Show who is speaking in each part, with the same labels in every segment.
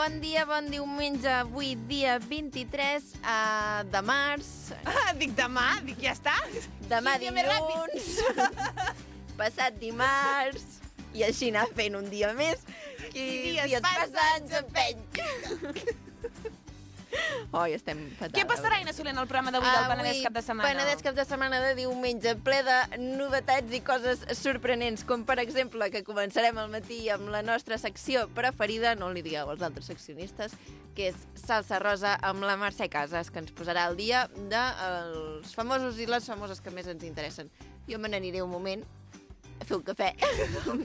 Speaker 1: Bon dia, bon diumenge, avui dia 23 de març.
Speaker 2: Dic demà, ja està.
Speaker 1: Demà dilluns, passat dimarts, i així anar fent un dia més. Qui dies passats empeny. Estem fatal.
Speaker 2: Què passarà, Ina Soler, en el programa d'avui del Penedès cap de setmana?
Speaker 1: Penedès cap de setmana de diumenge, ple de novetats i coses sorprenents, com per exemple que començarem al matí amb la nostra secció preferida, no li digueu als altres seccionistes, que és Salsa Rosa amb la Mercè Casas, que ens posarà al dia dels famosos i les famoses que més ens interessen. Jo me n'aniré un moment a fer un cafè.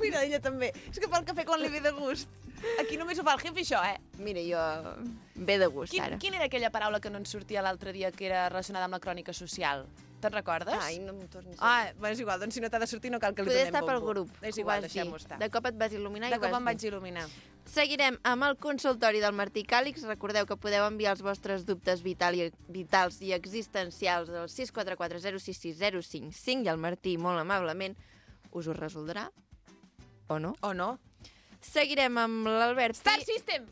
Speaker 2: Mira, ella també. És que fa el cafè quan li ve de gust. Aquí només ho fa el jefe, això,
Speaker 1: Mira, jo ve de gust, ara.
Speaker 2: Quina era aquella paraula que no ens sortia l'altre dia que era relacionada amb la crònica social? Te'n recordes?
Speaker 1: Ai, no m'ho tornis a dir.
Speaker 2: És igual, doncs si no t'ha de sortir no cal que li
Speaker 1: Poder
Speaker 2: donem
Speaker 1: estar pel
Speaker 2: bombo.
Speaker 1: grup.
Speaker 2: És igual, deixem-ho estar.
Speaker 1: De cop et vas il·luminar i
Speaker 2: De cop em vaig il·luminar.
Speaker 1: Seguirem amb el consultori del Martí Càlix. Recordeu que podeu enviar els vostres dubtes vitals i existencials al 644 066 055 i el Martí, molt amablement, us ho resoldrà. O no?
Speaker 2: O no?
Speaker 1: Seguirem amb l'Albert.
Speaker 2: Star System!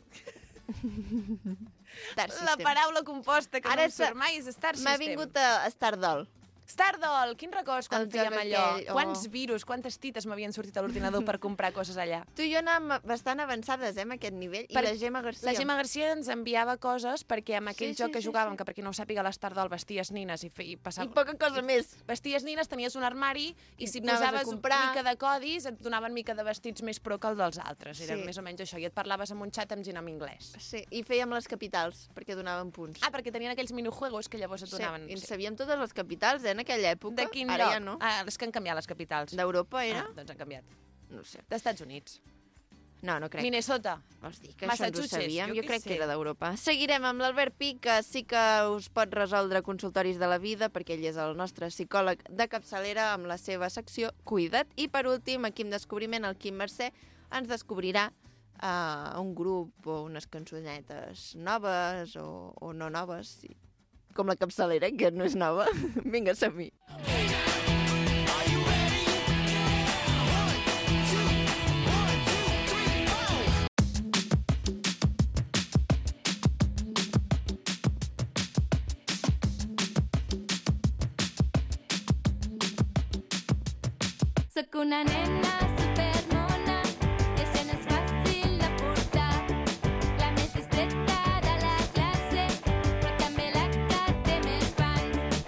Speaker 1: Star System.
Speaker 2: La paraula composta que
Speaker 1: Ara
Speaker 2: no em surt mai és Star System.
Speaker 1: M'ha vingut a Stardoll.
Speaker 2: Stardoll, quin records quan
Speaker 1: El
Speaker 2: fèiem
Speaker 1: joc
Speaker 2: allò.
Speaker 1: aquell,
Speaker 2: Quants virus, quantes tites m'havien sortit a l'ordinador per comprar coses allà.
Speaker 1: Tu i jo anàvem bastant avançades, amb aquest nivell. I la Gemma Garcia.
Speaker 2: La Gemma Garcia ens enviava coses perquè amb aquell
Speaker 1: Sí,
Speaker 2: joc que
Speaker 1: sí,
Speaker 2: jugàvem,
Speaker 1: sí.
Speaker 2: que per qui no ho sàpiga, a l'Stardol vesties nines i passava...
Speaker 1: I poca cosa més.
Speaker 2: Vesties nines, tenies un armari i si
Speaker 1: Anaves a
Speaker 2: posaves
Speaker 1: comprar.
Speaker 2: mica de codis et donaven mica de vestits més pro que el dels altres. Era
Speaker 1: Sí.
Speaker 2: més o menys això. I et parlaves amb un xat amb gent en anglès.
Speaker 1: Sí, i fèiem les capitals, perquè donaven punts.
Speaker 2: Perquè tenien aquells minijuegos que llavors et donaven...
Speaker 1: Sí, i en sabíem totes les capitals, en aquella època.
Speaker 2: De quin
Speaker 1: Ara
Speaker 2: lloc?
Speaker 1: ja no.
Speaker 2: És que han canviat les capitals.
Speaker 1: D'Europa era?
Speaker 2: Doncs han canviat.
Speaker 1: No sé.
Speaker 2: D'Estats Units.
Speaker 1: No, no crec.
Speaker 2: Minnesota.
Speaker 1: Vols dir que això ens ho
Speaker 2: Massachusetts,
Speaker 1: sabíem?
Speaker 2: jo
Speaker 1: Jo
Speaker 2: què
Speaker 1: crec
Speaker 2: sé.
Speaker 1: que era d'Europa. Seguirem amb l'Albert Pi, que sí que us pot resoldre consultoris de la vida, perquè ell és el nostre psicòleg de capçalera amb la seva secció Cuida't. I per últim, aquí en Descobriment, el Quim Mercè ens descobrirà un grup o unes cançonetes noves o no noves, com la capçalera, que no és nova. Vinga, som-hi.
Speaker 3: Soc una nena supermona i això no és fàcil de portar. La més discreta de la classe, però també la que té més fans.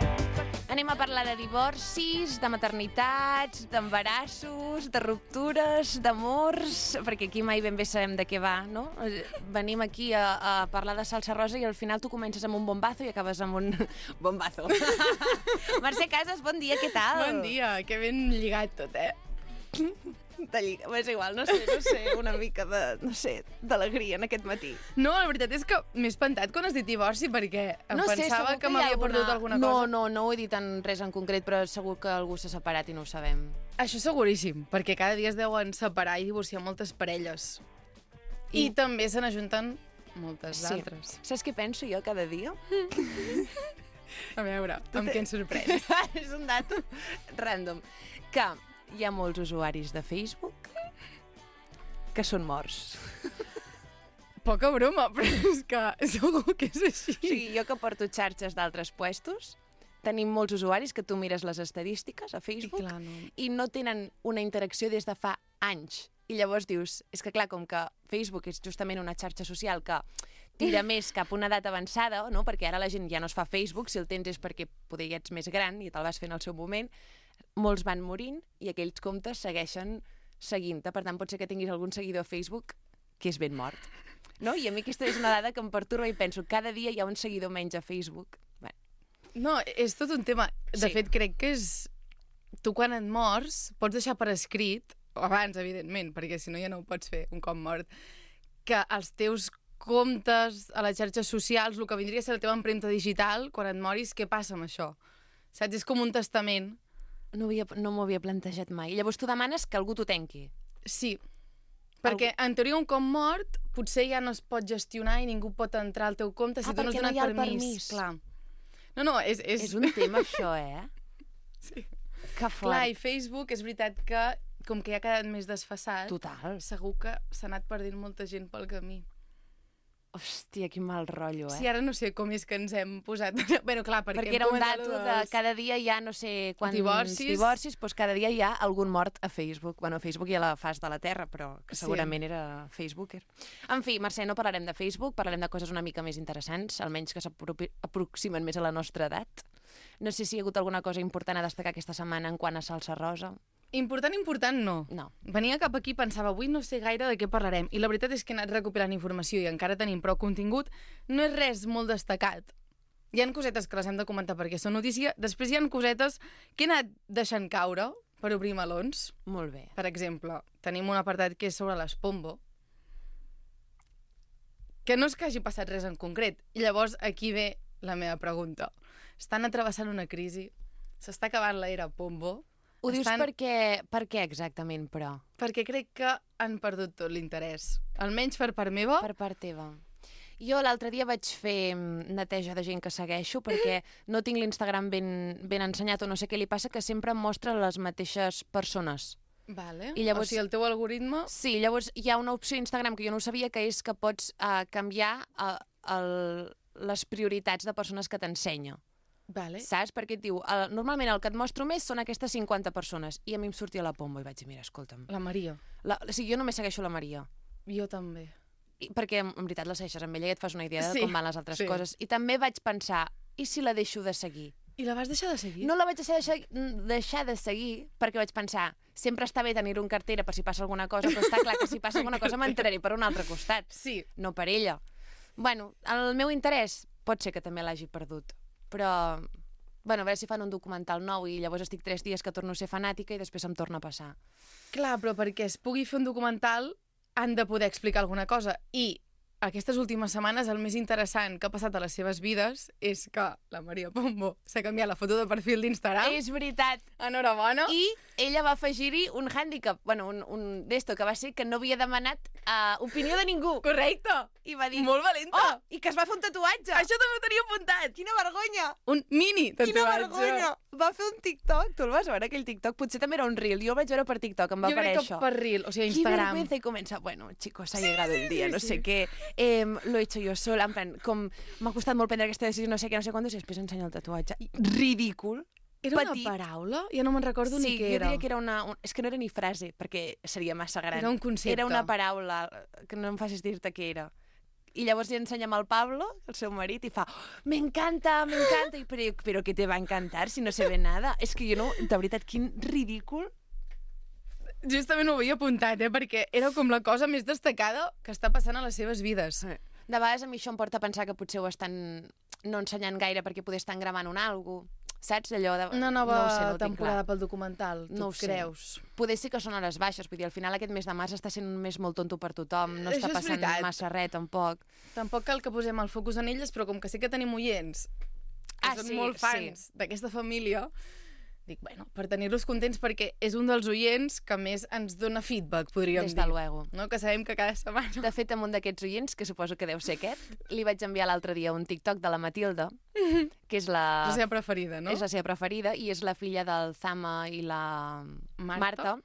Speaker 2: Anem a parlar de divorcis, de maternitats, d'embarassos, de ruptures, d'amors, perquè aquí mai ben bé sabem de què va, no? Venim aquí a parlar de salsa rosa i al final tu comences amb un bombazo i acabes amb un bombazo. Mercè Casas, bon dia, què tal?
Speaker 4: Bon dia, que ben lligat tot,
Speaker 2: És igual, no sé, una mica d'alegria en aquest matí.
Speaker 4: No, la veritat és que m'he espantat quan has dit divorci perquè pensava que m'havia perdut alguna cosa.
Speaker 2: No ho he dit en res en concret, però segur que algú s'ha separat i no ho sabem.
Speaker 4: Això seguríssim, perquè cada dia es deuen separar i divorciar moltes parelles. I també se n'ajunten moltes altres.
Speaker 2: Saps què penso jo cada dia?
Speaker 4: A veure, amb què ens sorprens?
Speaker 2: És un dato random. Que hi ha molts usuaris de Facebook que són morts.
Speaker 4: Poca broma, però és que segur que és així.
Speaker 2: O sigui, jo que porto xarxes d'altres puestos, tenim molts usuaris que tu mires les estadístiques a Facebook
Speaker 4: I clar, no.
Speaker 2: i no tenen una interacció des de fa anys. I llavors dius, és que clar, com que Facebook és justament una xarxa social que tira més cap a una edat avançada, no? Perquè ara la gent ja no es fa Facebook, si el tens és perquè poder ja ets més gran i te'l vas fer en el seu moment, molts van morint i aquells comptes segueixen seguint-te. Per tant, pot ser que tinguis algun seguidor a Facebook que és ben mort. No? I a mi aquesta és una dada que em perturba i penso, cada dia hi ha un seguidor menys a Facebook. Bé.
Speaker 4: No, és tot un tema. De fet, crec que és... Tu quan et mors pots deixar per escrit, o abans, evidentment, perquè si no ja no ho pots fer un cop mort, que els teus comptes a les xarxes socials, el que vindria a ser la teva empremta digital, quan et moris, què passa amb això? Saps? És com un testament.
Speaker 2: No m'ho havia plantejat mai. Llavors tu demanes que algú t'ho tanqui.
Speaker 4: Sí, perquè en teoria un cop mort potser ja no es pot gestionar i ningú pot entrar al teu compte si tu no has donat permís. Clar. No, és
Speaker 2: un tema això,
Speaker 4: Sí.
Speaker 2: Que fort.
Speaker 4: Clar, i Facebook és veritat que com que ja ha quedat més desfasat,
Speaker 2: Total.
Speaker 4: segur que s'ha anat perdent molta gent pel camí.
Speaker 2: Hòstia, quin mal rotllo,
Speaker 4: Sí, ara no sé com és que ens hem posat... Bueno, clar,
Speaker 2: Perquè era un dato de cada dia hi ha no sé quants divorcis, doncs cada dia hi ha algun mort a Facebook. Bueno, Facebook hi ha la faç de la Terra, però que segurament era Facebooker. En fi, Mercè, no parlarem de Facebook, parlarem de coses una mica més interessants, almenys que s'aproximen més a la nostra edat. No sé si hi ha hagut alguna cosa important a destacar aquesta setmana en quant a salsa rosa.
Speaker 4: Important, no. Venia cap aquí i pensava, avui no sé gaire de què parlarem. I la veritat és que he anat recopilant informació i encara tenim prou contingut. No és res molt destacat. Hi ha cosetes que les hem de comentar perquè són notícia. Després hi ha cosetes que he anat deixant caure per obrir melons.
Speaker 2: Molt bé.
Speaker 4: Per exemple, tenim un apartat que és sobre les Pombo, que no és que hagi passat res en concret. I llavors aquí ve la meva pregunta. Estan atrevessant una crisi? S'està acabant l'era Pombo?
Speaker 2: Ho dius per què exactament, però?
Speaker 4: Perquè crec que han perdut tot l'interès. Almenys per part meva.
Speaker 2: Per part teva. Jo l'altre dia vaig fer neteja de gent que segueixo perquè no tinc l'Instagram ben ensenyat o no sé què li passa, que sempre em mostra les mateixes persones.
Speaker 4: Vale.
Speaker 2: I llavors,
Speaker 4: o sigui, el teu algoritme...
Speaker 2: Sí, llavors hi ha una opció a Instagram que jo no ho sabia, que és que pots canviar les prioritats de persones que t'ensenya.
Speaker 4: Vale.
Speaker 2: Saps? Perquè et diu, normalment el que et mostro més són aquestes 50 persones. I a mi em sortia la Pombo i vaig dir, mira, escolta'm.
Speaker 4: La Maria.
Speaker 2: O sigui, jo només segueixo la Maria.
Speaker 4: Jo també.
Speaker 2: Perquè, en veritat, la segueixes amb ella i et fas una idea de com van les altres coses. I també vaig pensar, i si la deixo de seguir?
Speaker 4: I la vas deixar de seguir?
Speaker 2: No la vaig deixar de seguir perquè vaig pensar, sempre està bé tenir-ho en cartera per si passa alguna cosa, però està clar que si passa alguna cosa m'entraré per un altre costat.
Speaker 4: Sí.
Speaker 2: No per ella. Bueno, el meu interès pot ser que també l'hagi perdut. Però, bueno, a veure si fan un documental nou i llavors estic 3 dies que torno a ser fanàtica i després em torna a passar.
Speaker 4: Clar, però perquè es pugui fer un documental han de poder explicar alguna cosa. I aquestes últimes setmanes el més interessant que ha passat a les seves vides és que la Maria Pombo s'ha canviat la foto de perfil d'Instagram.
Speaker 2: És veritat.
Speaker 4: Enhorabona.
Speaker 2: I ella va afegir-hi un hàndicap, bueno, un d'esto, que va ser que no havia demanat opinió de ningú.
Speaker 4: Correcte.
Speaker 2: I va dir...
Speaker 4: Molt valenta.
Speaker 2: Oh, i que es va fer un tatuatge.
Speaker 4: Això també ho tenia apuntat.
Speaker 2: Quina vergonya.
Speaker 4: Un mini tatuatge.
Speaker 2: Quina vergonya. Va fer un TikTok. Tu el vas veure, aquell TikTok? Potser també era un reel. Jo el vaig veure per TikTok, em va aparèixer.
Speaker 4: Jo crec que per reel, o sigui, Instagram.
Speaker 2: Qué vergüenza. I comença, bueno, chicos, ha llegado el día, no sé què. Lo he hecho yo sola, en plan, com m'ha costat molt prendre aquesta decisió, no sé què, no sé quantos, i després ensenya el tatuatge. Ridícul.
Speaker 4: Era una paraula? Ja no me'n recordo ni què era.
Speaker 2: Sí, jo diria que era una... És que no era ni frase, perquè seria massa gran.
Speaker 4: Era un concepte.
Speaker 2: Era una paraula, que no em facis dir-te què era. I llavors li ensenyem al Pablo, el seu marit, i fa, me encanta, i però què te va encantar si no se ve nada? És que jo no... De veritat, quin ridícul.
Speaker 4: Justament ho havia apuntat, perquè era com la cosa més destacada que està passant a les seves vides.
Speaker 2: De vegades a mi això em porta a pensar que potser ho estan no ensenyant gaire perquè poder estar gravant una algo. Saps? Allò de...
Speaker 4: Una nova temporada pel documental, tu creus?
Speaker 2: Poder sí que són hores baixes, vull dir, al final aquest mes de març està sent un mes molt tonto per tothom, no està passant massa res, tampoc.
Speaker 4: Tampoc cal que posem el focus en elles, però com que sí que tenim oients que són molt fans d'aquesta família, dic, bueno, per tenir-los contents, perquè és un dels oients que més ens dona feedback, podríem dir.
Speaker 2: Des de luego.
Speaker 4: No? Que sabem que cada setmana...
Speaker 2: De fet, amb un d'aquests oients, que suposo que deu ser aquest, li vaig enviar l'altre dia un TikTok de la Matilda, que és la
Speaker 4: seva preferida, no?
Speaker 2: És la seva preferida i és la filla del Zama i la Marta.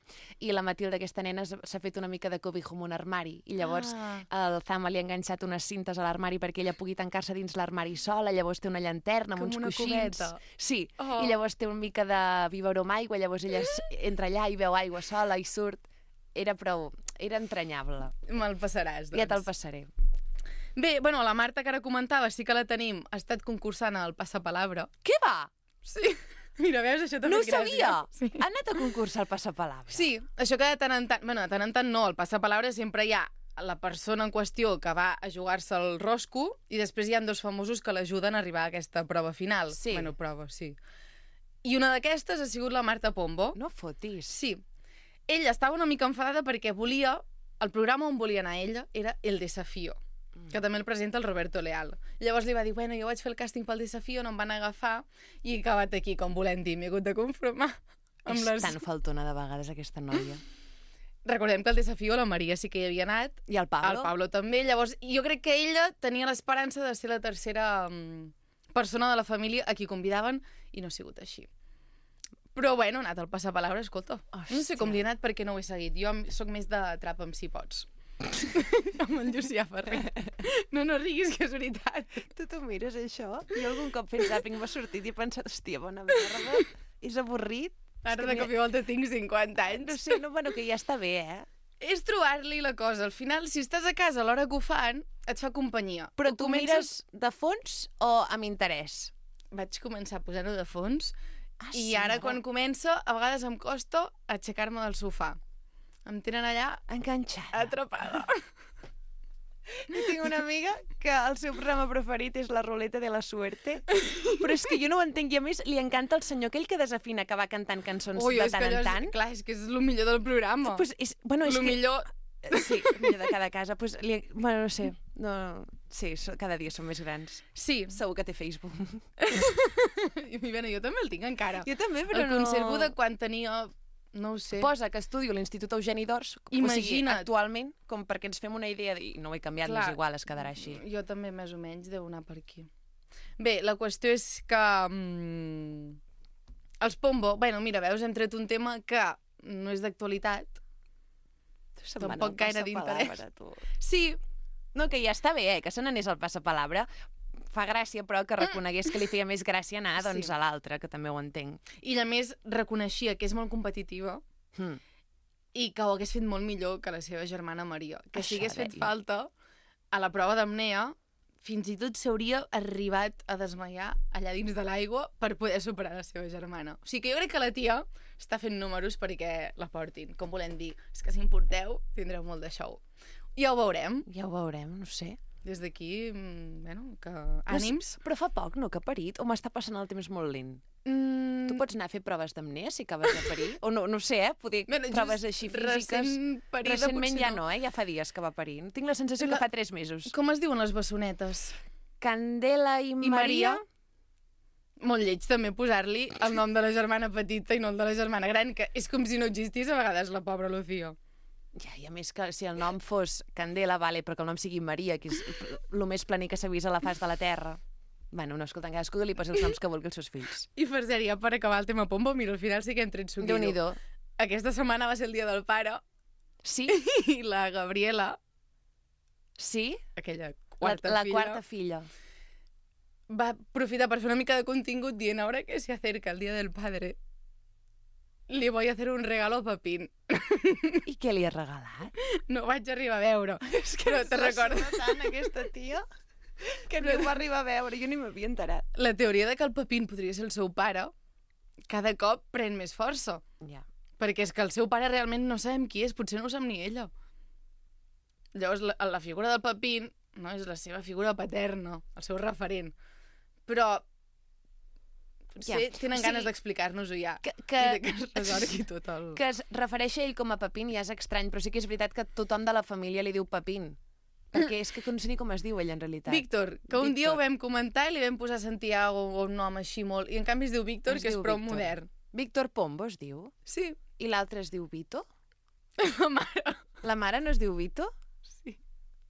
Speaker 2: I la Matilda, aquesta nena, s'ha fet una mica de cobijo amb un armari. I llavors el Zama li ha enganxat unes cintes a l'armari perquè ella pugui tancar-se dins l'armari sola. Llavors té una llanterna amb uns coixins.
Speaker 4: Cubeta.
Speaker 2: Sí, i llavors té una mica de biberó amb aigua. Llavors ella entra allà i veu aigua sola i surt. Era entranyable.
Speaker 4: Me'l passaràs, doncs.
Speaker 2: Ja te'l passaré.
Speaker 4: Bé, bueno, la Marta, que ara comentava, sí que la tenim, ha estat concursant al Passapalabra.
Speaker 2: Què va?
Speaker 4: Sí. Mira, veus, això també
Speaker 2: no
Speaker 4: és gràcia.
Speaker 2: No ho sabia. Sí. Ha anat a concursar al Passapalabra.
Speaker 4: Sí, això que de tant en tant... Bueno, de tant en tant no, al Passapalabra sempre hi ha la persona en qüestió que va a jugar-se el rosco i després hi ha 2 famosos que l'ajuden a arribar a aquesta prova final.
Speaker 2: Sí.
Speaker 4: Bueno, prova, sí. I una d'aquestes ha sigut la Marta Pombo.
Speaker 2: No fotis.
Speaker 4: Sí. Ella estava una mica enfadada perquè volia... El programa on volia anar ella era El Desafío, que també el presenta el Roberto Leal. Llavors li va dir, bueno, jo vaig fer el càsting pel Desafío, no em van agafar, i he acabat aquí, com volem dir, m'he hagut de conformar amb
Speaker 2: És tan faltona de vegades, aquesta noia.
Speaker 4: Recordem que el Desafío la Maria sí que hi havia anat.
Speaker 2: I el Pablo.
Speaker 4: El Pablo també. Llavors, jo crec que ella tenia l'esperança de ser la tercera persona de la família a qui convidaven, i no ha sigut així. Però, bueno, ha anat al Passapalabra, escolta. Hòstia. No sé com li ha anat perquè no ho he seguit. Jo sóc més de trap amb si pots. amb el Llucià Ferrer. No riguis, que és veritat.
Speaker 2: Tu t'ho mires, això? Jo algun cop fent zàping m'ha sortit i he pensat, hòstia, bona merda, és avorrit.
Speaker 4: Ara de cop i volta tinc 50 anys.
Speaker 2: No sé, bueno, que ja està bé,
Speaker 4: És trobar-li la cosa. Al final, si estàs a casa a l'hora que ho fan, et fa companyia.
Speaker 2: Però tu mires de fons o amb interès?
Speaker 4: Vaig començar a posar-ho de fons
Speaker 2: Sí,
Speaker 4: i ara, quan comença, a vegades em costa aixecar-me del sofà. Em tenen allà
Speaker 2: enganxada.
Speaker 4: atrapada.
Speaker 2: Jo tinc una amiga que el seu programa preferit és la ruleta de la suerte, però és que jo no ho entenc, i a més li encanta el senyor aquell que desafina, que va cantant cançons de tant en tant.
Speaker 4: Clar, és que és el millor del programa.
Speaker 2: Pues és, bueno, és
Speaker 4: el millor...
Speaker 2: Sí, el millor de cada casa. Pues bueno, no sé. No... Sí, cada dia són més grans.
Speaker 4: Sí.
Speaker 2: Segur que té Facebook.
Speaker 4: I bueno, jo també el tinc encara.
Speaker 2: Jo també, però
Speaker 4: el conservo de quan tenia... No ho sé.
Speaker 2: Posa que estudio a l'Institut Eugeni d'Ors,
Speaker 4: Imagina't.
Speaker 2: o sigui, actualment, com perquè ens fem una idea, i no ho he canviat,
Speaker 4: Clar,
Speaker 2: més igual, es quedarà així.
Speaker 4: Jo també, més o menys, deu anar per aquí. Bé, la qüestió és que... els Pombo... Bueno, mira, veus, hem tret un tema que no és d'actualitat. Tampoc gaire d'interès. Sí.
Speaker 2: No, que ja està bé, que se n'anés al passapalabra. Fa gràcia, però, que reconegués que li feia més gràcia anar doncs, a l'altre, que també ho entenc.
Speaker 4: I, a més, reconeixia que és molt competitiva i que ho hagués fet molt millor que la seva germana Maria. Que si hagués fet falta, a la prova d'apnea, fins i tot s'hauria arribat a desmaiar allà dins de l'aigua per poder superar la seva germana. O sigui que jo crec que la tia està fent números perquè la portin. Com volem dir, és que si em porteu, tindreu molt de show. Ja ho veurem.
Speaker 2: Ja ho veurem, no sé.
Speaker 4: Des d'aquí, bueno, que ànims.
Speaker 2: Però fa poc, no, que ha parit? O m'està passant el temps molt lent? Tu pots anar a fer proves d'apnea si acabes de parir? O no sé, poder proves així físiques. Recentment ja no, ja fa dies que va parir. Tinc la sensació que fa 3 mesos.
Speaker 4: Com es diuen les bessonetes?
Speaker 2: Candela i Maria.
Speaker 4: Molt lleig també posar-li el nom de la germana petita i no el de la germana gran, que és com si no existís a vegades la pobra Lucía.
Speaker 2: Ja, i a més que si el nom fos Candela, vale, però que el nom sigui Maria, que és el més planer que s'ha vist a la faç de la Terra. Bueno, no, escolta, cadascú li posa els noms que vulgui als seus fills.
Speaker 4: I per sèrie, per acabar el tema Pombo, mira, al final sí que hem tret suquillo.
Speaker 2: Déu-n'hi-do.
Speaker 4: Aquesta setmana va ser el dia del pare.
Speaker 2: Sí?
Speaker 4: I la Gabriela...
Speaker 2: Sí?
Speaker 4: Aquella quarta filla.
Speaker 2: La quarta filla.
Speaker 4: Va aprofitar per fer una mica de contingut dient ahora que se acerca el dia del padre. Li voy a hacer un regalo a Pepín.
Speaker 2: I què li ha regalat?
Speaker 4: No vaig arribar a veure. És que no te recordo
Speaker 2: tant, aquesta tia, que no va arribar a veure. Jo ni m'havia enterat.
Speaker 4: La teoria de que el Pepín podria ser el seu pare cada cop pren més força.
Speaker 2: Ja.
Speaker 4: Perquè és que el seu pare realment no sabem qui és, potser no ho sap ni ella. Llavors, la figura del Pepín no és la seva figura paterna, el seu referent. Però potser tenen ganes d'explicar-nos-ho ja.
Speaker 2: Que
Speaker 4: es resorgui tot el...
Speaker 2: Que es refereix a ell com a Pepín ja és estrany, però sí que és veritat que tothom de la família li diu Pepín. Perquè és que no sé ni com es diu ell, en realitat.
Speaker 4: Víctor, que un dia ho vam comentar i li vam posar Santiago o un nom així molt... I en canvi es diu Víctor, que és prou modern.
Speaker 2: Víctor Pombo es diu?
Speaker 4: Sí.
Speaker 2: I l'altre es diu Vito?
Speaker 4: La mare.
Speaker 2: La mare no es diu Vito?
Speaker 4: Sí.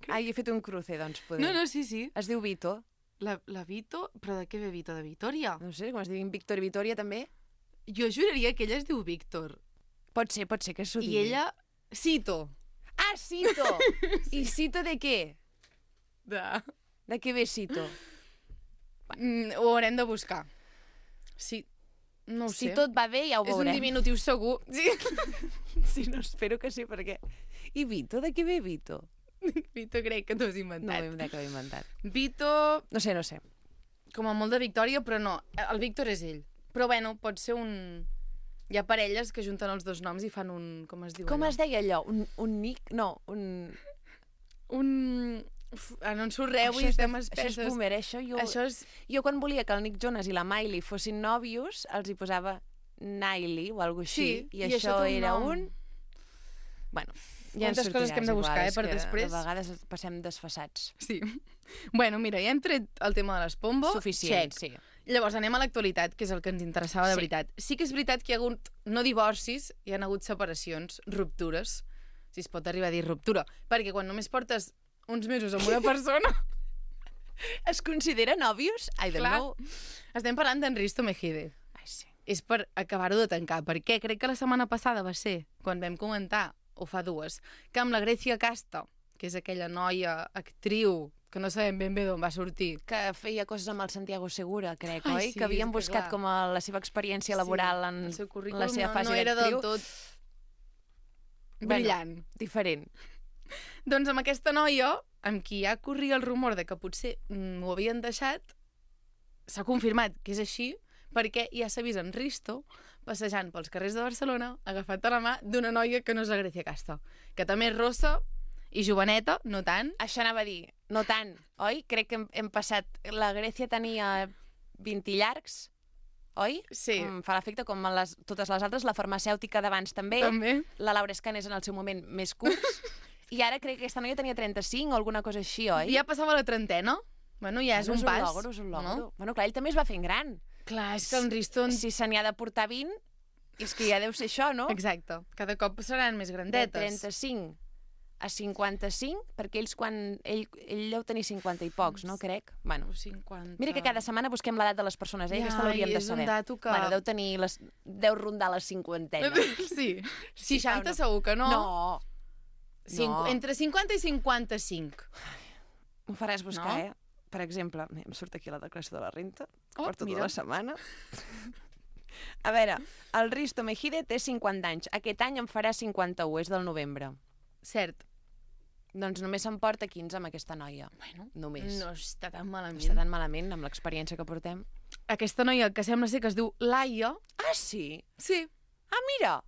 Speaker 2: Ah, hi he fet un cruce, doncs, poder.
Speaker 4: No, sí.
Speaker 2: Es diu Vito.
Speaker 4: La Vito? Però de què ve Vito? De Vitòria?
Speaker 2: No sé, com es diguin Víctor i Vitòria, també.
Speaker 4: Jo juraria que ella es diu Víctor.
Speaker 2: Pot ser que s'ho digui.
Speaker 4: I ella... Cito.
Speaker 2: Ah, Cito! Sí. I Cito de què? De què ve Cito?
Speaker 4: Ho haurem de buscar. Sí, no ho sé.
Speaker 2: Si tot va bé, ja ho veurem.
Speaker 4: És un diminutiu segur. Sí.
Speaker 2: Sí, no, espero que sí, perquè... I Vito? De què ve Vito?
Speaker 4: Vito crec que t'ho has inventat.
Speaker 2: No, crec que ho he inventat.
Speaker 4: Vito...
Speaker 2: No sé.
Speaker 4: Com a molt de Victòria, però no. El Víctor és ell. Però bueno, pot ser un... Hi ha parelles que junten els dos noms i fan un... Com es diu
Speaker 2: Com
Speaker 4: allò?
Speaker 2: es deia allò? Un Nick? No, un...
Speaker 4: no ens sorreu i estem espesses.
Speaker 2: Això és boomer, això. Jo quan volia que el Nick Jonas i la Miley fossin nòvios, els hi posava Niley o alguna cosa així.
Speaker 4: Sí,
Speaker 2: i això era un... Bueno, ja ens
Speaker 4: coses que hem de buscar, per després.
Speaker 2: A vegades passem desfassats.
Speaker 4: Sí. Bueno, mira, ja hem tret el tema de les Pombo.
Speaker 2: Suficient, sí.
Speaker 4: Llavors anem a l'actualitat, que és el que ens interessava de veritat. Sí que és veritat que hi ha hagut, no divorcis, hi ha hagut separacions, ruptures, si es pot arribar a dir ruptura, perquè quan només portes uns mesos amb una persona...
Speaker 2: Es considera nòvios? I don't know.
Speaker 4: Estem parlant d'Enristo Mejide.
Speaker 2: Ai, sí.
Speaker 4: És per acabar-ho de tancar, perquè crec que la setmana passada va ser, quan vam comentar, o fa 2, que amb la Grècia Casta que és aquella noia, actriu, que no sabem ben bé d'on va sortir.
Speaker 2: Que feia coses amb el Santiago Segura, crec,
Speaker 4: Ai,
Speaker 2: oi?
Speaker 4: sí,
Speaker 2: Que havien
Speaker 4: és que
Speaker 2: buscat
Speaker 4: clar.
Speaker 2: com la seva experiència laboral en
Speaker 4: el seu currículum
Speaker 2: la seva fase
Speaker 4: no era del
Speaker 2: d'actriu.
Speaker 4: tot brillant.
Speaker 2: Diferent.
Speaker 4: Doncs amb aquesta noia, amb qui ja corria el rumor de que potser ho havien deixat, s'ha confirmat que és així, perquè ja s'ha vist en Risto passejant pels carrers de Barcelona, agafat a la mà d'una noia que no és la Grècia Casta, que també és rossa i joveneta, no tant.
Speaker 2: Això anava a dir, no tant, oi? Crec que hem passat... La Grècia tenia 20 llargs, oi?
Speaker 4: Sí.
Speaker 2: Em fa l'efecte com totes les altres, la farmacèutica d'abans també,
Speaker 4: També.
Speaker 2: la Laura Escanes en el seu moment més curts, i ara crec que aquesta noia tenia 35 o alguna cosa així, oi?
Speaker 4: Ja passava la trentena. Bueno, ja és un pas.
Speaker 2: És un logro.
Speaker 4: No?
Speaker 2: Bueno, clar, ell també es va fent gran.
Speaker 4: Clar, és que en Risto...
Speaker 2: Si se n'hi ha de portar 20, és que ja deu ser això, no?
Speaker 4: Exacte. Cada cop seran més
Speaker 2: De
Speaker 4: grandetes.
Speaker 2: 35 a 55, perquè ells quan... Ell deu tenir 50 i pocs, no? Crec. Bueno,
Speaker 4: 50...
Speaker 2: mira que cada setmana busquem l'edat de les persones, eh?
Speaker 4: Ja,
Speaker 2: Aquesta l'hauríem
Speaker 4: i
Speaker 2: de
Speaker 4: és un
Speaker 2: saber.
Speaker 4: dato que-
Speaker 2: Bueno, deu rondar la cinquantena.
Speaker 4: Sí.
Speaker 2: Sí,
Speaker 4: 60
Speaker 2: no.
Speaker 4: segur que no.
Speaker 2: No. No.
Speaker 4: Entre 50 i 55.
Speaker 2: Ho faràs buscar,
Speaker 4: No?
Speaker 2: eh? Per exemple, em surt aquí la declaració de la renta,
Speaker 4: Oh,
Speaker 2: per tota
Speaker 4: mira.
Speaker 2: la setmana. A veure, el Risto Mejide té 50 anys. Aquest any en farà 51, és del novembre.
Speaker 4: Cert.
Speaker 2: Doncs només se'n porta 15 amb aquesta noia.
Speaker 4: Bueno,
Speaker 2: Només.
Speaker 4: no està tan
Speaker 2: No
Speaker 4: malament.
Speaker 2: està tan malament amb l'experiència que portem.
Speaker 4: Aquesta noia que sembla ser que es diu Laia.
Speaker 2: Ah, sí?
Speaker 4: Sí.
Speaker 2: Ah, mira!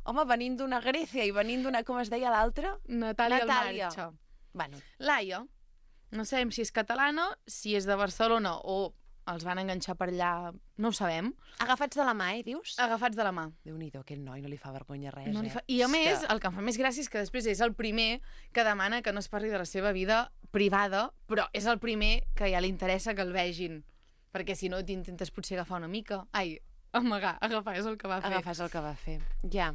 Speaker 2: Home, venint d'una Grècia i venint d'una, com es deia l'altra?
Speaker 4: Natàlia
Speaker 2: Natàlia.
Speaker 4: Almarcha.
Speaker 2: Bueno,
Speaker 4: Laia. No sabem si és catalana, si és de Barcelona o els van enganxar per allà, no ho sabem.
Speaker 2: agafats de la mà, dius?
Speaker 4: Agafats de la mà.
Speaker 2: Déu-n'hi-do, aquest noi no li fa vergonya res,
Speaker 4: No li
Speaker 2: eh?
Speaker 4: fa... I a
Speaker 2: És
Speaker 4: més,
Speaker 2: que-
Speaker 4: el que em fa més gràcia és que després és el primer que demana que no es parli de la seva vida privada, però és el primer que ja li interessa que el vegin. Perquè si no t'intentes potser agafar una mica. Ai, amagar, agafar, és el que va fer.
Speaker 2: Agafar és el que va fer. Ja.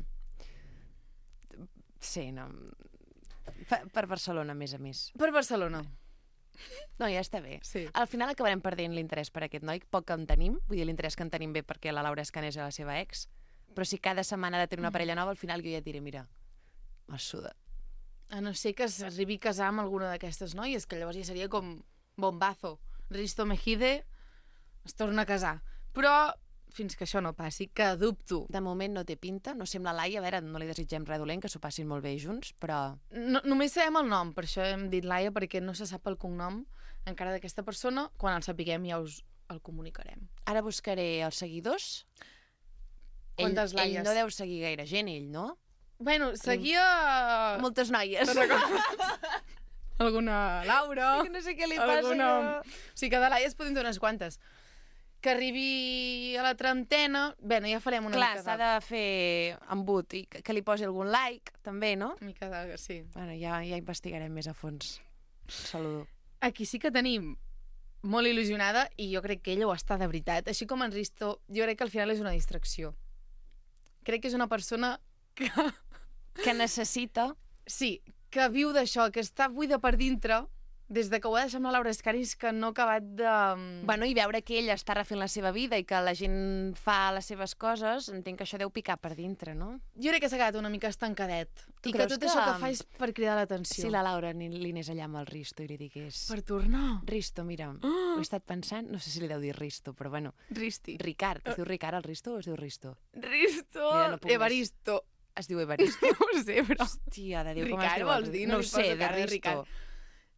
Speaker 2: Sí, no... Per Barcelona, a més.
Speaker 4: Per Barcelona.
Speaker 2: No, ja està bé.
Speaker 4: Sí.
Speaker 2: Al final acabarem perdent l'interès per aquest noi, poc que en tenim, vull dir, l'interès que en tenim bé perquè la Laura Escanes és la seva ex, però si cada setmana ha de tenir una parella nova, al final jo ja et diré, mira, m'ha sudat.
Speaker 4: A no ser que s'arribi a casar amb alguna d'aquestes noies, que llavors ja seria com bombazo. Risto Mejide es torna a casar. Però fins que això no passi, que dubto.
Speaker 2: De moment no té pinta, no sembla Laia, a veure, no li desitgem res dolent, que s'ho passin molt bé junts, però...
Speaker 4: No, només sabem el nom, per això hem dit Laia, perquè no se sap el cognom encara d'aquesta persona. Quan el sapiguem ja us el comunicarem.
Speaker 2: Ara buscaré els seguidors.
Speaker 4: Quantes
Speaker 2: ell
Speaker 4: Laies?
Speaker 2: no deu seguir gaire gent, ell, no?
Speaker 4: Bueno, seguia...
Speaker 2: Moltes noies.
Speaker 4: Alguna Laura...
Speaker 2: Que no sé què li passa.
Speaker 4: alguna...
Speaker 2: Que...
Speaker 4: O sigui, que de Laies podem dir unes quantes. Que arribi a la trentena... Bé, ja farem una
Speaker 2: Clar,
Speaker 4: mica
Speaker 2: s'ha de fer embut i que li posi algun like, també, no?
Speaker 4: Una mica de... Sí.
Speaker 2: Bueno, ja investigarem més a fons. Saludo.
Speaker 4: Aquí sí que tenim molt il·lusionada i jo crec que ella ho està de veritat. Així com en Risto, jo crec que al final és una distracció. Crec que és una persona que...
Speaker 2: Que necessita...
Speaker 4: Sí, que viu d'això, que està buida per dintre des de que ho va deixar amb la Laura Escanis, que no ha acabat de...
Speaker 2: Bueno, i veure que ella està refent la seva vida i que la gent fa les seves coses, entenc que això deu picar per dintre, no?
Speaker 4: Jo crec que s'ha quedat una mica estancadet.
Speaker 2: Tu
Speaker 4: I que
Speaker 2: creus
Speaker 4: tot
Speaker 2: que-
Speaker 4: això que fa és per cridar l'atenció.
Speaker 2: Si la Laura li anés allà amb el Risto i li digués...
Speaker 4: Per tornar.
Speaker 2: Risto, mira, ho he estat pensant, no sé si li deu dir Risto, però bueno,
Speaker 4: Risti.
Speaker 2: Ricard, es diu Ricard el Risto o es diu Risto?
Speaker 4: Risto.
Speaker 2: Mira, no puc més.
Speaker 4: Evaristo.
Speaker 2: Es diu Evaristo.
Speaker 4: No ho sé, però...
Speaker 2: Hòstia, de Déu, com es
Speaker 4: Ricard,
Speaker 2: diu?
Speaker 4: vols dir?
Speaker 2: No
Speaker 4: No
Speaker 2: ho
Speaker 4: li
Speaker 2: sé,
Speaker 4: poso
Speaker 2: de
Speaker 4: cara de
Speaker 2: Risto.
Speaker 4: Ricard.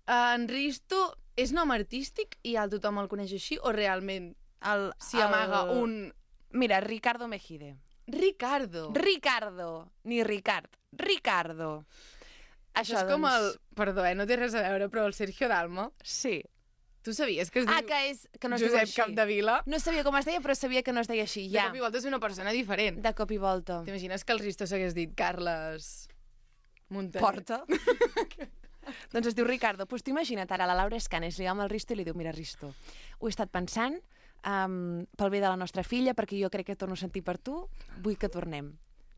Speaker 4: En Risto és nom artístic i tothom el coneix així o realment s'hi amaga un...
Speaker 2: Mira, Ricardo Mejide.
Speaker 4: Ricardo.
Speaker 2: Ricardo, ni Ricard. Ricardo.
Speaker 4: Això és com el... Perdó, no té res a veure, però el Sergio Dalma.
Speaker 2: Sí.
Speaker 4: Tu sabies que es diu
Speaker 2: Que no es diu
Speaker 4: Josep
Speaker 2: així.
Speaker 4: Capdevila?
Speaker 2: No sabia com es deia, però sabia que no es deia així.
Speaker 4: De
Speaker 2: Ja,
Speaker 4: cop i volta és una persona diferent.
Speaker 2: de cop i volta.
Speaker 4: T'imagines que el Risto s'hagués dit Carles Montaner?
Speaker 2: Porta. Doncs es diu Ricardo. Pues tu imagina't ara, la Laura Escanes li va amb el Risto i li diu, mira, Risto, ho he estat pensant pel bé de la nostra filla, perquè jo crec que torno a sentir per tu, vull que tornem.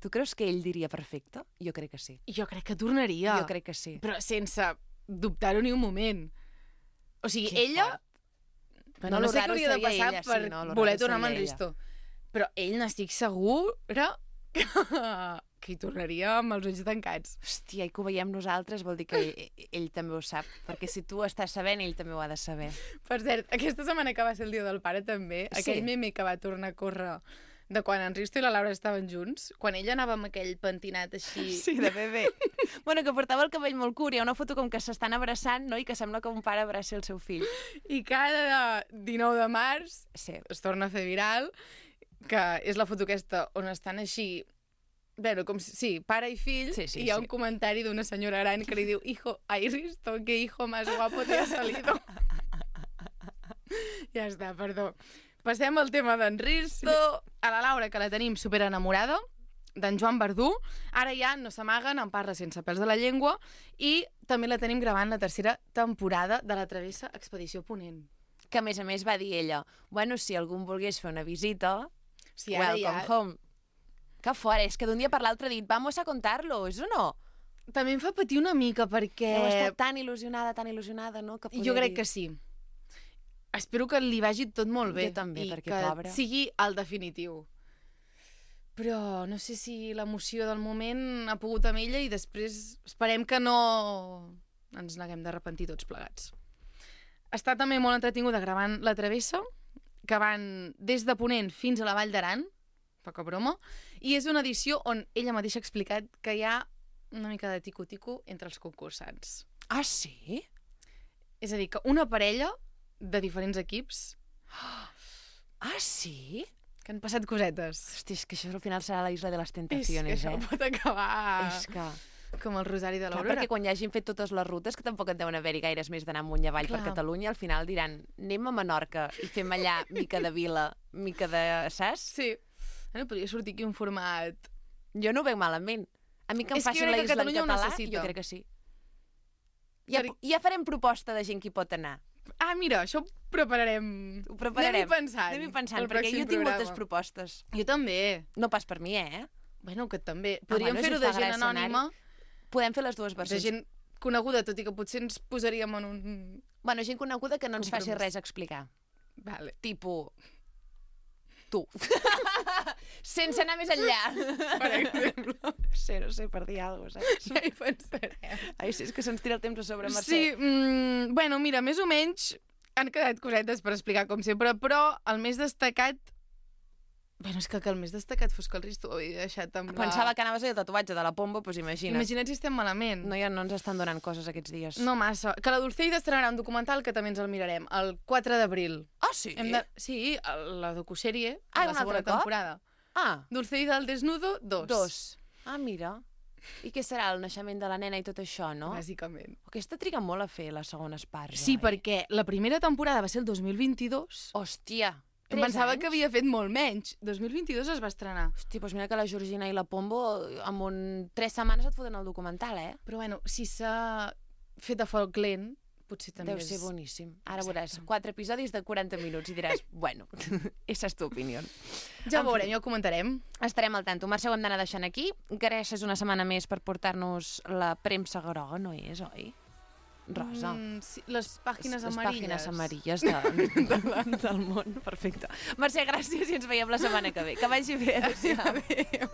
Speaker 2: Tu creus que ell diria perfecte? Jo crec que sí.
Speaker 4: Jo crec que tornaria.
Speaker 2: Jo crec que sí.
Speaker 4: Però sense dubtar-ho ni un moment. O sigui,
Speaker 2: Que
Speaker 4: ella...
Speaker 2: fort.
Speaker 4: Bueno,
Speaker 2: No,
Speaker 4: no
Speaker 2: lo
Speaker 4: sé què
Speaker 2: raro
Speaker 4: hauria de
Speaker 2: seria
Speaker 4: passar
Speaker 2: ella,
Speaker 4: per
Speaker 2: sí, no, lo
Speaker 4: voler
Speaker 2: raro
Speaker 4: tornar amb en
Speaker 2: seria
Speaker 4: Risto. Però ell n'estic segura que que hi tornaria amb els ulls tancats.
Speaker 2: Hòstia, i que ho veiem nosaltres vol dir que ell també ho sap, perquè si tu estàs sabent, ell també ho ha de saber.
Speaker 4: Per cert, aquesta setmana que va ser el dia del pare també, aquell meme que va tornar a córrer de quan en Risto i la Laura estaven junts, quan ella anava amb aquell pentinat així...
Speaker 2: Sí, de bebè. Bueno, que portava el cabell molt curt, hi ha una foto com que s'estan abraçant, no?, i que sembla que un pare abraci el seu fill.
Speaker 4: I cada 19 de març es torna a fer viral, que és la foto aquesta on estan així... Bueno, com si, sí, pare i fill, i hi ha un comentari d'una senyora gran que li diu «Ay, Risto, qué hijo más guapo te ha salido». Ja està, perdó. Passem al tema d'en Risto, a la Laura, que la tenim superenamorada, d'en Joan Verdú. Ara ja no s'amaguen, en parla sense pèls de la llengua, i també la tenim gravant la tercera temporada de la Travessa Expedició Ponent.
Speaker 2: Que, a més va dir ella, bueno, si algú volgués fer una visita,
Speaker 4: sí,
Speaker 2: welcome home. Que fora, és que d'un dia per l'altre he dit, vamos a contar-lo, és o no?
Speaker 4: També em fa patir una mica, perquè...
Speaker 2: Heu estat tan il·lusionada, no? Que
Speaker 4: jo crec que sí. Espero que li vagi tot molt bé.
Speaker 2: Jo també, perquè
Speaker 4: pobra. I que sigui el definitiu. Però no sé si l'emoció del moment ha pogut amb ella i després esperem que no ens n'haguem d'arrepentir tots plegats. Està també molt entretinguda gravant La Travessa, que van des de Ponent fins a la Vall d'Aran, poca broma, i és una edició on ella mateixa ha explicat que hi ha una mica de tico-tico entre els concursants.
Speaker 2: Ah, sí?
Speaker 4: És a dir, que una parella de diferents equips...
Speaker 2: Ah, sí?
Speaker 4: Que han passat cosetes.
Speaker 2: Hosti, és que això al final serà la Isla de les Tentaciones,
Speaker 4: És que això pot acabar...
Speaker 2: És que...
Speaker 4: Com el Rosari de l'Aurora.
Speaker 2: Perquè quan ja hagin fet totes les rutes, que tampoc en deuen haver-hi gaires més d'anar amunt i avall per Catalunya, al final diran, anem a Menorca i fem allà mica de vila, mica de... saps?
Speaker 4: Sí. Podria sortir aquí un format...
Speaker 2: Jo no ho veig malament. A mi que em facin la Isla en català, jo crec que sí. Ja farem proposta de gent que hi pot anar.
Speaker 4: Ah, mira, això ho prepararem.
Speaker 2: Ho prepararem.
Speaker 4: Anem-hi pensant
Speaker 2: perquè jo tinc moltes propostes.
Speaker 4: Jo també.
Speaker 2: No pas per mi,
Speaker 4: Bueno, que també. Podríem fer-ho de gent anònima.
Speaker 2: Podem fer les dues versions.
Speaker 4: De gent coneguda, tot i que potser ens posaríem en un...
Speaker 2: Bueno, gent coneguda que no ens faci res a explicar.
Speaker 4: Vale.
Speaker 2: Tipo... tu. Sense anar més enllà.
Speaker 4: Per exemple.
Speaker 2: No sé, per dir alguna cosa, saps?
Speaker 4: Ja hi pensarem.
Speaker 2: Ai, sí, és que se'ns tira el temps a sobre, Mercè.
Speaker 4: Sí, bueno, mira, més o menys han quedat cosetes per explicar, com sempre, però el més destacat... Bueno, és que el més destacat fos que el Risto ho havia deixat amb la...
Speaker 2: Pensava que anaves a dir el tatuatge de la Pombo, doncs imagina't.
Speaker 4: Imagina't si estem malament.
Speaker 2: No, ja no ens estan donant coses aquests dies.
Speaker 4: No massa. Que la Dulceida estrenarà un documental que també ens el mirarem, el 4 d'abril.
Speaker 2: Ah, sí?
Speaker 4: Sí, la docusèrie,
Speaker 2: la
Speaker 4: segona temporada.
Speaker 2: Ah.
Speaker 4: Dulceida al desnudo, 2.
Speaker 2: Ah, mira. I què serà, el naixement de la nena i tot això, no?
Speaker 4: Bàsicament.
Speaker 2: Aquesta triga molt a fer les segones parts,
Speaker 4: Sí, perquè la primera temporada va ser el 2022.
Speaker 2: Hòstia,
Speaker 4: Em pensava que havia fet molt menys. 2022 es va estrenar.
Speaker 2: Hòstia, doncs mira que la Georgina i la Pombo en 3 setmanes et foten el documental,
Speaker 4: Però bueno, si s'ha fet a foc lent, potser també
Speaker 2: deu ser boníssim. Ara veuràs 4 episodis de 40 minuts i diràs, bueno, esa és tu opinió.
Speaker 4: Ja ho veurem, ja ho comentarem.
Speaker 2: Estarem al tanto. Mercè, ho hem d'anar deixant aquí. Gràcies una setmana més per portar-nos la premsa groga, no és, oi? Rosa.
Speaker 4: Sí, les pàgines amarilles.
Speaker 2: Les pàgines amarilles del món. Perfecte. Mercè, gràcies i ens veiem la setmana que ve. Que vagi bé. Adéu.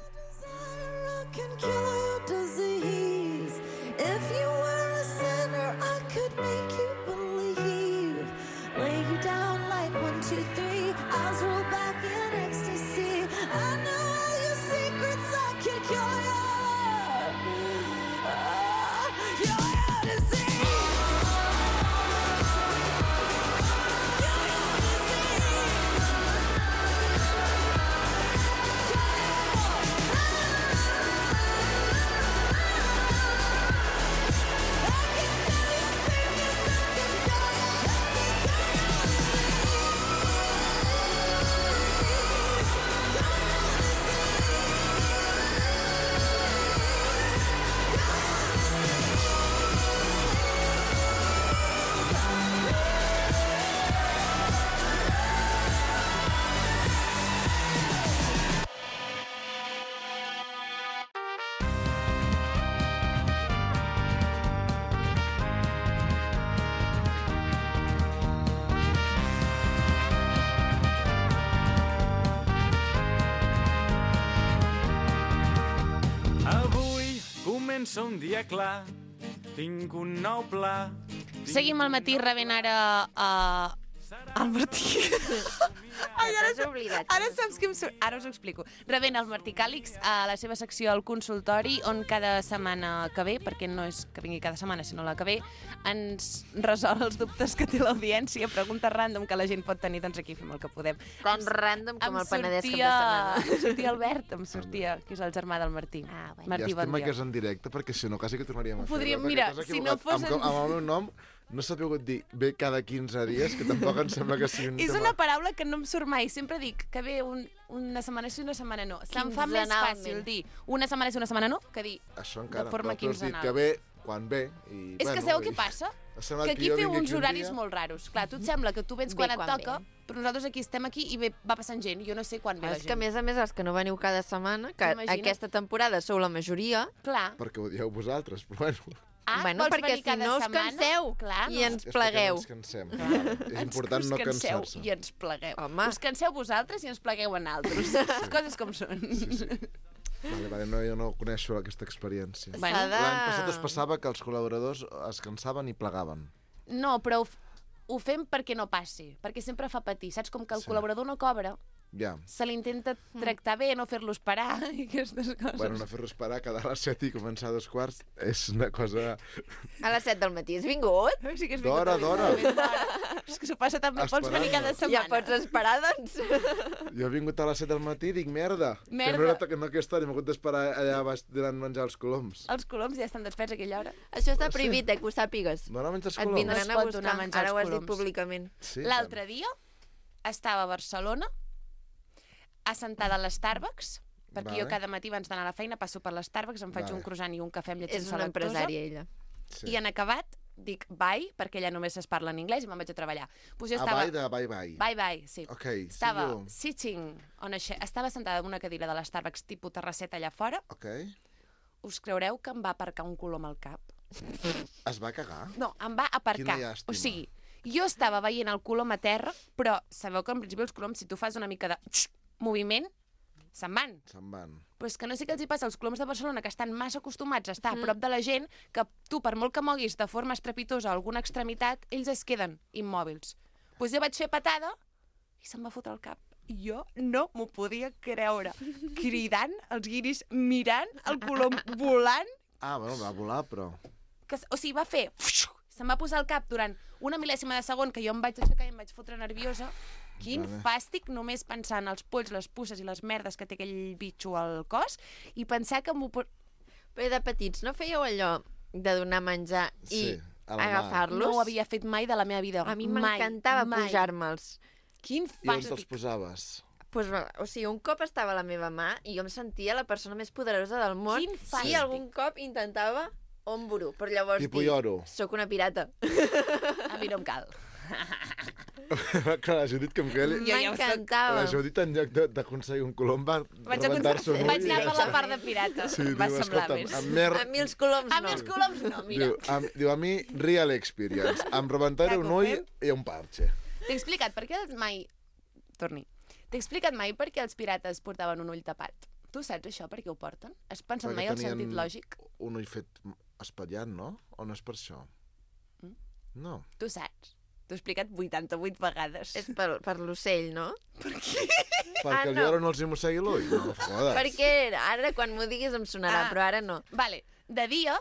Speaker 5: Comença un dia clar, tinc un nou pla.
Speaker 2: Seguim al matí rebent ara el Martí. Ai,
Speaker 1: T'has oblidat.
Speaker 2: Ara saps què em surt? Ara us ho explico. Rebent el Martí Càlix a la seva secció al consultori, on cada setmana que ve, perquè no és que vingui cada setmana, sinó la que ve, ens resol els dubtes que té l'audiència, preguntes random que la gent pot tenir, doncs aquí fem el que podem.
Speaker 1: Tan random com el Penedès cap de setmana.
Speaker 2: Em sortia Albert, que és el germà del Martí. Martí, bon
Speaker 6: Llàstima
Speaker 2: dia.
Speaker 6: que és en directe, perquè si no quasi que tornaríem a fer-ho.
Speaker 2: Podríem,
Speaker 6: perquè
Speaker 2: mira,
Speaker 6: t'has
Speaker 2: si no
Speaker 6: equivocat.
Speaker 2: fos en-
Speaker 6: Amb el meu nom no s'ha pogut dir bé cada 15 dies, que tampoc em sembla que sigui un
Speaker 2: És
Speaker 6: tema...
Speaker 2: una paraula que no em surt mai. Sempre dic que ve una setmana sí i una setmana no. Se'm fa més fàcil dir una setmana sí i una setmana no que dir
Speaker 6: Això encara,
Speaker 2: de forma
Speaker 6: però tu has dit
Speaker 2: quinzenal.
Speaker 6: que ve quan ve. I,
Speaker 2: És que sabeu què passa? Que aquí feu uns horaris molt raros. Clar, tu et sembla que tu vens
Speaker 1: Ve
Speaker 2: quan et
Speaker 1: quan
Speaker 2: toca,
Speaker 1: ve.
Speaker 2: però nosaltres aquí estem aquí i va passant gent. Jo no sé quan ve la
Speaker 1: És que, a
Speaker 2: gent.
Speaker 1: més, els que no veniu cada setmana, que
Speaker 2: Imagina't.
Speaker 1: aquesta temporada sou la majoria,
Speaker 2: Clar.
Speaker 6: Perquè ho dieu vosaltres, però bueno.
Speaker 1: bueno,
Speaker 2: vols
Speaker 1: perquè
Speaker 2: venir
Speaker 1: si
Speaker 2: cada
Speaker 1: no us
Speaker 2: setmana?
Speaker 1: canseu
Speaker 2: Clar,
Speaker 1: i
Speaker 2: no.
Speaker 1: ens
Speaker 6: És perquè
Speaker 1: plegueu.
Speaker 6: no ens cansem. És important
Speaker 2: Us
Speaker 6: no
Speaker 2: canseu
Speaker 6: cansar-se.
Speaker 2: i ens plegueu.
Speaker 1: Home.
Speaker 2: Us canseu vosaltres i ens plegueu en altres. Les coses com són.
Speaker 6: Vale, no, jo no coneixo aquesta experiència.
Speaker 2: Bueno.
Speaker 1: S'ha de-
Speaker 6: L'any passat es passava que els col·laboradors es cansaven i plegaven.
Speaker 2: No, però ho fem perquè no passi, perquè sempre fa patir. Saps? Com que el
Speaker 6: Sí.
Speaker 2: col·laborador no cobra,
Speaker 6: Ja.
Speaker 2: se l'intenta tractar bé, no fer-lo esperar i aquestes coses.
Speaker 6: Bueno, no fer-lo esperar, quedar a les 7 i començar a 2:15 és una cosa...
Speaker 1: A les 7 del matí has vingut?
Speaker 2: Sí que és
Speaker 6: D'hora, d'hora.
Speaker 2: És que s'ho passa tan bé, pots venir cada
Speaker 6: Esperant-me.
Speaker 2: setmana.
Speaker 1: Ja pots esperar, doncs.
Speaker 6: Jo he vingut a les 7 del matí i dic, merda,
Speaker 2: Merda.
Speaker 6: que no era que no aquesta hora, m'he hagut d'esperar allà baix durant menjar els coloms.
Speaker 2: Els coloms ja estan desperts a aquella hora.
Speaker 1: Això està prohibit, que ho sàpigues.
Speaker 6: No menjar els
Speaker 1: Et
Speaker 6: coloms?
Speaker 1: vindran
Speaker 2: No
Speaker 1: a
Speaker 2: es pot donar a
Speaker 1: buscar.
Speaker 2: menjar
Speaker 1: Ara ho
Speaker 2: els
Speaker 1: has dit
Speaker 2: coloms.
Speaker 1: públicament.
Speaker 6: Sí,
Speaker 2: L'altre dia estava a Barcelona, assentada a l'Starbucks, perquè
Speaker 6: Vale.
Speaker 2: jo cada matí abans d'anar a la feina passo per l'Starbucks, em faig
Speaker 6: Vale.
Speaker 2: un croissant i un cafè amb llet
Speaker 1: És
Speaker 2: sense
Speaker 1: una
Speaker 2: lactosa.
Speaker 1: empresària, ella.
Speaker 6: Sí.
Speaker 2: I en acabat dic bye, perquè allà només es parla en anglès i me'n vaig a treballar. Pues jo
Speaker 6: Ah,
Speaker 2: estava...
Speaker 6: bye de bye.
Speaker 2: Bye, bye, sí.
Speaker 6: Ok,
Speaker 2: Estava
Speaker 6: see you.
Speaker 2: sitting on a estava sentada en una cadira de l'Starbucks tipus terrasseta allà fora.
Speaker 6: Ok.
Speaker 2: Us creureu que em va aparcar un colom al cap?
Speaker 6: Es va cagar?
Speaker 2: No, em va aparcar.
Speaker 6: Quina llàstima.
Speaker 2: O sigui, jo estava veient el colom a terra, però sabeu que en principi els coloms, si tu fas una mica de moviment, se'n van.
Speaker 6: Se'n van.
Speaker 2: Però és que no sé què els hi passa als coloms de Barcelona, que estan massa acostumats a estar a prop de la gent, que tu, per molt que moguis de forma estrepitosa alguna extremitat, ells es queden immòbils. Doncs jo vaig fer patada i se'm va fotre al cap. I jo no m'ho podia creure. Cridant, els guiris mirant, el colom volant.
Speaker 6: Ah, bueno, va volar, però...
Speaker 2: O sigui, va fer... Se'm va posar al cap durant una mil·lèsima de segon que jo em vaig aixecar i em vaig fotre nerviosa. Quin
Speaker 6: Vale.
Speaker 2: fàstic només pensar en els polls, les puces i les merdes que té aquell bitxo al cos i pensar que m'ho...
Speaker 1: Però de petits no fèieu allò de donar menjar i
Speaker 6: Sí, a la mà.
Speaker 1: agafar-los?
Speaker 2: No ho havia fet mai de la meva vida.
Speaker 1: A mi
Speaker 2: Mai,
Speaker 1: m'encantava
Speaker 2: mai.
Speaker 1: pujar-me'ls.
Speaker 2: Quin
Speaker 6: I on te'ls
Speaker 2: fàstic.
Speaker 6: posaves?
Speaker 1: Pues, o sigui, un cop estava a la meva mà i jo em sentia la persona més poderosa del món
Speaker 2: Quin fàstic.
Speaker 1: i algun cop intentava omburo, però llavors
Speaker 6: Tipo lloro.
Speaker 1: soc una pirata.
Speaker 2: A mi no em cal.
Speaker 6: Clar, la Judit que em queia...
Speaker 2: Jo ja ho soc.
Speaker 1: M'encantava.
Speaker 6: La Judit, en lloc d'aconseguir un colom, va
Speaker 2: Vaig
Speaker 6: rebentar-se un ull.
Speaker 2: Vaig anar per la part de pirata.
Speaker 6: Sí,
Speaker 2: va
Speaker 6: diu,
Speaker 2: semblar
Speaker 6: escolta'm,
Speaker 2: més.
Speaker 6: amb mer...
Speaker 1: A mi els coloms
Speaker 2: A
Speaker 1: no.
Speaker 2: mi els coloms no, mira.
Speaker 6: Diu, a mi, real experience. Em rebentaré
Speaker 2: Ja que
Speaker 6: un
Speaker 2: ho
Speaker 6: ull
Speaker 2: fem.
Speaker 6: i un parche.
Speaker 2: T'he explicat per què mai... Torni. T'he explicat mai per què els pirates portaven un ull tapat. Tu saps això, per què ho porten? Has pensat mai el sentit lògic?
Speaker 6: un ull fet espatllat, no? O no és per això? No.
Speaker 2: Tu saps. T'ho he explicat 88 vegades.
Speaker 1: És per l'ocell, no?
Speaker 6: Perquè el
Speaker 1: no.
Speaker 6: lloro no els hi mossegui l'ull? No, jodes.
Speaker 1: Perquè ara, quan m'ho diguis, em sonarà, però ara no.
Speaker 2: Vale. De dia,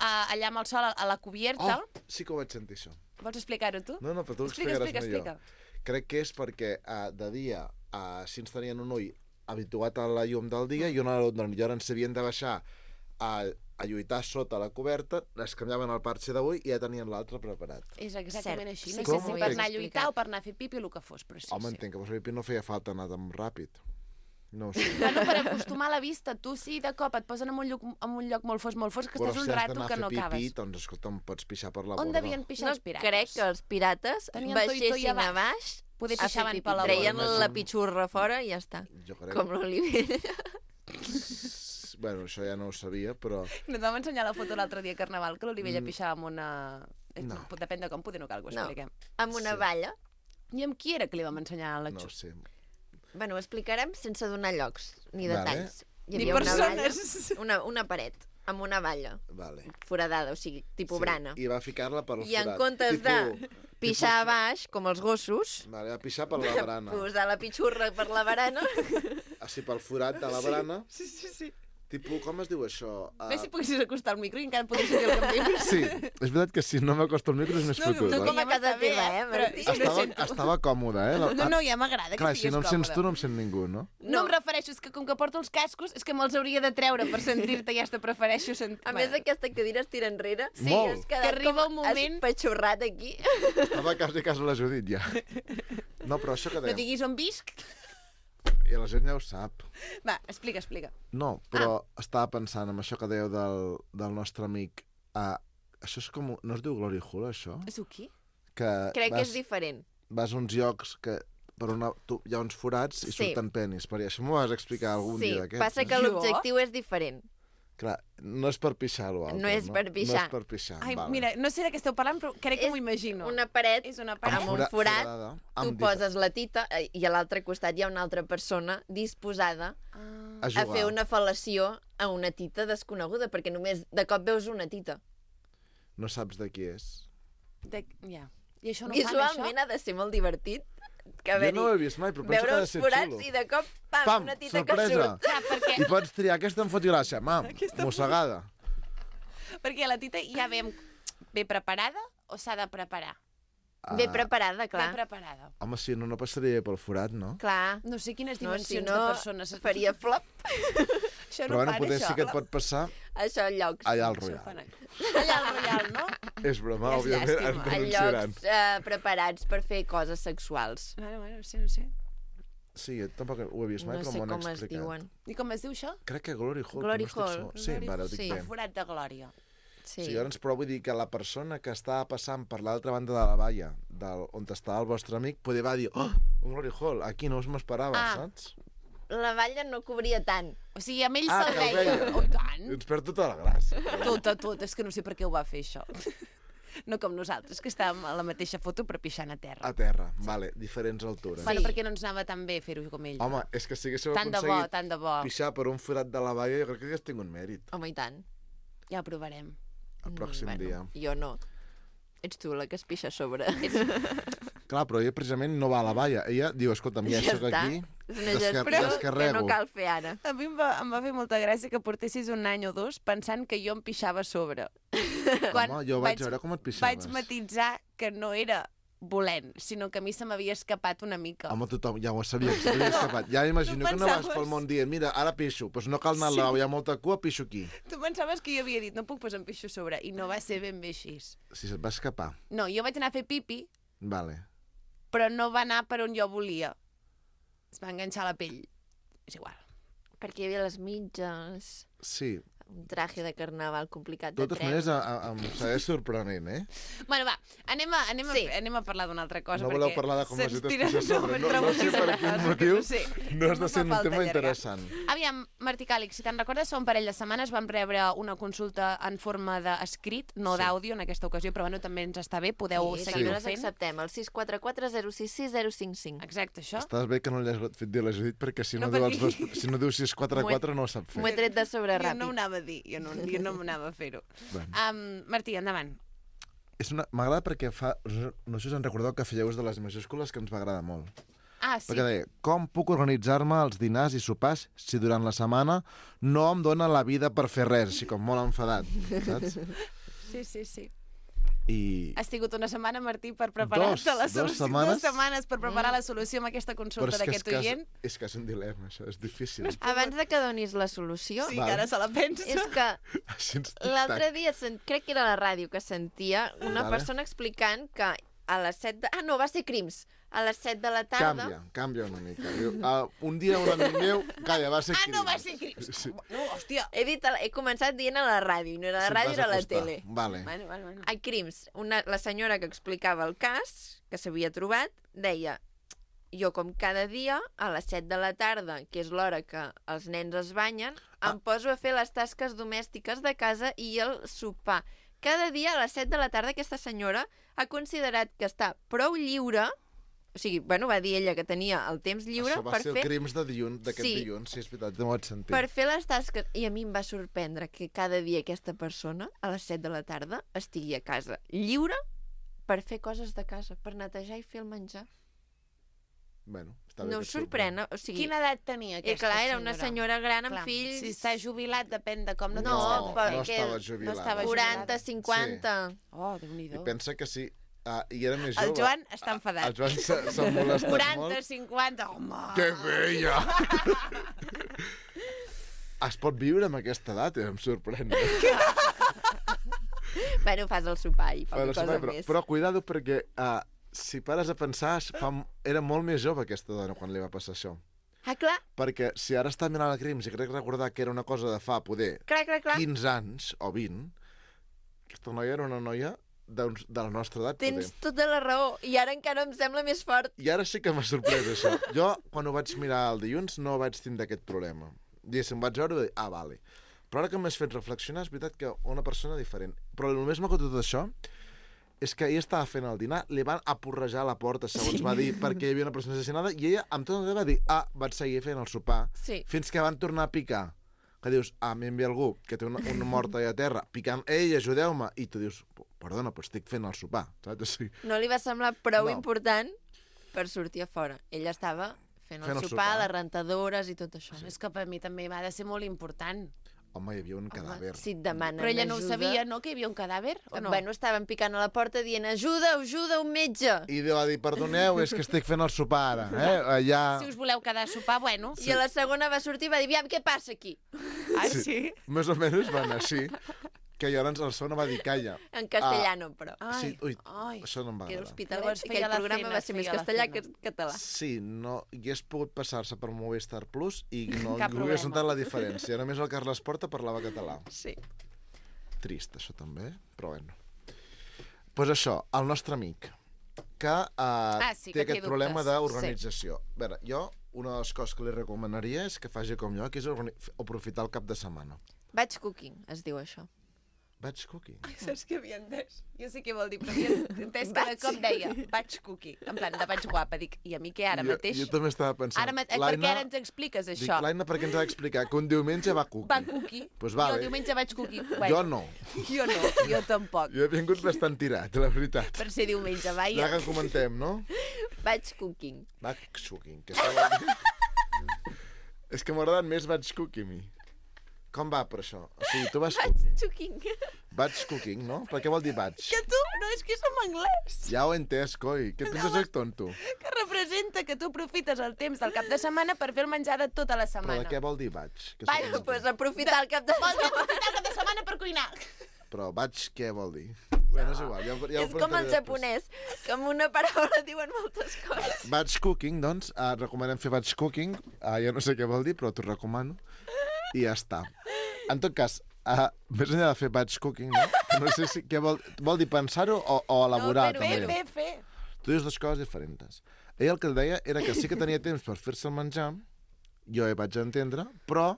Speaker 2: allà amb el sol a la cubierta...
Speaker 6: Oh, sí que ho vaig sentir, això.
Speaker 2: Vols explicar-ho tu?
Speaker 6: No, però tu ho
Speaker 2: Explica,
Speaker 6: explicaràs
Speaker 2: explica,
Speaker 6: millor. Crec que és perquè de dia així ens tenien un ull habituat a la llum del dia i una a l'altra, i ara ens havien de baixar a lluitar sota la coberta, les canviaven el parxe d'avui i ja tenien l'altre preparat.
Speaker 2: És exactament
Speaker 1: Cert.
Speaker 2: així.
Speaker 1: Sí,
Speaker 2: No
Speaker 6: com
Speaker 2: sé si
Speaker 6: ho
Speaker 2: per
Speaker 6: he
Speaker 2: anar a lluitar
Speaker 1: explicat.
Speaker 2: o per anar a fer pipi o el que fos, però sí,
Speaker 6: Home,
Speaker 2: sí.
Speaker 6: entenc que per fer no feia falta anar tan ràpid. No ho sé.
Speaker 2: Bueno, per acostumar la vista, tu sí, de cop et posen en un lloc molt fos, que
Speaker 6: Però
Speaker 2: estàs
Speaker 6: si
Speaker 2: un
Speaker 6: has
Speaker 2: rato
Speaker 6: d'anar
Speaker 2: que
Speaker 6: a
Speaker 2: no
Speaker 6: fer pipí,
Speaker 2: acabes.
Speaker 6: doncs escolta'm, pots pixar per la
Speaker 2: On
Speaker 6: borda.
Speaker 2: devien pixar
Speaker 1: No
Speaker 2: els pirates?
Speaker 1: crec que els pirates
Speaker 2: Tenien toi a
Speaker 1: baixessin a
Speaker 2: baix.
Speaker 1: baix,
Speaker 2: Poder
Speaker 1: a fer
Speaker 2: pixaven
Speaker 1: pipí.
Speaker 2: per la
Speaker 1: Treien
Speaker 6: borda.
Speaker 1: la pitxurra fora i ja està.
Speaker 6: Jo crec.
Speaker 1: Com l'Olivella.
Speaker 6: Bueno, això ja no ho sabia, però...
Speaker 2: No et vam ensenyar la foto l'altre dia a Carnaval, que l'Olivella pixava amb una...
Speaker 6: No.
Speaker 2: Depèn de com, poder no cal que ho
Speaker 1: No.
Speaker 2: expliquem.
Speaker 1: Amb una
Speaker 6: Sí.
Speaker 1: valla.
Speaker 2: I amb qui era que li vam ensenyar la
Speaker 6: No ho
Speaker 2: Xus?
Speaker 6: sé.
Speaker 1: Bueno, ho explicarem sense donar llocs ni
Speaker 6: Vale.
Speaker 1: detalls. Hi
Speaker 2: Ni
Speaker 1: havia una
Speaker 2: persones.
Speaker 1: valla, una paret. amb una valla
Speaker 6: Vale.
Speaker 1: foradada, o sigui, tipus brana.
Speaker 6: I va ficar-la pel
Speaker 1: I en
Speaker 6: forat.
Speaker 1: comptes de pixar a baix, com els gossos,
Speaker 6: Vale, va pixar per la barana.
Speaker 1: posar la pitxurra per la barana.
Speaker 6: Així pel forat de la barana.
Speaker 2: Sí.
Speaker 6: Tipus, com es diu això?
Speaker 2: Ves si poguessis acostar al micro i encara podries sentir el que em dius.
Speaker 6: Sí, és veritat que si no m'acosto al micro és més fotut.
Speaker 1: tu com a
Speaker 2: Ja
Speaker 1: casa
Speaker 2: m'està bé,
Speaker 1: teva, Martí?
Speaker 6: Estava còmode, eh?
Speaker 2: No, ja m'agrada que
Speaker 6: Clar, si
Speaker 2: estiguis
Speaker 6: no em sents
Speaker 2: còmode.
Speaker 6: tu, no em sent ningú, no?
Speaker 2: No em refereixo, és que com que porto els cascos, és que me'ls hauria de treure per sentir-te, ja te prefereixo sentir...
Speaker 1: A més, aquesta cadira es tira enrere.
Speaker 6: Sí, Molt.
Speaker 1: has quedat
Speaker 2: que arriba
Speaker 1: com
Speaker 2: un moment-
Speaker 1: espatxorrat aquí.
Speaker 6: Estava quasi la Judit, ja. No, però això que
Speaker 2: No
Speaker 6: dèiem...
Speaker 2: diguis on visc.
Speaker 6: I la gent ja ho sap.
Speaker 2: Va, explica.
Speaker 6: No, però estava pensant en això que dèieu del nostre amic. Això és com... No es diu Glory Hole, això?
Speaker 2: És qui?
Speaker 6: Que
Speaker 1: Crec que és diferent.
Speaker 6: vas a uns llocs que hi ha uns forats i
Speaker 1: Sí.
Speaker 6: surten penis. Per això m'ho vas explicar algun
Speaker 1: Sí,
Speaker 6: dia d'aquests.
Speaker 1: passa que
Speaker 2: Jo?
Speaker 1: l'objectiu és diferent.
Speaker 6: Clar, no és per pixar lo altre,
Speaker 1: No és per pixar.
Speaker 6: No és per pixar,
Speaker 2: Ai,
Speaker 6: vale.
Speaker 2: mira, no sé de què esteu parlant, però crec que
Speaker 1: És
Speaker 2: m'ho imagino.
Speaker 1: Una paret
Speaker 2: És una
Speaker 1: amb
Speaker 2: paret.
Speaker 1: un forat,
Speaker 6: forada,
Speaker 1: tu
Speaker 6: amb
Speaker 1: poses la tita i a l'altre costat hi ha una altra persona disposada
Speaker 6: a
Speaker 1: a
Speaker 6: jugar.
Speaker 1: fer una fel·lació a una tita desconeguda, perquè només de cop veus una tita.
Speaker 6: No saps de qui és.
Speaker 2: Ja. I això no fan,
Speaker 1: Visualment
Speaker 2: això?
Speaker 1: ha de ser molt divertit. Que
Speaker 6: Jo no ho he vist mai, però penso que
Speaker 1: veure
Speaker 6: ha de
Speaker 1: uns
Speaker 6: ser
Speaker 1: forats
Speaker 6: xulo.
Speaker 1: i de cop, pam,
Speaker 6: Pam,
Speaker 1: una tita que
Speaker 6: sorpresa.
Speaker 1: surt.
Speaker 2: Clar, perquè,
Speaker 6: I pots triar, aquesta em fot gràcia, mam, mossegada.
Speaker 2: perquè la tita ja ve preparada o s'ha de preparar?
Speaker 1: Ben preparada, clar.
Speaker 2: Ben preparada.
Speaker 6: Home, sí, no passaria pel forat, no?
Speaker 1: Clar.
Speaker 2: No sé quines
Speaker 1: No, si
Speaker 2: dimensions
Speaker 1: no,
Speaker 2: de persones...
Speaker 1: faria flop.
Speaker 2: Això
Speaker 6: Però
Speaker 2: no
Speaker 6: bueno,
Speaker 2: fan,
Speaker 6: potser
Speaker 2: això.
Speaker 6: sí que et pot passar
Speaker 1: Això en llocs.
Speaker 6: allà al
Speaker 2: Això
Speaker 6: Royal.
Speaker 2: fan allà al Royal, no?
Speaker 6: És broma,
Speaker 2: És
Speaker 6: òbviament,
Speaker 2: llàstima.
Speaker 6: ens
Speaker 1: En
Speaker 6: denunciaran.
Speaker 1: llocs preparats per fer coses sexuals.
Speaker 2: Bueno, sí, no sé.
Speaker 6: Sí, jo tampoc ho he vist mai,
Speaker 1: No
Speaker 6: però
Speaker 1: sé
Speaker 6: m'ho han
Speaker 1: com es
Speaker 6: explicat.
Speaker 1: diuen.
Speaker 2: I com es diu això?
Speaker 6: Crec que Glory Hole.
Speaker 1: Glory
Speaker 6: però no estic
Speaker 1: Hole.
Speaker 6: segur. Sí,
Speaker 2: Glory
Speaker 6: vale, ho
Speaker 1: Hole,
Speaker 6: dic
Speaker 1: sí.
Speaker 6: bé.
Speaker 2: El forat de glòria.
Speaker 1: Sí.
Speaker 6: Sí, llavors, però vull dir que la persona que estava passant per l'altra banda de la valla, on estava el vostre amic, poder va dir, oh, un Glory Hole, aquí no us m'esperava, saps?
Speaker 1: La valla no cobria tant.
Speaker 2: O sigui, amb ell
Speaker 6: Ah,
Speaker 2: se'l
Speaker 6: que el
Speaker 2: veia.
Speaker 6: veia.
Speaker 2: Oh, i tant.
Speaker 6: Ens perd tota la gràcia.
Speaker 2: Tot. És que no sé per què ho va fer, això. No com nosaltres, que estàvem a la mateixa foto però pixant a terra.
Speaker 6: A terra, vale, diferents altures.
Speaker 2: Bueno,
Speaker 1: Sí.
Speaker 2: perquè no ens anava tan bé fer-ho com ell.
Speaker 6: Home, és que si haguéssiu
Speaker 2: Tant de bo,
Speaker 6: aconseguit
Speaker 2: tant de bo.
Speaker 6: pixar per un forat de la valla, jo crec que hagués tingut mèrit
Speaker 1: Home, i tant.
Speaker 2: Ja ho provarem.
Speaker 6: el pròxim dia.
Speaker 1: Jo no. Ets tu la que es pixa a sobre.
Speaker 6: Clar, però ella precisament no va a la valla. Ella diu, escolta'm, ja soc
Speaker 1: està.
Speaker 6: aquí,
Speaker 1: És una gestió que
Speaker 6: descarrego.
Speaker 1: no cal fer ara.
Speaker 2: A mi em va fer molta gràcia que portessis un any o dos pensant que jo em pixava a sobre.
Speaker 6: Home, jo vaig veure com et pixaves.
Speaker 2: Vaig matitzar que no era volent, sinó que a mi se m'havia escapat una mica.
Speaker 6: Home, tothom ja ho sabia, que s'havia escapat. Ja m'imagino que no vas
Speaker 2: pensaves?
Speaker 6: pel món dient, mira, ara pixo, doncs no cal anar al lavabo, hi ha molta cua, pixo aquí.
Speaker 2: Tu pensaves que jo havia dit, no puc posar em pixo a sobre, i no va ser ben bé així.
Speaker 6: Si se't va escapar.
Speaker 2: No, jo vaig anar a fer pipi,
Speaker 6: Vale.
Speaker 2: però no va anar per on jo volia. Es va enganxar a la pell. És igual.
Speaker 1: Perquè hi havia les mitges,
Speaker 6: Sí.
Speaker 1: un traje de carnaval complicat
Speaker 6: De
Speaker 1: de
Speaker 6: totes
Speaker 1: treure.
Speaker 6: maneres, em segueix sorprenent, eh?
Speaker 2: Bueno, va, anem
Speaker 1: Sí.
Speaker 2: a parlar d'una altra cosa.
Speaker 6: No voleu parlar de com les
Speaker 2: se'ns
Speaker 6: dites
Speaker 2: tira-
Speaker 6: pixar a sobre. No sé
Speaker 2: preguntes
Speaker 6: per
Speaker 2: de
Speaker 6: quin
Speaker 2: coses
Speaker 6: motiu.
Speaker 2: que No, sé.
Speaker 6: No has
Speaker 2: No
Speaker 6: de ser
Speaker 2: fa
Speaker 6: un
Speaker 2: falta
Speaker 6: tema
Speaker 2: allargar.
Speaker 6: interessant.
Speaker 2: Aviam, Martí Càlix, si te'n recordes, fa un parell de setmanes vam rebre una consulta en forma d'escrit, no
Speaker 6: Sí.
Speaker 2: d'àudio en aquesta ocasió, però bueno, també ens està bé, podeu
Speaker 1: Sí,
Speaker 2: seguir-ho
Speaker 1: també les
Speaker 2: fent.
Speaker 1: acceptem, el 644 066 055.
Speaker 2: Exacte, això.
Speaker 6: Estàs bé que no li has fet dir la Judit, perquè si no,
Speaker 2: No,
Speaker 6: diu,
Speaker 2: perquè-
Speaker 6: si no diu 644 no ho sap
Speaker 1: M'ho he
Speaker 6: fer.
Speaker 1: tret de sobre
Speaker 2: Jo
Speaker 1: ràpid.
Speaker 2: no ho anava a dir, jo no m'anava a fer-ho.
Speaker 6: Bueno.
Speaker 2: Martí, endavant.
Speaker 6: M'agrada perquè no sé si us en recordeu que fèieu ús de les majúscules, que ens va agradar molt.
Speaker 2: Ah, sí.
Speaker 6: Perquè deia, com puc organitzar-me els dinars i sopars si durant la setmana no em dóna la vida per fer res, així com molt enfadat, saps?
Speaker 2: Sí.
Speaker 6: I...
Speaker 2: Has tingut una setmana, Martí, per preparar-te la
Speaker 6: Dos
Speaker 2: solució.
Speaker 6: setmanes.
Speaker 2: 2 setmanes per preparar la solució amb aquesta
Speaker 6: Però
Speaker 2: consulta
Speaker 6: és que,
Speaker 2: d'aquest oient.
Speaker 6: és que és un dilema, això, és difícil.
Speaker 1: Abans de que donis la solució,
Speaker 2: Sí,
Speaker 6: Vale.
Speaker 2: que ara se la pensa.
Speaker 1: és que
Speaker 6: Així ens
Speaker 1: l'altre dia, crec que era a la ràdio, que sentia una
Speaker 6: Vale.
Speaker 1: persona explicant que a les 7 de... Ah, no, va ser Crims. A les 7 de la tarda...
Speaker 6: Canvia una mica. Diu, un dia un amic meu, calla, va ser
Speaker 2: Ah, no,
Speaker 6: Crims.
Speaker 2: va ser Crims.
Speaker 6: Sí.
Speaker 2: No, hòstia.
Speaker 1: He començat dient a la ràdio, no era a la
Speaker 6: Sí,
Speaker 1: ràdio,
Speaker 6: vas
Speaker 1: era a la
Speaker 6: acostar.
Speaker 1: tele.
Speaker 6: Vale.
Speaker 2: Bueno.
Speaker 1: A Crims, la senyora que explicava el cas, que s'havia trobat, deia: jo com cada dia, a les 7 de la tarda, que és l'hora que els nens es banyen, em poso a fer les tasques domèstiques de casa i el sopar. Cada dia a les 7 de la tarda aquesta senyora ha considerat que està prou lliure O sigui, bueno, va dir ella que tenia el temps lliure
Speaker 6: Això va
Speaker 1: per
Speaker 6: ser
Speaker 1: fer...
Speaker 6: el crims d'aquest
Speaker 1: Sí.
Speaker 6: dilluns, sí, és veritat, no ho vaig sentir.
Speaker 1: Per fer les tasques, i a mi em va sorprendre que cada dia aquesta persona, a les 7 de la tarda, estigui a casa lliure per fer coses de casa, per netejar i fer el menjar.
Speaker 6: Bueno, està bé
Speaker 1: No
Speaker 6: que
Speaker 1: us
Speaker 6: et
Speaker 1: sorprèn? O sigui,
Speaker 2: Quina edat tenia aquesta
Speaker 1: clar, era una senyora gran amb
Speaker 2: Clar,
Speaker 1: fills...
Speaker 2: Si està jubilat, depèn de com no,
Speaker 1: No,
Speaker 2: t'està
Speaker 1: però
Speaker 6: no
Speaker 1: que
Speaker 6: estava jubilada.
Speaker 2: no estava
Speaker 1: 40, 50...
Speaker 2: Oh,
Speaker 6: I
Speaker 2: Déu-n'hi-do.
Speaker 6: pensa que sí. I era més jove.
Speaker 2: El Joan està enfadat.
Speaker 6: El Joan s'ha molestat
Speaker 2: 40,
Speaker 6: molt.
Speaker 2: 50, home!
Speaker 6: Que veia! Es pot viure amb aquesta edat, em sorprèn.
Speaker 1: Bueno, fas el sopar i poca cosa més.
Speaker 6: Però cuidado perquè si pares a pensar, era molt més jove aquesta dona quan li va passar això.
Speaker 1: Ah, clar,
Speaker 6: Perquè si ara està mirant el Crims i crec recordar que era una cosa de fa, poder,
Speaker 1: clar.
Speaker 6: 15 anys o 20, aquesta noia era una noia de la nostra edat,
Speaker 1: Tens
Speaker 6: poder.
Speaker 1: tota la raó. I ara encara em sembla més fort.
Speaker 6: I ara sí que m'ha sorprès això. Jo, quan ho vaig mirar el dilluns, no vaig tindre aquest problema. Diguéssim, vaig veure i vaig dir, vale. Però ara que m'has fet reflexionar, és veritat que una persona diferent. Però el més maco de tot això és que ella estava fent el dinar, li van apurrejar a la porta, segons va dir, perquè hi havia una persona assassinada, i ella, amb tot el va dir, vaig seguir fent el sopar,
Speaker 1: Sí.
Speaker 6: fins que van tornar a picar. Que dius, m'envia algú que té una mort allà a terra, picant, ei, ajudeu-me, i tu dius, perdona, però estic fent el sopar, saps? O sigui,
Speaker 1: No li va semblar prou
Speaker 6: No.
Speaker 1: important per sortir a fora. Ella estava fent el sopar, les rentadores i tot això.
Speaker 2: És que per mi també va de ser molt important.
Speaker 6: home, hi havia un cadàver.
Speaker 1: Si et demanen
Speaker 2: Però ella no ho
Speaker 1: ajuda...
Speaker 2: sabia, no?, que hi havia un cadàver, o no?
Speaker 1: Bueno, estaven picant a la porta dient ajuda, un metge.
Speaker 6: I va dir, perdoneu, és que estic fent el sopar ara, allà...
Speaker 2: Si us voleu quedar a sopar, bueno.
Speaker 1: I a la segona va sortir i va dir, aviam, què passa aquí?
Speaker 2: Ah, sí?
Speaker 6: Més o menys va anar així, que llavors el segona va dir, calla.
Speaker 1: En castellano, però.
Speaker 6: Sí, ui,
Speaker 2: ai.
Speaker 6: això no em va
Speaker 1: Que era
Speaker 6: agradar.
Speaker 1: hospitalet,
Speaker 2: Llavors feia
Speaker 1: aquell
Speaker 2: la
Speaker 1: programa
Speaker 2: cena,
Speaker 1: va ser més
Speaker 2: feia la
Speaker 1: castellà
Speaker 2: cena.
Speaker 1: que català.
Speaker 6: Sí, no, hagués pogut passar-se per Movistar Plus i no
Speaker 2: Cap
Speaker 6: hagués
Speaker 2: problema.
Speaker 6: notat la diferència. Només el Carles Porta parlava català.
Speaker 1: Sí.
Speaker 6: Trist, això també, però bueno. Doncs pues això, el nostre amic, que
Speaker 2: sí,
Speaker 6: té
Speaker 2: que té
Speaker 6: aquest problema
Speaker 2: dubtes.
Speaker 6: d'organització. A veure, jo, una de les coses que li recomanaria és que faci com jo, que és aprofitar el cap de setmana.
Speaker 1: Batch cooking, es diu això.
Speaker 6: Batch cooking.
Speaker 2: Saps què havia entès? Jo sé què vol dir, però havia entès que de cop deia vaig cookie, en plan de vaig guapa. Dic, i a mi què ara mateix?
Speaker 6: Jo també estava pensant.
Speaker 2: Ara, per què ara ens expliques
Speaker 6: Dic,
Speaker 2: això?
Speaker 6: l'Aina per què ens ha d'explicar que un diumenge va cookie.
Speaker 2: Va cookie.
Speaker 6: Pues
Speaker 2: Jo
Speaker 6: vale.
Speaker 2: el diumenge vaig cookie.
Speaker 6: Jo no.
Speaker 2: Jo no, jo tampoc.
Speaker 6: Jo he vingut bastant tirat, la veritat.
Speaker 2: Per ser diumenge,
Speaker 6: Ja
Speaker 2: vaja.
Speaker 6: que comentem, no?
Speaker 1: Batch cooking.
Speaker 6: Batch cooking. Que això vol dir... És que m'ha agradat més batch cooking, a mi. Com va per això? O sigui, tu vas cooking.
Speaker 1: Cooking.
Speaker 6: Batch cooking, no? Per què vol dir batch?
Speaker 2: Que tu, no, és que som anglès.
Speaker 6: Ja ho he entès, coi. Què et penses que tonto?
Speaker 2: Que representa que tu aprofites el temps del cap de setmana per fer el menjar de tota la
Speaker 6: Però
Speaker 2: setmana.
Speaker 6: de què vol dir batch? Que
Speaker 2: Batch,
Speaker 6: suposo que-
Speaker 1: Pues aprofitar el cap de
Speaker 2: Vols dir aprofitar el cap de setmana per cuinar?
Speaker 6: Però batch què vol dir? Bueno, és igual. Ja ho
Speaker 1: És com el
Speaker 6: preguntaré després.
Speaker 1: japonès, que amb una paraula diuen moltes coses.
Speaker 6: Batch cooking, doncs, recomanem fer batch cooking. Jo no sé què vol dir, però t'ho recomano. I ja està. En tot cas, més enllà de fer batch cooking, no sé si què vol dir pensar-ho o elaborar,
Speaker 1: fer-ho,
Speaker 6: també.
Speaker 2: Fer.
Speaker 6: Tu dius dues coses diferents. Ell el que deia era que sí que tenia temps per fer-se el menjar, jo hi vaig entendre, però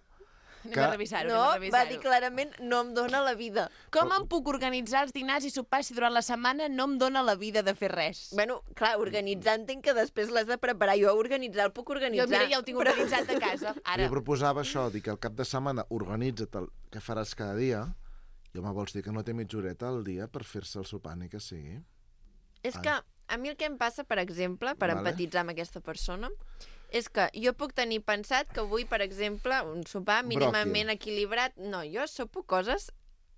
Speaker 2: Anem a revisar-ho,
Speaker 1: No,
Speaker 2: anem a
Speaker 1: va
Speaker 2: revisar-ho.
Speaker 1: dir clarament, no em dóna la vida.
Speaker 2: Com em puc organitzar els dinars i sopars si durant la setmana no em dóna la vida de fer res?
Speaker 1: Bueno, clar, organitzar entenc que després l'has de preparar. Jo organitzar el puc organitzar.
Speaker 2: Jo, mira, ja ho tinc organitzat a casa. Ara,
Speaker 6: jo proposava això, dir que al cap de setmana organitza't el que faràs cada dia, i home, vols dir que no té mitja horeta al dia per fer-se el sopar ni que sigui?
Speaker 1: És que a mi el que em passa, per exemple, per
Speaker 6: Vale.
Speaker 1: empatitzar amb aquesta persona, és que jo puc tenir pensat que vull, per exemple, un sopar mínimament equilibrat. No, jo sopo coses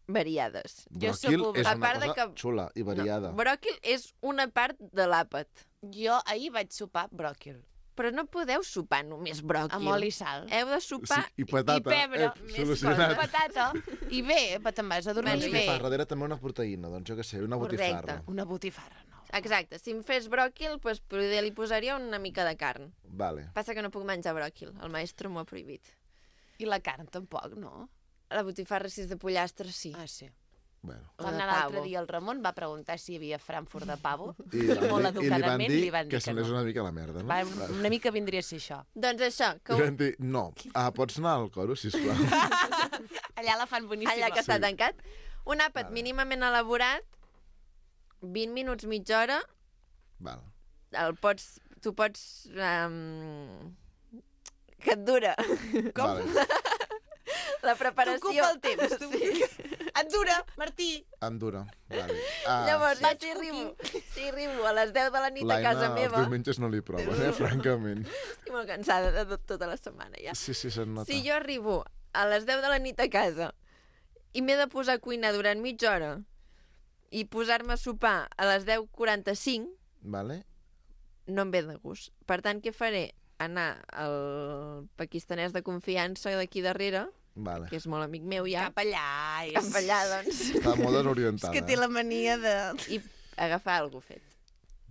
Speaker 1: variades.
Speaker 2: Jo
Speaker 6: Bròquil
Speaker 2: sopo-
Speaker 6: és
Speaker 1: a
Speaker 6: una
Speaker 1: part de
Speaker 6: cosa
Speaker 1: que-
Speaker 6: xula i variada.
Speaker 1: No, bròquil és una part de l'àpat.
Speaker 2: jo ahir vaig sopar bròquil,
Speaker 1: Però no podeu sopar només bròquil.
Speaker 2: amb oli i sal.
Speaker 1: Heu de sopar...
Speaker 6: Sí, i patata.
Speaker 2: I pebre,
Speaker 1: més
Speaker 6: solucionat.
Speaker 1: coses.
Speaker 2: Patata. I bé, te'n vas a dormir
Speaker 6: Doncs
Speaker 2: i
Speaker 6: què
Speaker 2: bé.
Speaker 6: fa? Darrere també una proteïna, doncs jo què sé, una
Speaker 1: Correcte.
Speaker 6: botifarra.
Speaker 2: Una botifarra, no.
Speaker 1: Exacte, si em fes bròquil, doncs poder li posaria una mica de carn.
Speaker 6: Vale.
Speaker 1: Passa que no puc menjar bròquil, el maestro m'ho ha prohibit.
Speaker 2: I la carn tampoc, no?
Speaker 1: La botifarra, si és de pollastre, sí.
Speaker 2: Ah, sí.
Speaker 6: Bueno.
Speaker 1: O
Speaker 2: Va
Speaker 1: de
Speaker 2: anar l'altre
Speaker 1: pavo.
Speaker 2: dia el Ramon, va preguntar si hi havia Frankfurt de pavo.
Speaker 6: I li
Speaker 2: Molt
Speaker 6: van
Speaker 2: educadament
Speaker 6: dir
Speaker 2: li van dir
Speaker 6: que
Speaker 2: que
Speaker 6: se n'és
Speaker 2: no.
Speaker 6: una mica la merda, no?
Speaker 2: Va, una mica vindria a ser això.
Speaker 1: Doncs això, que
Speaker 6: I van dir, no, pots anar al coro, sisplau.
Speaker 2: Allà la fan boníssima.
Speaker 1: allà que està
Speaker 6: Sí.
Speaker 1: tancat, un àpat
Speaker 6: Vale.
Speaker 1: mínimament elaborat, 20 minuts, mitja hora,
Speaker 6: Val.
Speaker 1: el pots tu pots... que et dura.
Speaker 2: Com?
Speaker 6: Vale.
Speaker 1: La preparació...
Speaker 2: T'ocupa el temps. Et dura, Martí.
Speaker 6: Em dura. Vale.
Speaker 1: Llavors, si arribo a les 10 de la nit a casa meva...
Speaker 6: Els diumenges no li proven, francament.
Speaker 1: Estic molt cansada de tota la setmana, ja.
Speaker 6: Sí, se't nota.
Speaker 1: Si jo arribo a les 10 de la nit a casa i m'he de posar a cuinar durant mitja hora i posar-me a sopar a les 10:45,
Speaker 6: Vale.
Speaker 1: no em ve de gust. Per tant, què faré? Anar al pakistanès de confiança d'aquí darrere,
Speaker 6: Vale.
Speaker 1: que és molt amic meu ja,
Speaker 2: Cap allà.
Speaker 1: cap allà, doncs,
Speaker 6: Està molt desorientada.
Speaker 2: És que té la mania de...
Speaker 1: i agafar alguna fet.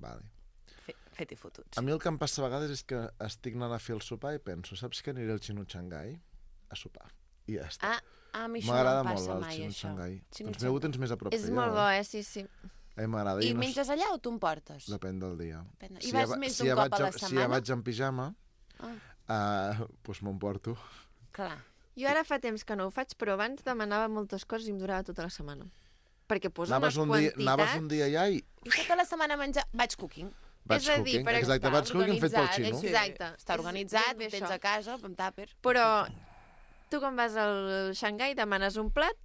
Speaker 6: Vale.
Speaker 2: Fet i fotuts.
Speaker 6: A mi el que em passa a vegades és que estic anant a fer el sopar i penso, saps que aniré al Xino Xangai a sopar? I ja està.
Speaker 2: A mi això no
Speaker 6: M'agrada
Speaker 2: em
Speaker 6: molt
Speaker 2: passa
Speaker 6: el
Speaker 2: mai,
Speaker 6: Xino
Speaker 2: això.
Speaker 6: Xangai.
Speaker 2: Xino
Speaker 6: Doncs ho tens més a prop
Speaker 1: És
Speaker 6: que jo.
Speaker 1: molt bo, sí, sí.
Speaker 6: A mi m'agrada.
Speaker 2: I
Speaker 6: no
Speaker 2: menges allà o tu em portes?
Speaker 6: Depèn del dia.
Speaker 2: I vas més d'un cop a la
Speaker 6: Si ja
Speaker 2: setmana?
Speaker 6: vaig en pijama, doncs m'emporto.
Speaker 2: Clar.
Speaker 1: Jo ara fa temps que no ho faig, però abans demanava moltes coses i em durava tota la setmana. Perquè posa
Speaker 6: Anaves
Speaker 1: unes
Speaker 6: un dia,
Speaker 1: quantitats...
Speaker 6: anaves un dia allà i...
Speaker 2: I tota la setmana a menjar... Batch cooking.
Speaker 6: Vaig
Speaker 1: És a dir,
Speaker 6: cooking.
Speaker 1: per
Speaker 6: Exacte,
Speaker 2: Està
Speaker 6: vaig cooking fet pel
Speaker 2: organitzat,
Speaker 6: xino.
Speaker 2: sí.
Speaker 1: Exacte.
Speaker 2: Està organitzat,
Speaker 1: És ben
Speaker 2: ho
Speaker 1: bé
Speaker 2: tens
Speaker 1: això.
Speaker 2: a casa, amb tàper.
Speaker 1: Però tu quan vas al Xangai demanes un plat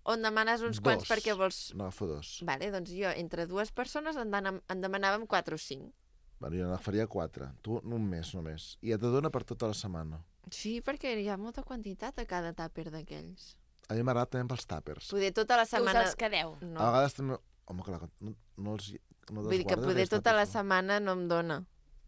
Speaker 1: o en demanes uns quants perquè vols...
Speaker 6: N'agafo dos.
Speaker 1: Vale, doncs jo entre dues persones en demanàvem 4 o 5.
Speaker 6: Bueno, jo n'agafaria 4. Tu un mes només. I et dona per tota la setmana.
Speaker 1: Sí, perquè hi ha molta quantitat a cada tàper d'aquells.
Speaker 6: A mi m'agrada també pels tàpers.
Speaker 1: Poder tota la
Speaker 2: Tu us
Speaker 1: setmana...
Speaker 2: els quedeu.
Speaker 6: A
Speaker 1: No.
Speaker 6: vegades també... Home, clar, no els
Speaker 1: Vull dir que
Speaker 6: desguardes,
Speaker 1: poder
Speaker 6: els
Speaker 1: tota la
Speaker 6: tàpers, no?
Speaker 1: setmana no em dona.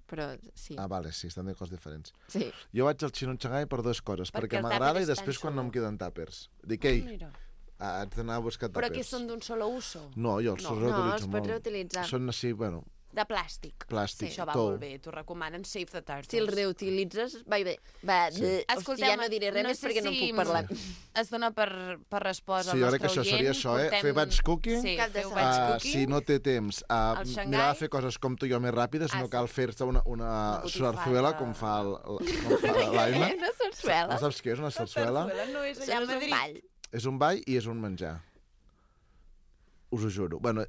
Speaker 1: Però sí.
Speaker 6: Ah, vale, sí, estan de coses diferents.
Speaker 1: Sí.
Speaker 6: Jo vaig al Xino Xangai per dues coses.
Speaker 2: Perquè
Speaker 6: Perquè
Speaker 2: el
Speaker 6: m'agrada
Speaker 2: tàper
Speaker 6: i
Speaker 2: és
Speaker 6: després
Speaker 2: tan
Speaker 6: quan no em
Speaker 2: xulo.
Speaker 6: queden tàpers. Dic, ei,
Speaker 2: Mira.
Speaker 6: haig d'anar a buscar tàpers.
Speaker 2: Però que són d'un solo uso.
Speaker 6: No, jo els
Speaker 2: No.
Speaker 6: reutilitzo
Speaker 1: els
Speaker 6: molt.
Speaker 1: pots reutilitzar.
Speaker 6: Són així, bueno,
Speaker 2: De plàstic.
Speaker 6: plàstic,
Speaker 2: Això va
Speaker 6: tou.
Speaker 2: molt bé. T'ho recomanen Save the Turtles.
Speaker 1: Si el reutilitzes, va bé. Va,
Speaker 6: Sí.
Speaker 1: Hòstia, ja no diré res més perquè no en puc parlar.
Speaker 2: Es dona per respost
Speaker 6: Sí,
Speaker 2: al
Speaker 6: jo
Speaker 2: nostre
Speaker 6: crec que això seria
Speaker 2: oient.
Speaker 6: això,
Speaker 2: Portem-
Speaker 6: Fer batch cooking,
Speaker 2: Sí,
Speaker 1: Cap de
Speaker 2: feu
Speaker 1: setmana.
Speaker 2: batch cooking.
Speaker 6: si no té temps,
Speaker 2: Al Xangai.
Speaker 6: mirar de fer coses com tu i jo més ràpides, no
Speaker 2: sí.
Speaker 6: cal fer-se una
Speaker 2: botifarra.
Speaker 6: sarsuela com fa l'Aina.
Speaker 1: Una sarsuela.
Speaker 6: No saps què és una sarsuela?
Speaker 2: No és
Speaker 1: Això
Speaker 2: allà a
Speaker 1: és un
Speaker 2: Madrid.
Speaker 1: ball.
Speaker 6: És un ball i és un menjar. Us ho juro. Bueno,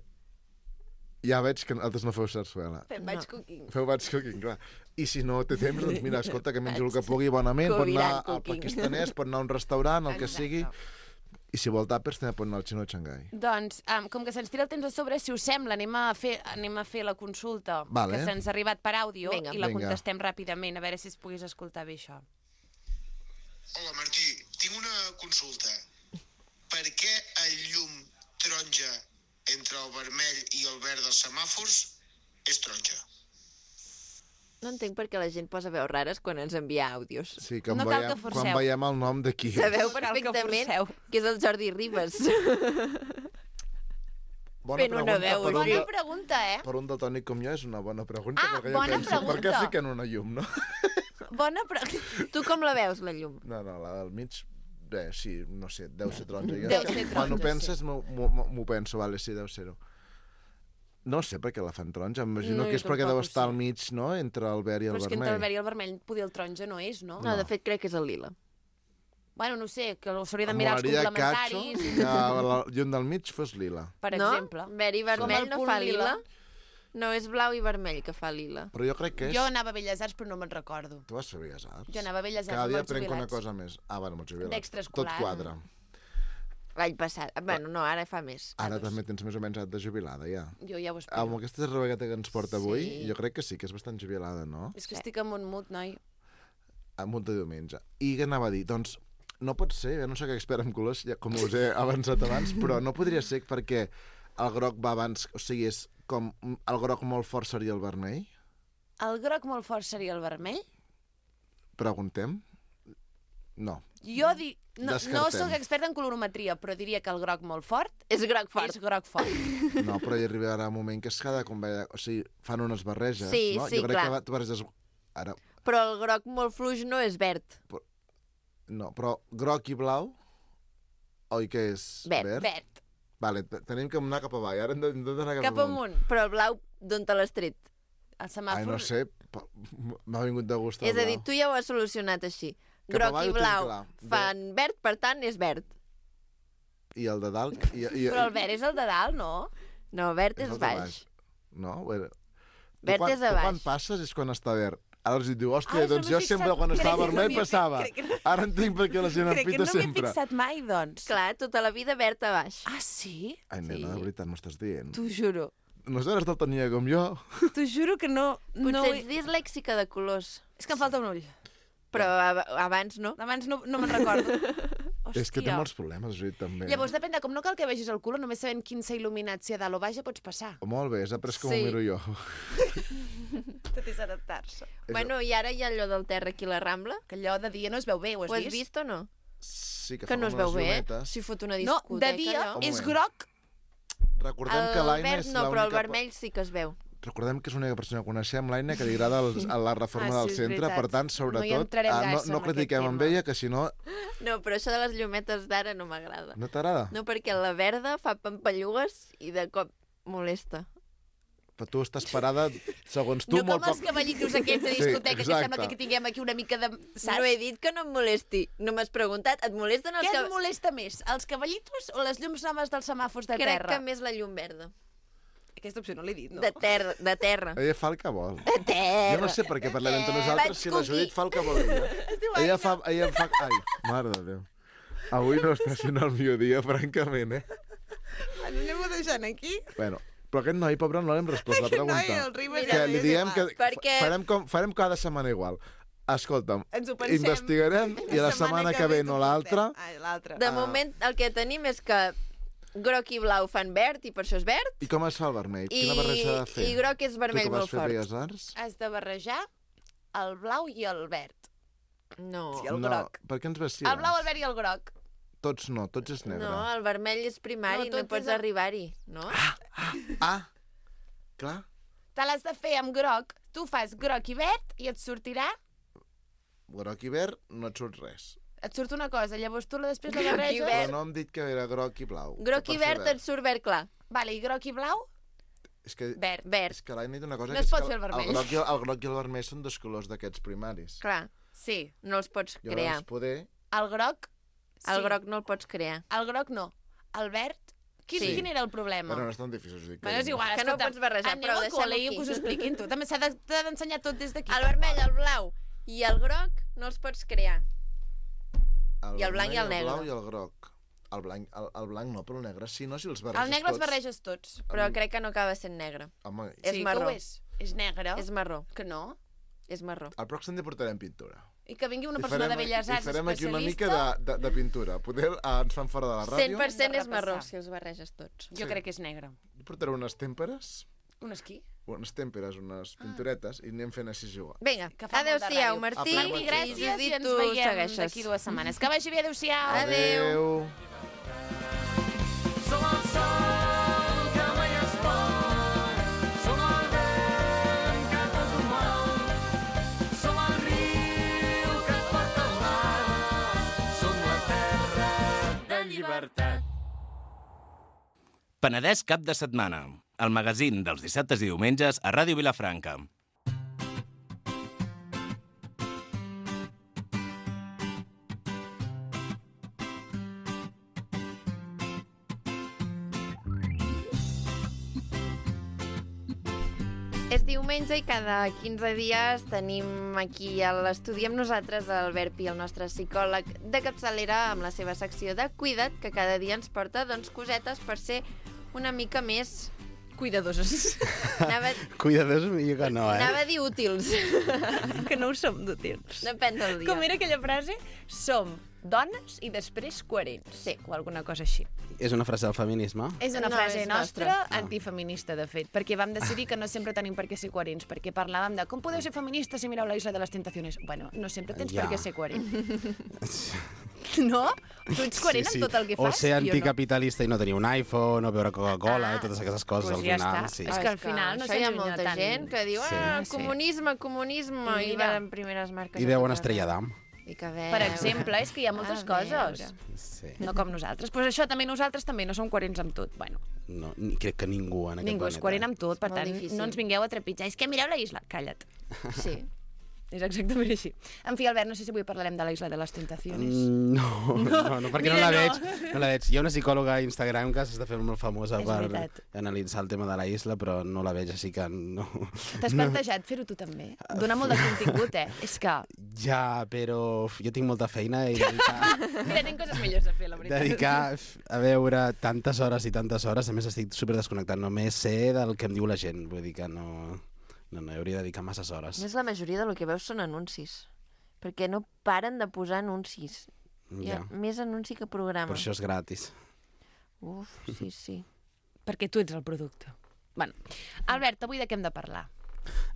Speaker 6: ja veig que altres no feu sarsuela.
Speaker 2: Fem batch cooking.
Speaker 6: Feu batch cooking, clar. I si no té temps, doncs mira, escolta, que mengi el que pugui bonament, pot anar
Speaker 1: Coviran
Speaker 6: al
Speaker 1: cooking.
Speaker 6: pakistanès, pot anar a un restaurant, el que
Speaker 2: Exacte.
Speaker 6: sigui, i si vol tàpers també pot anar al Xino Xangai.
Speaker 2: Doncs, com que se'ns tira el temps a sobre, si us sembla, anem a fer la consulta
Speaker 6: Vale.
Speaker 2: que se'ns ha arribat per àudio
Speaker 1: Vinga.
Speaker 2: i la
Speaker 6: Vinga.
Speaker 2: contestem ràpidament, a veure si es pogués escoltar bé això.
Speaker 7: Hola Martí, tinc una consulta. Per què el llum taronja entre el vermell i el verd dels semàfors és taronja?
Speaker 1: No entenc per què la gent posa veus rares quan ens envia àudios.
Speaker 6: Sí, que
Speaker 2: No cal que forceu.
Speaker 6: quan veiem el nom d'aquí.
Speaker 1: Sabeu
Speaker 2: Cal que
Speaker 1: perfectament
Speaker 2: forceu.
Speaker 1: que és el Jordi Ribas.
Speaker 6: Bona
Speaker 1: fent una veu
Speaker 6: per un
Speaker 2: Bona
Speaker 6: de-
Speaker 2: pregunta, eh?
Speaker 6: Per un daltònic com jo és una bona pregunta.
Speaker 2: Ah,
Speaker 6: perquè jo
Speaker 2: bona
Speaker 6: penso, per què
Speaker 2: pregunta.
Speaker 6: fiquen una llum, no?
Speaker 2: Bona pregunta.
Speaker 1: Tu com la veus, la llum?
Speaker 6: No, la del mig, bé, sí, no sé, deu ser taronja. Jo
Speaker 2: Deu
Speaker 6: és que
Speaker 2: ser
Speaker 6: Quan ho
Speaker 2: taronja,
Speaker 6: penses, m'ho penso, vale, sí, deu ser-ho. No sé per què la fan taronja, m'imagino
Speaker 2: No,
Speaker 6: que
Speaker 2: jo
Speaker 6: és perquè
Speaker 2: tampoc
Speaker 6: deu
Speaker 2: ho
Speaker 6: estar
Speaker 2: sé.
Speaker 6: al mig, no?, entre el verd i el
Speaker 2: Però és que entre
Speaker 6: vermell.
Speaker 2: el verd i el vermell, poder el taronja no és, no?
Speaker 1: No, de fet crec que és el lila.
Speaker 2: Bueno, no sé, que s'hauria de
Speaker 6: Em
Speaker 2: mirar els
Speaker 6: molaria,
Speaker 2: complementaris,
Speaker 6: Cacho, que la llum del mig fos lila.
Speaker 2: per
Speaker 1: no?
Speaker 2: exemple.
Speaker 1: Verd i vermell
Speaker 2: el
Speaker 1: no
Speaker 2: punt
Speaker 1: fa
Speaker 2: lila.
Speaker 1: lila. No, és blau i vermell que fa lila.
Speaker 6: Però jo crec que és...
Speaker 2: Jo anava a Belles Arts, però no me'n recordo.
Speaker 6: Tu vas fer Belles Arts?
Speaker 2: Jo anava a Belles Arts
Speaker 6: Cada
Speaker 2: amb
Speaker 6: dia
Speaker 2: els
Speaker 6: aprenc una
Speaker 2: jubilats.
Speaker 6: cosa més. Ah, bueno, amb els jubilats.
Speaker 2: D'extraescolar.
Speaker 6: Tot quadra.
Speaker 1: L'any passat. Bueno, no, ara fa més.
Speaker 6: Ara també tens més o menys edat de jubilada, ja.
Speaker 2: Jo ja ho espero.
Speaker 6: Amb aquesta rebegueta que ens porta avui,
Speaker 1: Sí.
Speaker 6: jo crec que sí, que és bastant jubilada, no?
Speaker 2: És que estic amb un mut, noi.
Speaker 6: Amb un de diumenge. I què anava a dir? Doncs no pot ser, jo no soc expert en colors, ja, com us he avançat abans, però no podria ser perquè el groc va abans, o sigui, és com el groc molt fort seria el vermell?
Speaker 2: El groc molt fort seria el vermell?
Speaker 6: Preguntem? No.
Speaker 2: Jo no
Speaker 6: Descartem.
Speaker 2: sóc experta en colorometria, però diria que el groc molt fort
Speaker 1: És groc fort.
Speaker 2: és groc fort.
Speaker 6: No, però hi arribarà un moment que és cada convella... O sigui, fan unes barreges,
Speaker 1: Sí,
Speaker 6: no?
Speaker 1: sí,
Speaker 6: jo crec
Speaker 1: clar.
Speaker 6: que tu barreges... Ara,
Speaker 1: Però el groc molt fluix no és verd.
Speaker 6: no, però groc i blau, oi que és
Speaker 1: Verd.
Speaker 2: Verd.
Speaker 6: Vale, tenim que anar cap avall, ara hem d'anar cap,
Speaker 2: Cap amunt.
Speaker 1: Però el blau, d'on te l'has tret?
Speaker 2: El
Speaker 6: Ai,
Speaker 2: semàfor...
Speaker 6: no sé, m'ha vingut de gust el
Speaker 1: És a dir,
Speaker 6: blau.
Speaker 1: tu ja ho has solucionat així.
Speaker 6: Cap
Speaker 1: Groc
Speaker 6: avall
Speaker 1: i
Speaker 6: ho tinc
Speaker 1: blau
Speaker 6: clar.
Speaker 1: fan verd, per tant, és verd.
Speaker 6: I el de dalt...
Speaker 2: Però el verd és el de dalt, no?
Speaker 1: No, verd
Speaker 6: És
Speaker 1: és
Speaker 6: el de
Speaker 1: baix.
Speaker 6: baix. No? Bueno,
Speaker 1: Verd és a
Speaker 6: Tu quan
Speaker 1: baix.
Speaker 6: passes és quan està verd. Ara els diu, hòstia,
Speaker 2: Ai,
Speaker 6: doncs
Speaker 2: no
Speaker 6: jo
Speaker 2: m'he
Speaker 6: sempre
Speaker 2: fixat.
Speaker 6: quan estava
Speaker 2: Crec que no
Speaker 6: vermell
Speaker 2: m'hi he
Speaker 6: passava.
Speaker 2: fixat.
Speaker 6: Ara entenc per què la gent
Speaker 2: Crec que
Speaker 6: empita
Speaker 2: no m'hi he
Speaker 6: sempre.
Speaker 2: fixat mai, doncs.
Speaker 1: Clar, tota la vida verd a baix.
Speaker 2: Ah, sí?
Speaker 6: Ai, nena, de veritat, m'ho estàs dient.
Speaker 2: T'ho juro.
Speaker 6: No eres daltònica com jo?
Speaker 2: T'ho juro que no...
Speaker 1: Potser ets dislèxica de colors,
Speaker 2: És que em falta un ull.
Speaker 1: però abans no.
Speaker 2: Abans no me'n recordo. Hòstia.
Speaker 6: És que té molts problemes, Judit, també.
Speaker 2: Llavors, depèn de com no cal que vegis el color, només sabent quin s'ha il·luminat, si a dalt o baix ja pots passar.
Speaker 6: Oh, molt bé, has après com
Speaker 1: Sí.
Speaker 6: ho miro jo.
Speaker 2: Tot és adaptar-se.
Speaker 1: Bueno, i ara hi ha allò del terra aquí a la Rambla.
Speaker 2: Que allò de dia no es veu bé, ho has
Speaker 1: Ho has
Speaker 2: vist?
Speaker 1: vist o no?
Speaker 6: Sí, que
Speaker 1: Que no es veu bé.
Speaker 6: llumetes.
Speaker 1: Si fot una
Speaker 2: No,
Speaker 1: discoteca,
Speaker 2: de dia
Speaker 1: allò.
Speaker 6: Un
Speaker 2: és
Speaker 6: moment.
Speaker 2: groc.
Speaker 6: Recordem que
Speaker 1: El
Speaker 6: l'Aina
Speaker 1: verd
Speaker 6: és
Speaker 1: no, però el
Speaker 6: l'única...
Speaker 1: vermell sí que es veu.
Speaker 6: Recordem que és l'única persona que coneixem, l'Aina, que li agrada a la reforma
Speaker 2: Ah, sí,
Speaker 6: del
Speaker 2: és
Speaker 6: centre.
Speaker 2: veritat.
Speaker 6: Per tant,
Speaker 2: No hi
Speaker 6: sobretot,
Speaker 2: entrarem gaire
Speaker 6: no
Speaker 2: en
Speaker 6: critiquem
Speaker 2: aquest
Speaker 6: amb
Speaker 2: tema.
Speaker 6: ella, que si no,
Speaker 1: No, però això de les llumetes d'ara no m'agrada.
Speaker 6: no t'agrada.
Speaker 1: No, perquè la verda fa pampallugues i de cop molesta.
Speaker 6: Però tu estàs parada, segons tu,
Speaker 2: no
Speaker 6: molt
Speaker 2: com els
Speaker 6: poc...
Speaker 2: cavallitos aquests de
Speaker 6: Sí,
Speaker 2: discoteca, que
Speaker 6: exacte.
Speaker 2: sembla que tinguem aquí una mica de... Saps?
Speaker 1: No he dit que no em molesti. No m'has preguntat. Et molesten els
Speaker 2: Què et molesta més, els cavallitos o les llums noves dels semàfors de
Speaker 1: Crec
Speaker 2: terra?
Speaker 1: que més la llum verda.
Speaker 2: Aquesta opció no l'he dit, no?
Speaker 1: De terra. De terra.
Speaker 6: Ella fa el que vol.
Speaker 1: De terra.
Speaker 6: Jo no sé per què parlem entre nosaltres
Speaker 1: Vaig
Speaker 6: si la
Speaker 1: cookie.
Speaker 6: Judit fa el que vol ella. Ella fa... Ai, mare de Déu. Avui no està sent el millor dia, francament, eh?
Speaker 2: Anem-ho deixant aquí?
Speaker 6: Bueno, però aquest noi, pobre, no l'hem respost la pregunta.
Speaker 2: Ribes
Speaker 6: Que li diem que
Speaker 1: Perquè-
Speaker 6: farem cada setmana igual. Escolta'm,
Speaker 2: Ens ho pensem.
Speaker 6: investigarem i la setmana que ve no l'altra.
Speaker 2: Ai, l'altra.
Speaker 1: De moment, el que tenim és que groc i blau fan verd i per això és verd.
Speaker 6: I com es fa el vermell?
Speaker 1: I,
Speaker 6: Quina barreja s'ha de fer?
Speaker 1: I groc és vermell
Speaker 6: tu que vas
Speaker 1: molt
Speaker 6: fer
Speaker 1: fort.
Speaker 6: Belles Arts?
Speaker 2: Has de barrejar el blau i el verd.
Speaker 1: No.
Speaker 2: Sí, el groc.
Speaker 6: Per què ens vestires?
Speaker 2: El blau, el verd i el groc.
Speaker 6: Tots no, tots és negre.
Speaker 1: No, el vermell és primari,
Speaker 2: No,
Speaker 1: no,
Speaker 2: tot
Speaker 1: pots
Speaker 2: és el-
Speaker 1: arribar-hi, no?
Speaker 6: Ah, clar.
Speaker 2: Te l'has de fer amb groc. Tu fas groc i verd i et sortirà...
Speaker 6: Groc i verd no et surt res.
Speaker 2: Et surt una cosa, llavors tu després la
Speaker 1: Groc i
Speaker 2: barreges...
Speaker 1: verd.
Speaker 6: Però no hem dit que era groc i blau.
Speaker 1: Groc
Speaker 6: Que
Speaker 1: i
Speaker 6: per fer
Speaker 1: verd et surt verd clar.
Speaker 2: Vale, i groc i blau,
Speaker 6: És que,
Speaker 2: verd.
Speaker 1: Verd,
Speaker 6: és que l'Aina ha dit una cosa
Speaker 2: No
Speaker 6: que
Speaker 2: es
Speaker 6: és
Speaker 2: pot
Speaker 6: que
Speaker 2: fer el vermell.
Speaker 6: el groc i el vermell són dos colors d'aquests primaris.
Speaker 1: clar.
Speaker 2: Sí.
Speaker 1: No els pots
Speaker 6: Llavors,
Speaker 1: crear.
Speaker 6: poder...
Speaker 2: El groc... Sí.
Speaker 1: El groc no el pots crear.
Speaker 2: El groc no. El verd...
Speaker 1: Sí.
Speaker 2: Quin era el problema?
Speaker 6: Bueno, no és tan difícil, us dic.
Speaker 2: Bueno, és igual,
Speaker 1: Que no ho
Speaker 2: escolta,
Speaker 1: pots barrejar,
Speaker 2: aneu
Speaker 1: prou,
Speaker 2: al
Speaker 1: deixem-ho
Speaker 2: col·le i
Speaker 1: aquí.
Speaker 2: que us ho expliquin tu. També t'ha d'ensenyar tot des d'aquí.
Speaker 1: El vermell, el blau i el groc no els pots crear. I el blanc i el
Speaker 6: vermell,
Speaker 1: negre.
Speaker 6: El blau i el groc. El blanc no, però el negre sí, no? Si els barreges
Speaker 2: El negre els
Speaker 6: tots...
Speaker 2: barreges tots.
Speaker 1: Però crec que no acaba sent negre.
Speaker 6: Home,
Speaker 1: És
Speaker 2: sí,
Speaker 1: marró.
Speaker 2: que ho és. És negre.
Speaker 1: És marró,
Speaker 2: Que no.
Speaker 1: és marró.
Speaker 6: al pròxim dia portarem pintura.
Speaker 2: I que vingui una
Speaker 6: I
Speaker 2: persona
Speaker 6: farem-
Speaker 2: de Belles Arts
Speaker 6: I farem aquí una
Speaker 2: especialista.
Speaker 6: mica de pintura. Poder ens fan fora de la ràdio.
Speaker 1: 100% és
Speaker 2: repassar.
Speaker 1: marró, si els barreges tots.
Speaker 2: Jo crec que és negre.
Speaker 6: Jo portaré unes tèmperes,
Speaker 2: Un esquí.
Speaker 6: unes pinturetes, i anem fent així jugar.
Speaker 1: Vinga,
Speaker 2: Que fa molt de
Speaker 1: adeu-siau,
Speaker 2: ràdio.
Speaker 1: Martí.
Speaker 6: Apa,
Speaker 2: Martí,
Speaker 6: I
Speaker 2: gràcies i
Speaker 1: Judit,
Speaker 2: ens
Speaker 1: tu
Speaker 2: veiem
Speaker 1: segueixes.
Speaker 2: d'aquí 2 setmanes. Que vagi bé, adeu-siau.
Speaker 1: Adeu.
Speaker 5: Som el sol que mai es pon, som el vent que tot ho mou, som el riu que et porta al mar, som la terra de llibertat.
Speaker 8: Penedès cap de setmana, el magazín dels dissabtes i diumenges a Ràdio Vilafranca.
Speaker 1: És diumenge i cada 15 dies tenim aquí a l'estudi amb nosaltres el Verpi, el nostre psicòleg de capçalera, amb la seva secció de Cuida't, que cada dia ens porta cosetes per ser una mica més...
Speaker 2: Cuidadoses.
Speaker 1: Anava,
Speaker 9: Cuidadors millor que no,
Speaker 1: anava a dir útils.
Speaker 2: que no ho som d'útils.
Speaker 1: Depèn del dia.
Speaker 2: Com era aquella frase? Som dones i després coherents.
Speaker 1: Sí.
Speaker 2: O alguna cosa així.
Speaker 9: És una frase del feminisme?
Speaker 2: És una
Speaker 1: No,
Speaker 2: frase
Speaker 1: és
Speaker 2: nostra,
Speaker 1: nostra.
Speaker 2: antifeminista, de fet, perquè vam decidir que no sempre tenim per què ser coherents, perquè parlàvem de com podeu ser feministes si mireu la Isla de les Tentaciones. Bueno, no sempre tens
Speaker 9: Ja.
Speaker 2: per què ser coherent. No? Tu ets coherent amb tot el que
Speaker 9: O
Speaker 2: fas?
Speaker 9: ser
Speaker 2: Jo no.
Speaker 9: anticapitalista i no tenir un iPhone, o beure Coca-Cola, i totes aquestes coses,
Speaker 2: Doncs
Speaker 9: al
Speaker 2: ja
Speaker 9: final.
Speaker 2: està.
Speaker 9: Sí.
Speaker 2: És que al final no
Speaker 1: això hi ha
Speaker 2: s'allunya
Speaker 1: molta
Speaker 2: tant.
Speaker 1: gent que diu
Speaker 9: Sí.
Speaker 1: comunisme, comunisme,
Speaker 2: I
Speaker 1: i
Speaker 2: mira.
Speaker 1: van primeres marques.
Speaker 9: I
Speaker 1: a
Speaker 9: veu
Speaker 1: tot
Speaker 9: una estrella
Speaker 1: arreu.
Speaker 9: d'am.
Speaker 1: I que veu...
Speaker 2: Per exemple, és que hi ha moltes
Speaker 1: A
Speaker 2: coses.
Speaker 1: veure.
Speaker 9: Sí.
Speaker 2: No com nosaltres. Pues això també nosaltres també no som coherents amb tot. Bueno,
Speaker 9: No, crec que ningú en aquest
Speaker 2: ningú és
Speaker 9: planeta.
Speaker 2: coherent amb tot, per
Speaker 1: molt
Speaker 2: tant,
Speaker 1: difícil.
Speaker 2: no ens vingueu a trepitjar. És que mireu la isla. Calla't.
Speaker 1: Sí.
Speaker 2: és exactament així. En fi, Albert, no sé si avui parlarem de la Isla de les Tentaciones.
Speaker 9: No, perquè
Speaker 2: Mira,
Speaker 9: no la
Speaker 2: no.
Speaker 9: veig. No la veig. Hi ha una psicòloga a Instagram que s'està fent molt famosa
Speaker 2: És
Speaker 9: per
Speaker 2: veritat.
Speaker 9: analitzar el tema de la isla, però no la veig, així que no.
Speaker 2: T'has plantejat fer-ho tu també? Dona molt de contingut, És que...
Speaker 9: Ja, però jo tinc molta feina i
Speaker 2: Mira, tinc coses millors a fer, la veritat.
Speaker 9: dedicar a veure tantes hores i tantes hores, a més estic super desconnectat, només sé del que em diu la gent, vull dir que no hi hauria de dedicar masses hores.
Speaker 1: Més la majoria del que veus són anuncis, perquè no paren de posar anuncis. Hi ha
Speaker 9: Ja.
Speaker 1: més anunci que programa.
Speaker 9: Per això és gratis.
Speaker 1: Uf, sí.
Speaker 2: Perquè tu ets el producte. Bueno, Albert, avui de què hem de parlar?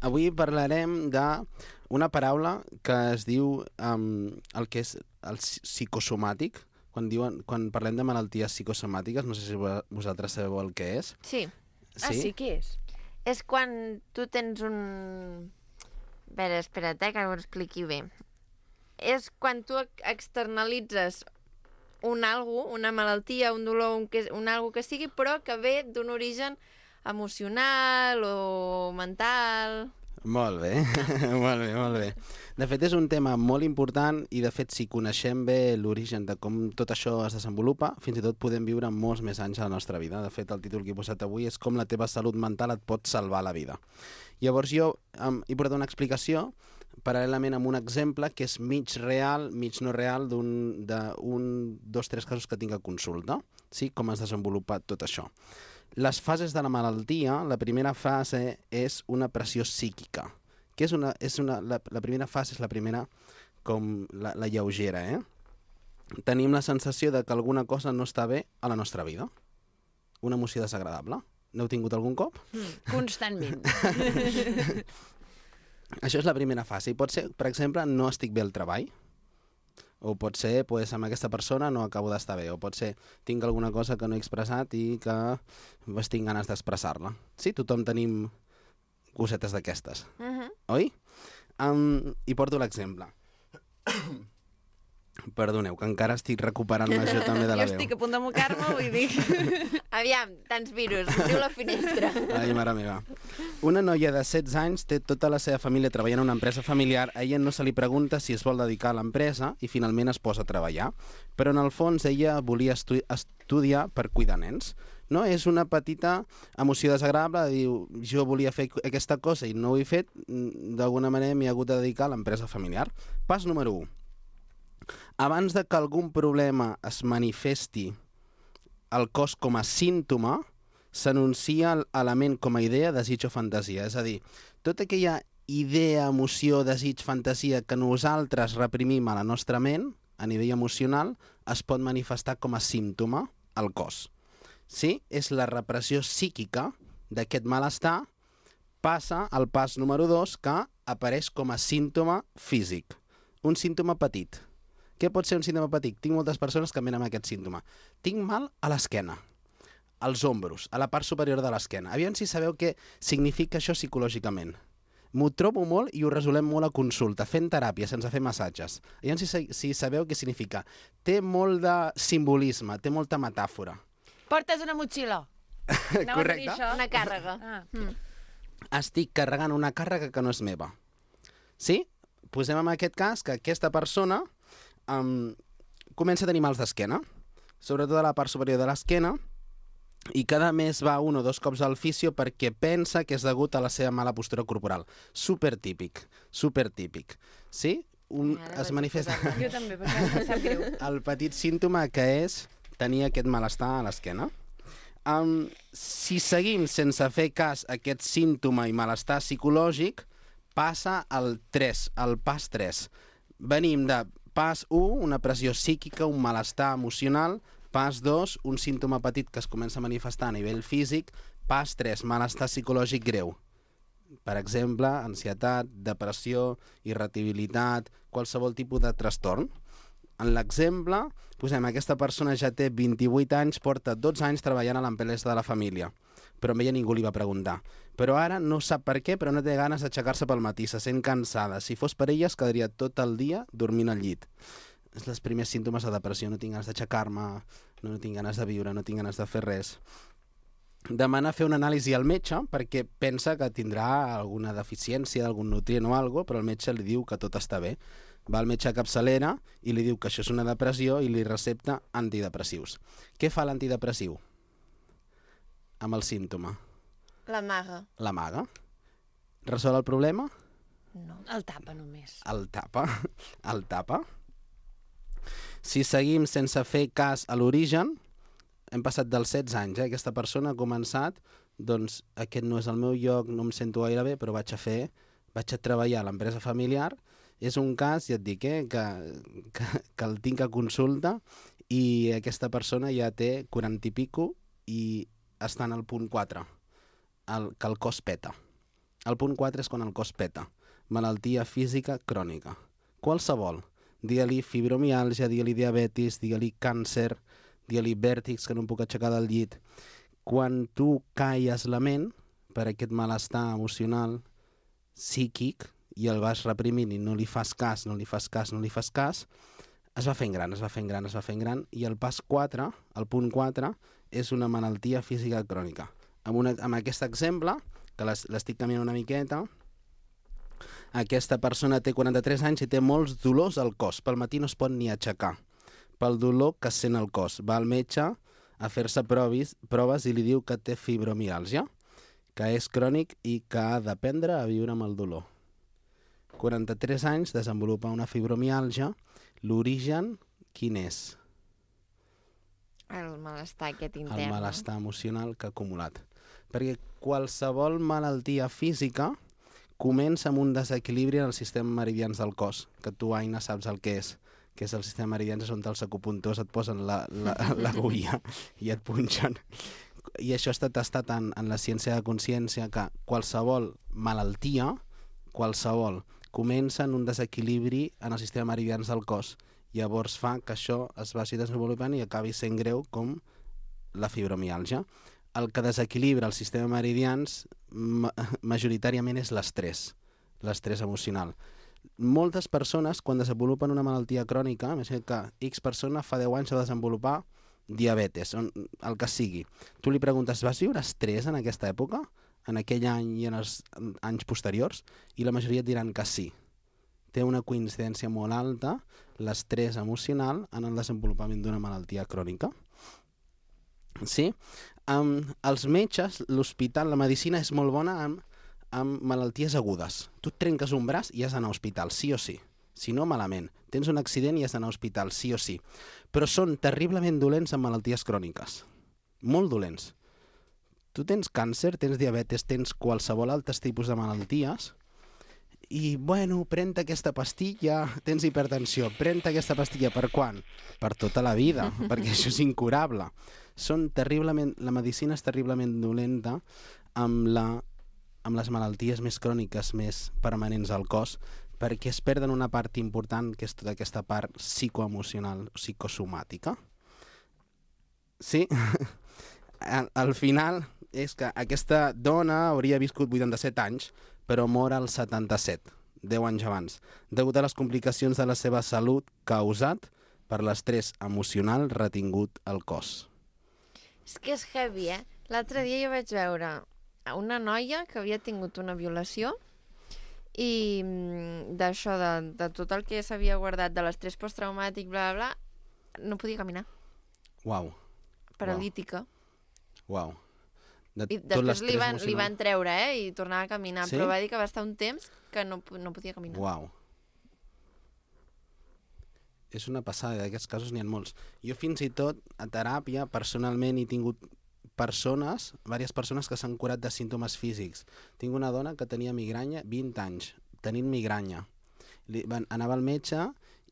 Speaker 9: Avui parlarem d'una paraula que es diu el que és el psicosomàtic. Quan parlem de malalties psicosomàtiques, no sé si vosaltres sabeu el que és.
Speaker 1: Sí.
Speaker 2: Ah, sí? Què és?
Speaker 1: És quan tu tens un... A veure, espera't, que ho expliqui bé. És quan tu externalitzes una malaltia, un dolor, un algo que sigui, però que ve d'un origen emocional o mental...
Speaker 9: Molt bé, molt bé. De fet, és un tema molt important i, de fet, si coneixem bé l'origen de com tot això es desenvolupa, fins i tot podem viure molts més anys a la nostra vida. De fet, el títol que he posat avui és com la teva salut mental et pot salvar la vida. Llavors jo he portat una explicació paral·lelament amb un exemple que és mig real, mig no real, dos, tres casos que tinc a consulta, sí? Com es desenvolupa tot això. Les fases de la malaltia, la primera fase és una pressió psíquica. Que la primera fase és la primera com la lleugera, Tenim la sensació de que alguna cosa no està bé a la nostra vida. Una emoció desagradable. N'heu tingut algun cop?
Speaker 2: Constantment.
Speaker 9: Això és la primera fase. I pot ser, per exemple, no estic bé al treball. O pot ser, amb aquesta persona no acabo d'estar bé. O pot ser, tinc alguna cosa que no he expressat i que tinc ganes d'expressar-la. Sí, tothom tenim cosetes d'aquestes. Oi? I porto l'exemple. Perdoneu, que encara estic recuperant-me jo també de la
Speaker 2: Jo
Speaker 9: veu.
Speaker 2: estic a punt de mocar-me, vull dir...
Speaker 1: Aviam, tants virus, diu la finestra.
Speaker 9: Ai, mare meva. Una noia de 16 anys té tota la seva família treballant en una empresa familiar. A ella no se li pregunta si es vol dedicar a l'empresa i finalment es posa a treballar. Però en el fons ella volia estudiar per cuidar nens. No? És una petita emoció desagradable, diu, jo volia fer aquesta cosa i no ho he fet, d'alguna manera m'he hagut de dedicar a l'empresa familiar. Pas número 1. Abans de que algun problema es manifesti al cos com a símptoma, s'anuncia l'element com a idea, desig o fantasia. És a dir, tota aquella idea, emoció, desig, fantasia que nosaltres reprimim a la nostra ment, a nivell emocional, es pot manifestar com a símptoma al cos. Sí? És la repressió psíquica d'aquest malestar, passa al pas número 2, que apareix com a símptoma físic. Un símptoma petit. Què pot ser un símptoma petit? Tinc moltes persones que em venen amb aquest símptoma. Tinc mal a l'esquena, als ombros, a la part superior de l'esquena. Aviam si sabeu què significa això psicològicament. M'ho trobo molt i ho resolem molt a consulta, fent teràpia, sense fer massatges. Aviam si sabeu què significa. Té molt de simbolisme, té molta metàfora.
Speaker 2: Portes una motxilla. Anaves a dir això?
Speaker 1: Una càrrega.
Speaker 9: Estic carregant una càrrega que no és meva. Sí? Posem en aquest cas que aquesta persona comença a tenir mals d'esquena, sobretot a la part superior de l'esquena, i cada mes va 1 o 2 cops al fisio perquè pensa que és degut a la seva mala postura corporal. Supertípic, supertípic. Sí? Es manifesta...
Speaker 2: Jo també, perquè em sap greu.
Speaker 9: El petit símptoma que és tenir aquest malestar a l'esquena. Si seguim sense fer cas a aquest símptoma i malestar psicològic, passa al 3, al pas 3. Venim de pas 1, una pressió psíquica, un malestar emocional. Pas 2, un símptoma petit que es comença a manifestar a nivell físic. Pas 3, malestar psicològic greu. Per exemple, ansietat, depressió, irritabilitat, qualsevol tipus de trastorn. En l'exemple, posem, aquesta persona ja té 28 anys, porta 12 anys treballant a l'empresa de la família, però amb ella ningú li va preguntar. Però ara no sap per què, però no té ganes d'aixecar-se pel matí, se sent cansada. Si fos per ella, es quedaria tot el dia dormint al llit. És els primers símptomes de depressió, no tinc ganes d'aixecar-me, no tinc ganes de viure, no tinc ganes de fer res. demana fer una anàlisi al metge perquè pensa que tindrà alguna deficiència d'algun nutrient o alguna cosa, però el metge li diu que tot està bé. Va al metge a capçalera i li diu que això és una depressió i li recepta antidepressius. Què fa l'antidepressiu amb el símptoma?
Speaker 1: L'amaga.
Speaker 9: L'amaga. Resol el problema?
Speaker 1: No.
Speaker 2: El tapa només.
Speaker 9: El tapa. El tapa. Si seguim sense fer cas a l'origen, hem passat dels 16 anys, aquesta persona ha començat, doncs aquest no és el meu lloc, no em sento gaire bé, però vaig a treballar a l'empresa familiar. És un cas, ja et dic, que el tinc a consulta i aquesta persona ja té 40 i pico i està en el punt 4, que el cos peta. El punt 4 és quan el cos peta. Malaltia física crònica. Qualsevol. Digue-li fibromiàlgia, digue-li diabetis, digue-li càncer, digue-li vèrtigs, que no em puc aixecar del llit. Quan tu calles la ment per aquest malestar emocional, psíquic, i el vas reprimint i no li fas cas, no li fas cas, no li fas cas, es va fent gran, es va fent gran, es va fent gran, i el pas 4, el punt 4, és una malaltia física crònica. Amb aquest exemple, que l'estic canviant una miqueta, aquesta persona té 43 anys i té molts dolors al cos. Pel matí no es pot ni aixecar, pel dolor que sent al cos. Va al metge a fer-se proves i li diu que té fibromiàlgia, que és crònic i que ha d'aprendre a viure amb el dolor. 43 anys, desenvolupa una fibromiàlgia. L'origen, quin és?
Speaker 1: El malestar aquest intern.
Speaker 9: El malestar emocional que ha acumulat. Perquè qualsevol malaltia física comença amb un desequilibri en el sistema meridians del cos, que tu, Aina, saps el que és el sistema meridians, on els acupuntors et posen l'agulla i et punxen. I això està testat en la ciència de consciència, que qualsevol malaltia, qualsevol, comença en un desequilibri en el sistema meridians del cos. Llavors fa que això es vagi desenvolupant i acabi sent greu com la fibromiàlgia. El que desequilibra el sistema meridians majoritàriament és l'estrès emocional. Moltes persones, quan desenvolupen una malaltia crònica, imagina't que X persona fa 10 anys de desenvolupar diabetes, el que sigui. Tu li preguntes, vas viure estrès en aquesta època, en aquell any i en els anys posteriors? I la majoria et diran que sí. Té una coincidència molt alta l'estrès emocional en el desenvolupament d'una malaltia crònica. Sí? Els metges, l'hospital, la medicina és molt bona amb malalties agudes. Tu et trenques un braç i has d'anar a l'hospital, sí o sí. Si no, malament. Tens un accident i has d'anar a l'hospital, sí o sí. Però són terriblement dolents amb malalties cròniques. Molt dolents. Tu tens càncer, tens diabetes, tens qualsevol altres tipus de malalties i, bueno, pren aquesta pastilla, tens hipertensió, pren aquesta pastilla, per quan? Per tota la vida, perquè això és incurable. La medicina és terriblement dolenta amb les malalties més cròniques, més permanents al cos, perquè es perden una part important, que és tota aquesta part psicoemocional, psicosomàtica. Sí? Al final és que aquesta dona hauria viscut 87 anys, però mor als 77, 10 anys abans, degut a les complicacions de la seva salut causat per l'estrès emocional retingut al cos.
Speaker 1: És que és heavy, eh? L'altre dia jo vaig veure una noia que havia tingut una violació i d'això, de tot el que s'havia guardat de l'estrès posttraumàtic, bla, bla, bla, no podia caminar.
Speaker 9: Uau.
Speaker 1: Paralítica.
Speaker 9: Uau.
Speaker 1: I després li van treure, i tornava a caminar,
Speaker 9: sí?
Speaker 1: Però va dir que va estar un temps que no podia caminar.
Speaker 9: Uau. És una passada, d'aquests casos n'hi ha molts. Jo fins i tot, a teràpia, personalment he tingut diverses persones que s'han curat de símptomes físics. Tinc una dona que tenia migranya 20 anys, tenint migranya. Anava al metge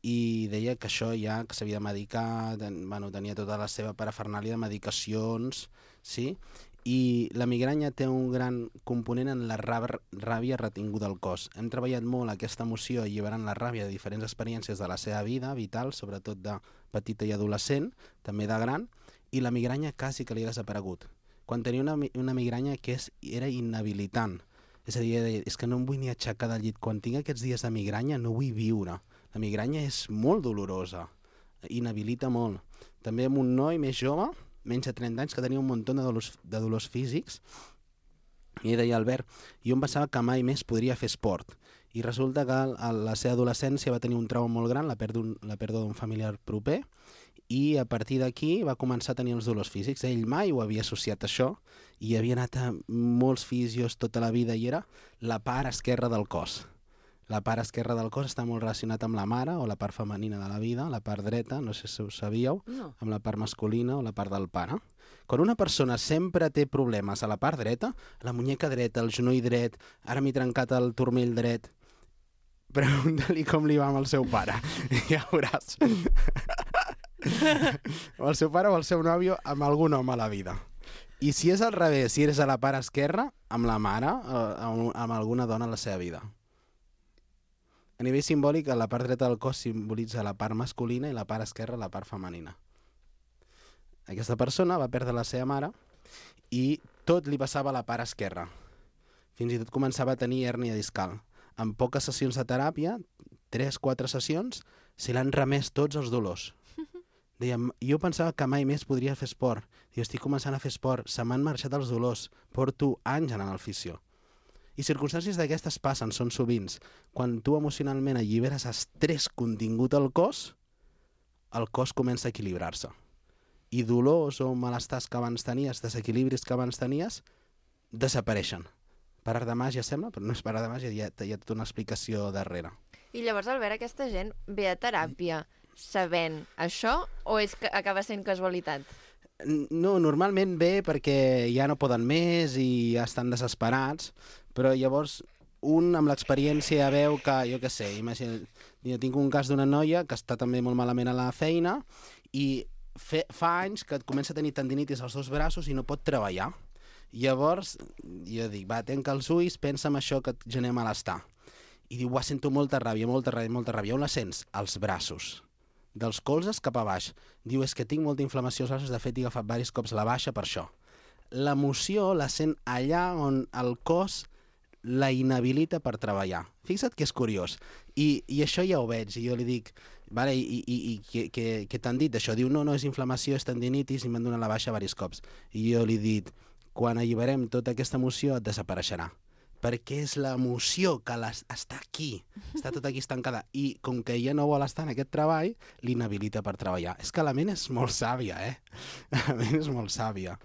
Speaker 9: i deia que això ja que s'havia de medicar, tenia tota la seva parafernàlia de medicacions, sí? I la migranya té un gran component en la ràbia retinguda al cos. Hem treballat molt aquesta emoció alliberant la ràbia de diferents experiències de la seva vida vital, sobretot de petita i adolescent, també de gran, i la migranya quasi que li ha desaparegut. Quan tenia una migranya que era inhabilitant, és a dir, és que no em vull ni aixecar del llit. Quan tinc aquests dies de migranya no vull viure. La migranya és molt dolorosa, inhabilita molt. També amb un noi més jove, menys de 30 anys, que tenia un munt de dolors físics, i deia, Albert, jo em pensava que mai més podria fer esport. I resulta que a la seva adolescència va tenir un trauma molt gran, la pèrdua d'un familiar proper, i a partir d'aquí va començar a tenir els dolors físics. Ell mai ho havia associat a això, i havia anat a molts fisios tota la vida, i era la part esquerra del cos. La part esquerra del cos està molt relacionat amb la mare, o la part femenina de la vida, la part dreta, no sé si ho sabíeu, amb la part masculina o la part del pare. Quan una persona sempre té problemes a la part dreta, la muñeca dreta, el genoll dret, ara m'he trencat el turmell dret, pregunta-li com li va amb el seu pare. Ja veuràs. O el seu pare o el seu nòvio amb algun home a la vida. I si és al revés, si eres a la part esquerra, amb la mare o amb alguna dona a la seva vida. A nivell simbòlic, la part dreta del cos simbolitza la part masculina i la part esquerra la part femenina. Aquesta persona va perdre la seva mare i tot li passava a la part esquerra. Fins i tot començava a tenir hèrnia discal. En poques sessions de teràpia, 3-4 sessions, se l'han remès tots els dolors. Deia, jo pensava que mai més podria fer esport. Diu, estic començant a fer esport, se m'han marxat els dolors, porto anys anant al fisio. I circumstàncies d'aquestes passen, són sovint. Quan tu emocionalment alliberes estrès contingut al cos comença a equilibrar-se. I dolors o malestars que abans tenies, desequilibris que abans tenies, desapareixen. Per art de màgia sembla, però no és per art de màgia, hi ha tota una explicació darrere.
Speaker 1: I llavors, Albert, aquesta gent ve a teràpia sabent això o és que acaba sent casualitat?
Speaker 9: No, normalment ve perquè ja no poden més i ja estan desesperats, però llavors un amb l'experiència veu que, jo què sé, imagina, jo tinc un cas d'una noia que està també molt malament a la feina i fa anys que comença a tenir tendinitis als dos braços i no pot treballar. Llavors, jo dic, va, tanca els ulls, pensa en això que et genera malestar. I diu, sento molta ràbia, molta ràbia, molta ràbia. On la sents? Als braços. Dels colzes cap a baix. Diu, és que tinc molta inflamació als braços, de fet he agafat diversos cops la baixa per això. L'emoció la sent allà on el cos la inhabilita per treballar. Fixa't que és curiós. I això ja ho veig, i jo li dic, vale, i què t'han dit d'això? Diu, no, és inflamació, és tendinitis, i m'han donat la baixa diversos cops. I jo li dic, quan alliberem tota aquesta emoció et desapareixerà. Perquè és l'emoció que està aquí, està tot aquí estancada, i com que ella no vol estar en aquest treball, l'inhabilita per treballar. És que la ment és molt sàvia, La ment és molt sàvia.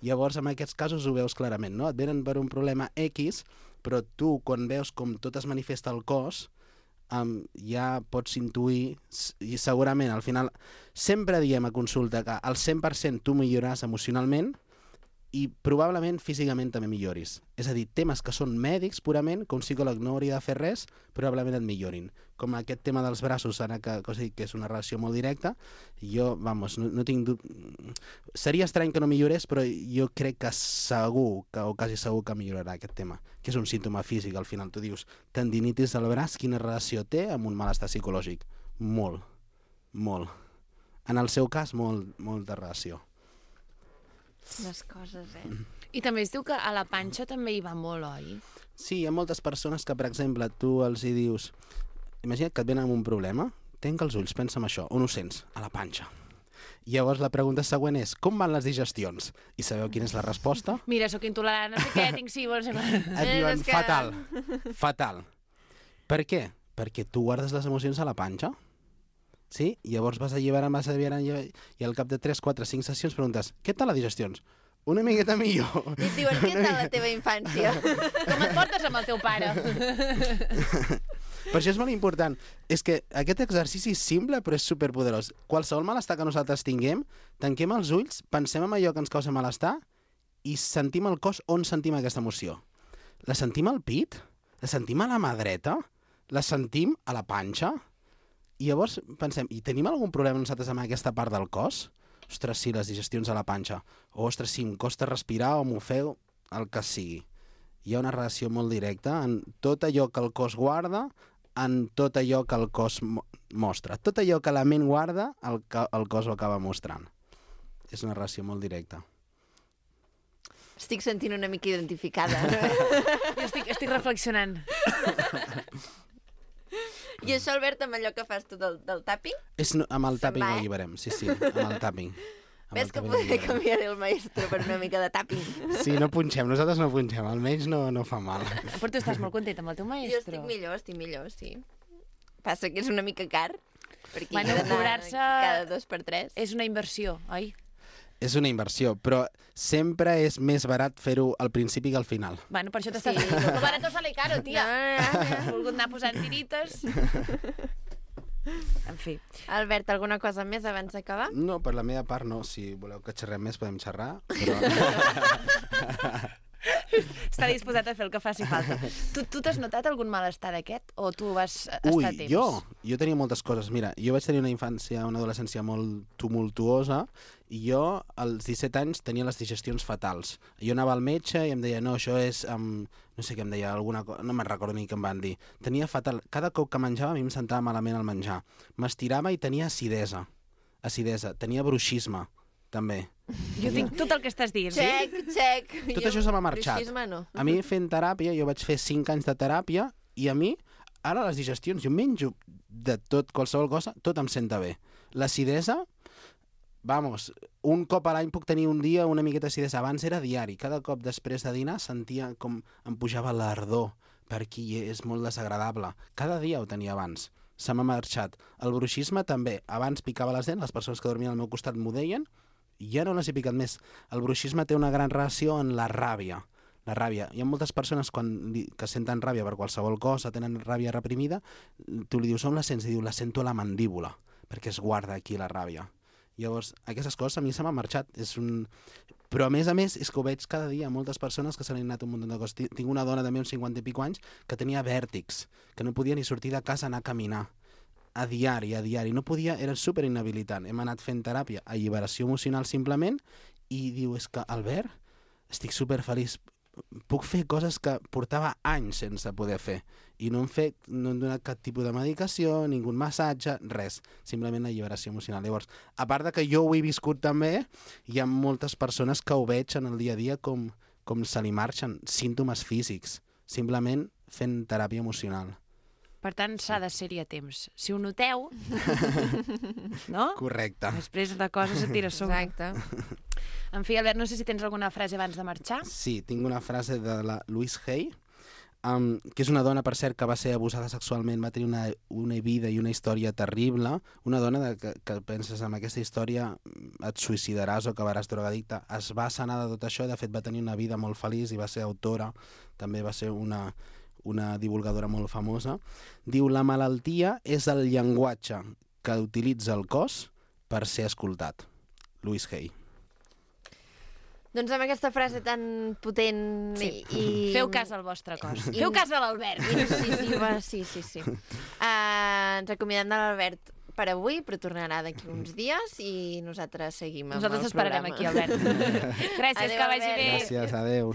Speaker 9: Llavors, en aquests casos ho veus clarament, no? Et venen per un problema X, però tu, quan veus com tot es manifesta al cos, ja pots intuir, i segurament, al final, sempre diem a consulta que al 100% tu milloraràs emocionalment, i probablement físicament també milloris. És a dir, temes que són mèdics purament, que un psicòleg no hauria de fer res, probablement et millorin. Com aquest tema dels braços, ara que és una relació molt directa, jo, no tinc dubte... Seria estrany que no millorés, però jo crec que segur, o quasi segur que millorarà aquest tema, que és un símptoma físic. Al final tu dius, tendinitis al braç, quina relació té amb un malestar psicològic? Molt. En el seu cas, molta relació.
Speaker 1: Les coses,
Speaker 2: I també es diu que a la panxa també hi va molt, oi?
Speaker 9: Sí, hi ha moltes persones que, per exemple, tu els hi dius, imagina't que et venen amb un problema, tanca els ulls, pensa en això, on ho sents? A la panxa. Llavors la pregunta següent és, com van les digestions? I sabeu quina és la resposta?
Speaker 2: Mira, sóc intolerant, no sé què, tinc sí, vols...
Speaker 9: Et diuen, fatal. Per què? Perquè tu guardes les emocions a la panxa. Sí? Llavors vas alliberant, i al cap de 3, 4, 5 sessions preguntes, què tal les digestions? Una miqueta millor.
Speaker 1: I et diuen, què tal la teva infància?
Speaker 2: Com et portes amb el teu pare?
Speaker 9: Per això és molt important. És que aquest exercici és simple, però és superpoderós. Qualsevol malestar que nosaltres tinguem, tanquem els ulls, pensem en allò que ens causa malestar i sentim el cos on sentim aquesta emoció. La sentim al pit? La sentim a la mà dreta? La sentim a la panxa? I llavors pensem, i tenim algun problema nosaltres amb aquesta part del cos? Ostres, sí, les digestions a la panxa. O, ostres, sí, em costa respirar o m'ofego, el que sigui. Hi ha una relació molt directa en tot allò que el cos guarda, en tot allò que el cos mostra. Tot allò que la ment guarda, el cos ho acaba mostrant. És una relació molt directa.
Speaker 1: Estic sentint una mica identificada.
Speaker 2: Jo estic reflexionant.
Speaker 1: I això, Albert, amb allò que fas tu del tapping?
Speaker 9: Amb el tapping ho alliberem, sí, amb el tapping.
Speaker 1: Ves que podria canviar el maestro per una mica de tapping.
Speaker 9: Sí, no punxem, nosaltres no punxem, almenys no fa mal.
Speaker 2: Però tu estàs molt content amb el teu
Speaker 1: Jo
Speaker 2: maestro.
Speaker 1: estic millor, sí. Passa que és una mica car, perquè
Speaker 2: Bueno,
Speaker 1: he d'anar
Speaker 2: cobrar-se-
Speaker 1: cada 2 per 3.
Speaker 2: És una inversió, oi?
Speaker 9: És una inversió, però sempre és més barat fer-ho al principi que al final.
Speaker 2: Bueno, per això t'estàs...
Speaker 1: Sí.
Speaker 2: Lo barato sale caro, tia.
Speaker 1: No.
Speaker 2: Has volgut anar posant tirites. En fi.
Speaker 1: Albert, alguna cosa més abans d'acabar?
Speaker 9: No, per la meva part no. Si voleu que xerrem més, podem xerrar. Però...
Speaker 2: Està disposat a fer el que faci falta. Tu t'has notat algun malestar d'aquest? O tu vas estar
Speaker 9: Ui,
Speaker 2: a temps?
Speaker 9: jo tenia moltes coses. Mira, jo vaig tenir una infància, una adolescència molt tumultuosa i jo, als 17 anys, tenia les digestions fatals. Jo anava al metge i em deia, no, això és... no sé què em deia, alguna cosa... No me'n recordo ni què em van dir. Tenia fatal... Cada cop que menjava a mi em sentava malament al menjar. M'estirava i tenia acidesa. Tenia bruixisme, també.
Speaker 2: Jo tinc tot el que estàs dient.
Speaker 1: Check.
Speaker 9: Tot això se m'ha marxat.
Speaker 1: Bruixisme no.
Speaker 9: A mi fent teràpia, jo vaig fer 5 anys de teràpia i a mi, ara les digestions, jo menjo de tot, qualsevol cosa, tot em senta bé. L'acidesa, vamos, un cop a l'any puc tenir un dia una miqueta d'acidesa. Abans era diari. Cada cop després de dinar sentia com em pujava l'ardor per aquí i és molt desagradable. Cada dia ho tenia abans. Se m'ha marxat. El bruixisme també. Abans picava les dents, les persones que dormien al meu costat m'ho deien, i ja no les he picat més. El bruixisme té una gran relació en la ràbia. La ràbia. Hi ha moltes persones que senten ràbia per qualsevol cosa, tenen ràbia reprimida, tu li dius on la sents? I diu, la sento a la mandíbula, perquè es guarda aquí la ràbia. Llavors, aquestes coses a mi se m'han marxat. Però a més, és que ho veig cada dia. Moltes persones que se n'han anat un munt de coses. Tinc una dona també, uns 50 i pico anys, que tenia vèrtics, que no podia ni sortir de casa, anar a caminar. A diari. No podia, era super inhabilitant. Hem anat fent teràpia, alliberació emocional simplement, i diu, és que, Albert, estic super feliç. Puc fer coses que portava anys sense poder fer. I no hem donat cap tipus de medicació, ningú massatge, res. Simplement alliberació emocional. Llavors, a part de que jo ho he viscut també, hi ha moltes persones que ho veig en el dia a dia com se li marxen símptomes físics, simplement fent teràpia emocional.
Speaker 2: Per tant, s'ha de ser-hi a temps. Si ho noteu, no?
Speaker 9: Correcte.
Speaker 2: Després de coses et tira a sobre.
Speaker 1: Exacte.
Speaker 2: En fi, Albert, no sé si tens alguna frase abans de marxar.
Speaker 9: Sí, tinc una frase de la Louise Hay, que és una dona, per cert, que va ser abusada sexualment, va tenir una vida i una història terrible, una dona que penses amb aquesta història et suïcidaràs o acabaràs drogadicta. Es va sanar de tot això, de fet va tenir una vida molt feliç i va ser autora, també va ser una divulgadora molt famosa. Diu, la malaltia és el llenguatge que utilitza el cos per ser escoltat. Louise Hay.
Speaker 1: Doncs amb aquesta frase tan potent i...
Speaker 2: Feu cas al vostre cos. Feu cas a l'Albert.
Speaker 1: Sí. Ens acomiadem de l'Albert per avui, però tornarà d'aquí uns dies i nosaltres seguim amb
Speaker 2: Nosaltres
Speaker 1: el
Speaker 2: esperarem
Speaker 1: programa.
Speaker 2: aquí, Albert. Gràcies,
Speaker 1: Adéu,
Speaker 2: que vagi
Speaker 1: Albert.
Speaker 2: bé.
Speaker 9: Gràcies, adeu.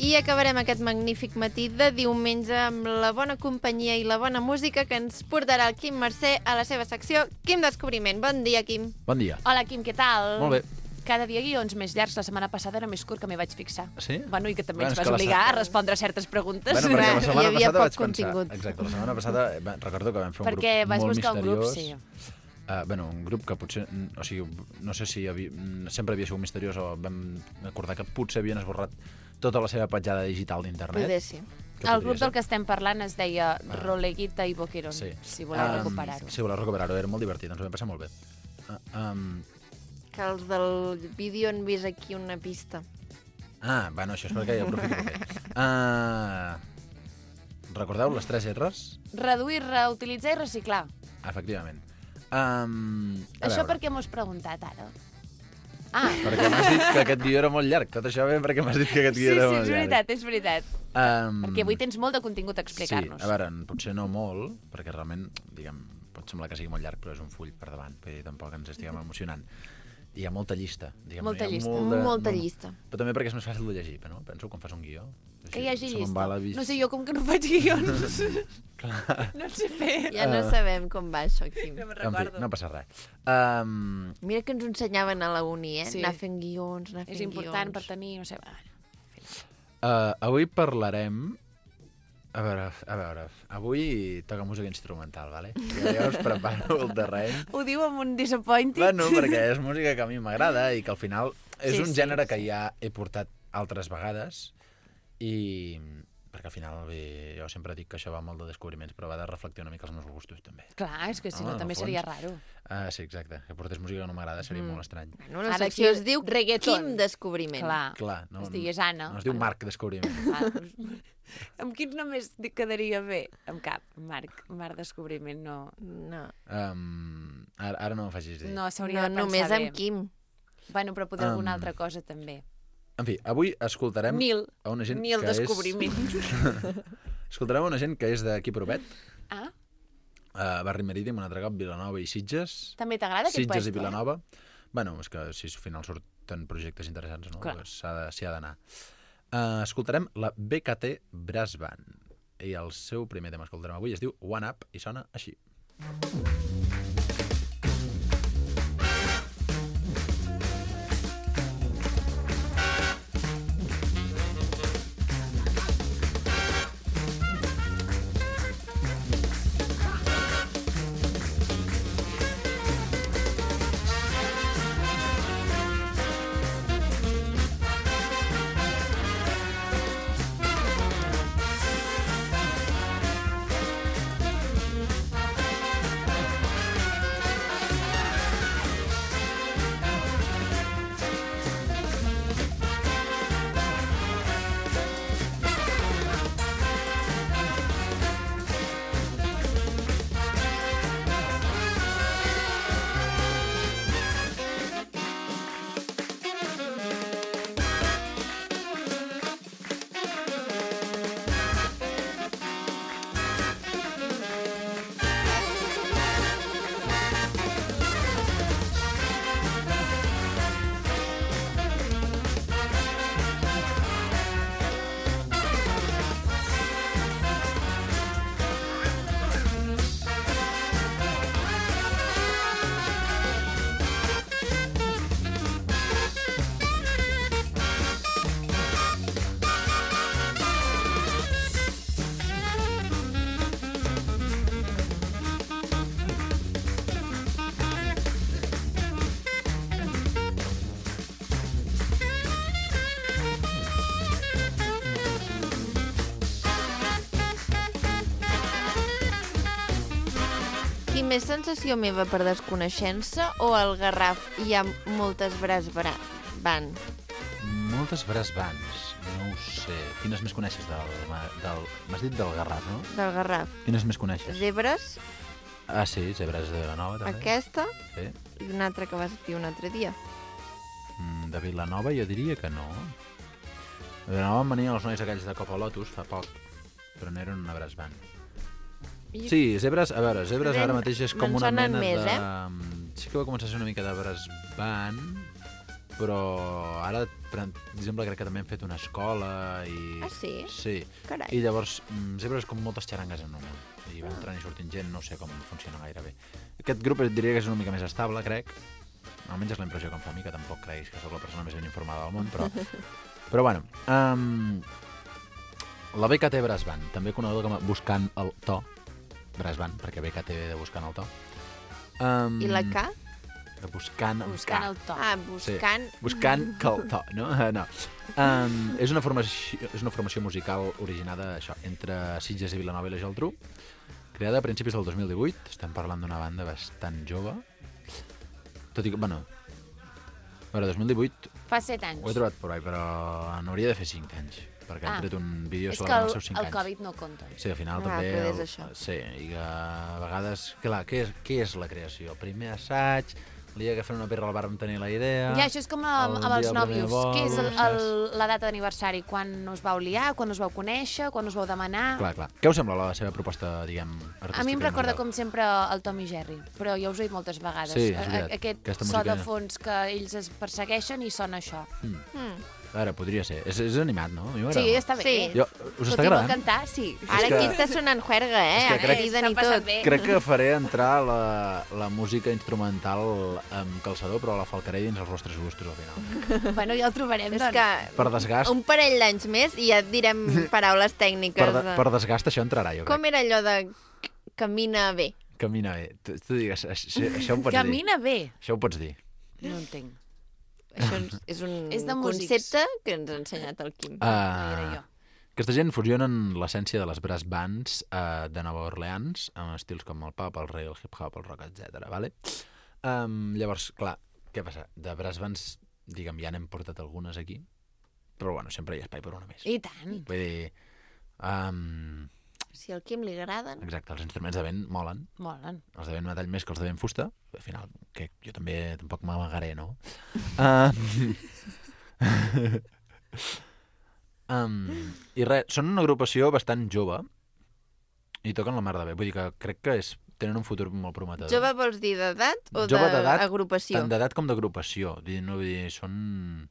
Speaker 1: I acabarem aquest magnífic matí de diumenge amb la bona companyia i la bona música que ens portarà el Quim Mercè a la seva secció Quim Descobriment. Bon dia, Quim.
Speaker 10: Bon dia.
Speaker 2: Hola, Quim, què tal?
Speaker 10: Molt bé.
Speaker 2: Cada dia guions més llargs. La setmana passada era més curt, que m'hi vaig fixar.
Speaker 10: Sí?
Speaker 2: Bueno, i que també
Speaker 10: Bueno,
Speaker 2: ens
Speaker 10: és
Speaker 2: vas
Speaker 10: que la
Speaker 2: obligar a respondre a certes preguntes.
Speaker 10: Bueno, perquè la
Speaker 1: Hi
Speaker 10: setmana
Speaker 1: havia
Speaker 10: passada
Speaker 1: poc
Speaker 10: vaig
Speaker 1: contingut.
Speaker 10: pensar... Exacte, la setmana passada recordo que vam fer un
Speaker 2: Perquè
Speaker 10: grup
Speaker 2: vas
Speaker 10: molt
Speaker 2: buscar un grup,
Speaker 10: misteriós. Bueno, un grup que potser... O sigui, no sé si sempre havia sigut misteriós o vam acordar que potser havien esborrat tota la seva petjada digital d'internet.
Speaker 1: Poder sí.
Speaker 2: El grup del que estem parlant es deia Roleguita i Boquerón,
Speaker 10: Sí.
Speaker 2: si voleu recuperar-ho.
Speaker 10: Si voleu recuperar-ho, era molt divertit, ens ho vam passar molt bé.
Speaker 1: Que els del vídeo han vist aquí una pista.
Speaker 10: Bueno, això és perquè ja aprofito el bé. Recordeu les 3 R's?
Speaker 2: Reduir, reutilitzar i reciclar.
Speaker 10: Efectivament.
Speaker 2: Això per què m'ho has preguntat ara?
Speaker 10: Perquè m'has dit que aquest guió era molt llarg. Tot això ve perquè m'has dit que aquest guió era molt llarg.
Speaker 2: és veritat. Perquè avui tens molt de contingut a explicar-nos.
Speaker 10: Sí, a veure, potser no molt, perquè realment, diguem, pot semblar que sigui molt llarg, però és un full per davant, vull dir, tampoc ens estiguem emocionant. hi ha molta llista. Diguem,
Speaker 2: Molta
Speaker 10: hi ha
Speaker 2: llista.
Speaker 1: Molta llista.
Speaker 10: Però també perquè és més fàcil de llegir, no? Penso quan fas un guió.
Speaker 2: Que hi hagi
Speaker 10: se me'n
Speaker 2: llista.
Speaker 10: va la vis-
Speaker 2: No sé, jo com que no faig guions. No sé fer.
Speaker 1: Ja no sabem com va això, Quim.
Speaker 2: No me'n
Speaker 10: En fi,
Speaker 2: recordo.
Speaker 10: no passa res.
Speaker 1: Mira que ens ho ensenyaven a la uni,
Speaker 2: Sí.
Speaker 1: Anar fent guions, anar fent
Speaker 2: És important
Speaker 1: guions.
Speaker 2: per tenir, no sé...
Speaker 10: Avui parlarem... A veure, avui toca música instrumental, vale? Ja us preparo el terreny.
Speaker 2: Ho diu amb un disappointed?
Speaker 10: Bueno, perquè és música que a mi m'agrada i que al final és
Speaker 2: Sí,
Speaker 10: un
Speaker 2: sí,
Speaker 10: gènere que ja he portat altres vegades i perquè al final bé, jo sempre dic que això va molt de descobriments, però va de reflectir una mica els meus gustos també.
Speaker 2: Clar, és que si
Speaker 10: No,
Speaker 2: no,
Speaker 10: en
Speaker 2: també
Speaker 10: el fons.
Speaker 2: seria raro.
Speaker 10: Sí, exacte. Que portés música que no m'agrada seria molt estrany.
Speaker 1: Bueno, la
Speaker 2: Ara
Speaker 1: secció
Speaker 2: aquí
Speaker 1: es diu
Speaker 2: reggaeton.
Speaker 1: Quim Descobriment.
Speaker 2: Clar,
Speaker 10: Clar, no,
Speaker 2: es digués Anna.
Speaker 10: no es diu Marc Descobriment.
Speaker 2: Clar, doncs, amb quins només quedaria bé? Amb cap, Marc Descobriment, no.
Speaker 1: No,
Speaker 10: Ara no em facis dir.
Speaker 2: No, s'hauria de pensar
Speaker 1: només
Speaker 2: bé.
Speaker 1: amb Quim.
Speaker 2: Bueno, però poder alguna altra cosa també.
Speaker 10: En fi, avui escoltarem
Speaker 2: Nil.
Speaker 10: a una gent
Speaker 2: Nil
Speaker 10: que
Speaker 2: Descobriment.
Speaker 10: Escoltarem a una gent que és d'aquí Provet,
Speaker 2: Ah,
Speaker 10: Barri Marítim, un altre cop, Vilanova i Sitges.
Speaker 2: també t'agrada aquest
Speaker 10: Sitges
Speaker 2: puesto?
Speaker 10: i Vilanova. Bueno, és que si al final surten projectes interessants, no?
Speaker 2: Clar.
Speaker 10: Pues s'hi ha d'anar. Escoltarem la BKT Brass Band. I el seu primer tema que escoltarem avui es diu One Up i sona així.
Speaker 1: Quim, és sensació meva per desconeixença o al Garraf hi ha moltes van?
Speaker 10: Moltes brass bands, no ho sé. Quines més coneixes m'has dit del Garraf, no?
Speaker 1: Del Garraf.
Speaker 10: Quines més coneixes?
Speaker 1: Zebres,
Speaker 10: Ah, sí, Zebres de Vilanova, també.
Speaker 1: aquesta
Speaker 10: Sí.
Speaker 1: i una altra que vas dir un altre dia.
Speaker 10: De Vilanova jo diria que no. De Vilanova em venien els nois aquells de Copa Lotus fa poc, però no eren una brass band.
Speaker 1: I-
Speaker 10: Sí, Zebres, a veure, Zebres ara
Speaker 1: Me'n-
Speaker 10: mateix és com
Speaker 1: me'n
Speaker 10: una
Speaker 1: sonen
Speaker 10: mena
Speaker 1: més,
Speaker 10: de... Sí que va començar a ser una mica de brass band, però ara, per exemple, crec que també han fet una escola i...
Speaker 1: Ah, sí?
Speaker 10: Sí.
Speaker 1: Carai.
Speaker 10: I llavors, Zebres és com moltes xarangues en una. I va entrant i sortint gent, no sé com funciona gaire bé. Aquest grup diria que és una mica més estable, crec. Almenys és la impressió que em fa a mi, que tampoc creguis que sóc la persona més ben informada del món, però... Però bueno, la BKT Brass Band, també coneguda com a Buscant el To, Brass Band, perquè BKT ve de Buscant el To.
Speaker 1: I la K?
Speaker 10: De Buscant amb
Speaker 2: Buscant
Speaker 10: K.
Speaker 2: el to.
Speaker 1: Ah, buscant...
Speaker 10: Sí, buscant que el to, no? No. És una formació musical originada això, entre Sitges i Vilanova i la Geltrú, creada a principis del 2018. Estem parlant d'una banda bastant jove. Tot i que, bueno, a veure, 2018
Speaker 2: Fa 7 anys.
Speaker 10: ho he trobat por ahí, però n'hauria de fer 5 anys, perquè han tret un vídeo
Speaker 2: És que
Speaker 10: celebrant els seus 5
Speaker 2: el
Speaker 10: anys.
Speaker 2: Covid no compta.
Speaker 10: Sí, al final
Speaker 1: Ah,
Speaker 10: també...
Speaker 1: que és això.
Speaker 10: Sí, i que a vegades... Clar, què és la creació? Primer assaig, El dia que fem una birra al bar vam tenir la idea...
Speaker 2: Ja, això és com
Speaker 10: el
Speaker 2: amb els
Speaker 10: dia del primer
Speaker 2: nòvios.
Speaker 10: vol,
Speaker 2: Què és
Speaker 10: saps?
Speaker 2: la data d'aniversari? Quan us vau liar? Quan us vau conèixer? Quan us vau demanar?
Speaker 10: Clar. Què us sembla la seva proposta, diguem, artística?
Speaker 2: A mi em
Speaker 10: i
Speaker 2: recorda,
Speaker 10: musical?
Speaker 2: com sempre, el Tom i Jerry, però ja us ho he dit moltes vegades.
Speaker 10: Sí, és veritat.
Speaker 2: Aquest
Speaker 10: Aquesta
Speaker 2: so de
Speaker 10: musiqueta.
Speaker 2: fons que ells es persegueixen i sona això.
Speaker 10: A veure, podria ser. És animat, no? A mi m'agrada
Speaker 2: Sí,
Speaker 10: molt.
Speaker 2: està bé.
Speaker 1: Sí.
Speaker 10: Jo, us està
Speaker 2: Tot i vol
Speaker 10: agradant?
Speaker 2: cantar, sí.
Speaker 1: Ara
Speaker 10: que-
Speaker 1: aquí està sonant juerga,
Speaker 10: és que crec-
Speaker 1: Criden i
Speaker 2: Està passant
Speaker 1: tot.
Speaker 2: bé.
Speaker 10: Crec que faré entrar la música instrumental amb calçador, però la falcaré dins els vostres gustos al final.
Speaker 2: Bueno, ja el trobarem,
Speaker 1: És
Speaker 2: doncs.
Speaker 1: que
Speaker 10: Per desgast,
Speaker 1: un parell d'anys més i ja et direm paraules tècniques.
Speaker 10: per desgast això entrarà, jo crec.
Speaker 1: Com era allò de camina bé?
Speaker 10: Camina bé. Tu digues, això ho pots dir.
Speaker 2: Camina bé.
Speaker 10: Això ho pots dir.
Speaker 2: No entenc.
Speaker 1: Això és un
Speaker 2: És de músics.
Speaker 1: concepte que ens ha ensenyat el Quim.
Speaker 2: era jo.
Speaker 10: Aquesta gent fusionen l'essència de les brass bands de Nova Orleans amb estils com el pop, el reggae, el hip-hop, el rock, etc. Vale? Llavors, clar, què passa? De brass bands, diguem, ja n'hem portat algunes aquí, però bueno, sempre hi ha espai per una més.
Speaker 2: I tant.
Speaker 10: Vull dir...
Speaker 1: Si al Quim li agraden...
Speaker 10: exacte, els instruments de vent molen.
Speaker 2: Molen.
Speaker 10: Els de vent metall més que els de vent fusta. Al final, que jo també tampoc m'amagaré, no? I res, són una agrupació bastant jove i toquen la mar de bé. Vull dir que crec que tenen un futur molt prometedor.
Speaker 1: Jove vols dir d'edat o
Speaker 10: Jove d'edat,
Speaker 1: d'agrupació?
Speaker 10: Tant d'edat com d'agrupació. No, vull dir, són...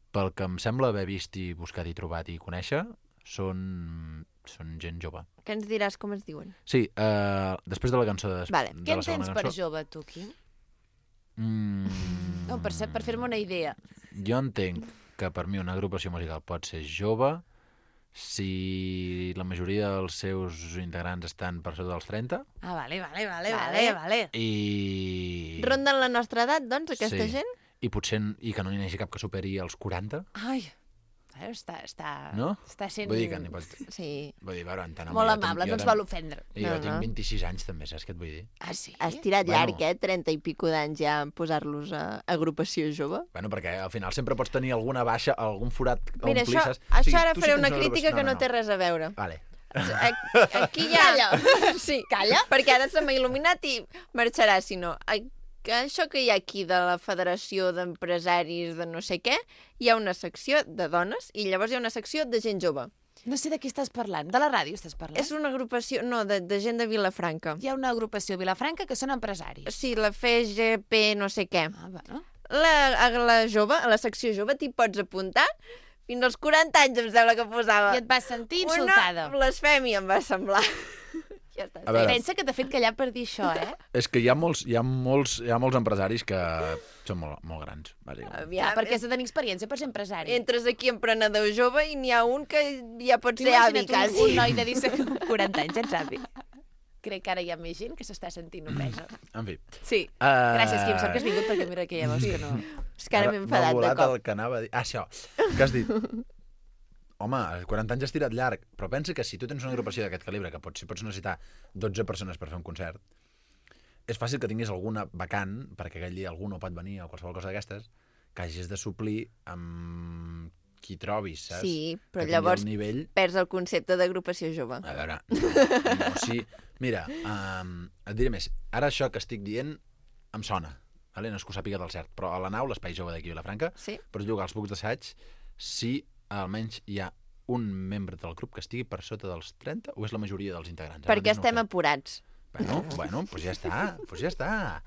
Speaker 10: Pel que em sembla haver vist i buscat i trobat i conèixer, són gent jove.
Speaker 1: Què ens diràs com es diuen?
Speaker 10: Sí, després de la cançó de,
Speaker 1: Vale.
Speaker 10: de
Speaker 2: Què
Speaker 10: la segona
Speaker 2: entens per
Speaker 10: cançó...
Speaker 2: jove, tu, Quim?
Speaker 10: Mm,
Speaker 2: No, per fer-me una idea.
Speaker 10: Jo entenc que per mi una agrupació musical pot ser jove si la majoria dels seus integrants estan per sota dels 30
Speaker 2: Ah, vale.
Speaker 1: Vale.
Speaker 10: i...
Speaker 1: Ronden la nostra edat, doncs, aquesta
Speaker 10: Sí.
Speaker 1: gent?
Speaker 10: I potser i que no n'hi hagi cap que superi els 40,
Speaker 2: Ai, està
Speaker 10: no?
Speaker 2: sent
Speaker 10: Vull dir que n'hi pot...
Speaker 1: Sí.
Speaker 10: Vull dir, veure, entenc,
Speaker 2: molt
Speaker 10: jo tam-
Speaker 2: amable,
Speaker 10: jo
Speaker 2: no ens
Speaker 10: tam-
Speaker 2: val ofendre.
Speaker 10: I jo
Speaker 1: No,
Speaker 10: tinc
Speaker 1: no.
Speaker 10: 26 anys també, saps què et vull dir?
Speaker 2: Ah, sí?
Speaker 1: Has tirat
Speaker 10: Bueno.
Speaker 1: llarg, 30 i pico d'anys ja posar-los a agrupació jove?
Speaker 10: Bueno, perquè al final sempre pots tenir alguna baixa, algun forat a
Speaker 1: Mira,
Speaker 10: omplir,
Speaker 1: això,
Speaker 10: saps? O sigui,
Speaker 1: ara
Speaker 10: tu sí
Speaker 1: faré
Speaker 10: tens
Speaker 1: una
Speaker 10: agrupació-
Speaker 1: crítica que no té res a veure.
Speaker 10: Vale.
Speaker 1: Aquí ja... Calla! Sí, calla, perquè ara se m'ha il·luminat i marxarà, si no. Això que hi ha aquí de la Federació d'Empresaris de no sé què, hi ha una secció de dones i llavors hi ha una secció de gent jove.
Speaker 2: No sé de qui estàs parlant. De la ràdio estàs parlant?
Speaker 1: És una agrupació, no, de gent de Vilafranca.
Speaker 2: Hi ha una agrupació a Vilafranca que són empresaris.
Speaker 1: Sí, la FGP no sé què.
Speaker 2: Ah, bueno.
Speaker 1: A la jove, a la secció jove, t'hi pots apuntar fins als 40 anys, em sembla que posava.
Speaker 2: I et vas sentir insultada.
Speaker 1: Una blasfèmia, em va semblar. Ja està.
Speaker 10: A veure.
Speaker 2: Pensa que t'ha fet callar per dir això, eh?
Speaker 10: És que hi ha molts empresaris que són molt grans, bàsicament.
Speaker 1: Aviam,
Speaker 2: Perquè has de tenir experiència per ser empresari.
Speaker 1: entres aquí emprenedor jove i n'hi ha un que ja pot ser avi,
Speaker 2: Imagina't
Speaker 1: quasi.
Speaker 2: un noi de 40 anys, ets avi. Crec que ara hi ha més gent que s'està sentint ofesa.
Speaker 10: En fi.
Speaker 2: Sí. Gràcies, Quim, sort que has vingut, perquè mira que ja veus que no...
Speaker 1: És que ara m'he enfadat de
Speaker 10: M'ha volat
Speaker 1: cop.
Speaker 10: el que anava a dir. Ah, això, que has dit. Home, als 40 anys has tirat llarg, però pensa que si tu tens una agrupació d'aquest calibre, que pots necessitar 12 persones per fer un concert, és fàcil que tinguis alguna vacant, perquè aquell dia algú no pot venir o qualsevol cosa d'aquestes, que hagis de suplir amb qui trobis, saps?
Speaker 1: Sí, però
Speaker 10: Que tingui
Speaker 1: llavors
Speaker 10: el nivell...
Speaker 1: perds el concepte d'agrupació jove.
Speaker 10: A veure, no, sí. Mira, et diré més. Ara això que estic dient em sona, vale? No és que ho sàpiga del cert, però a la nau, l'espai jove d'aquí a Vilafranca,
Speaker 1: Sí.
Speaker 10: pots jugar als bucs d'assaig si almenys hi ha un membre del grup que estigui per sota dels 30 o és la majoria dels integrants? Ara
Speaker 1: Perquè
Speaker 10: mateix no ho
Speaker 1: estem
Speaker 10: sé.
Speaker 1: apurats.
Speaker 10: Bueno, doncs ja està.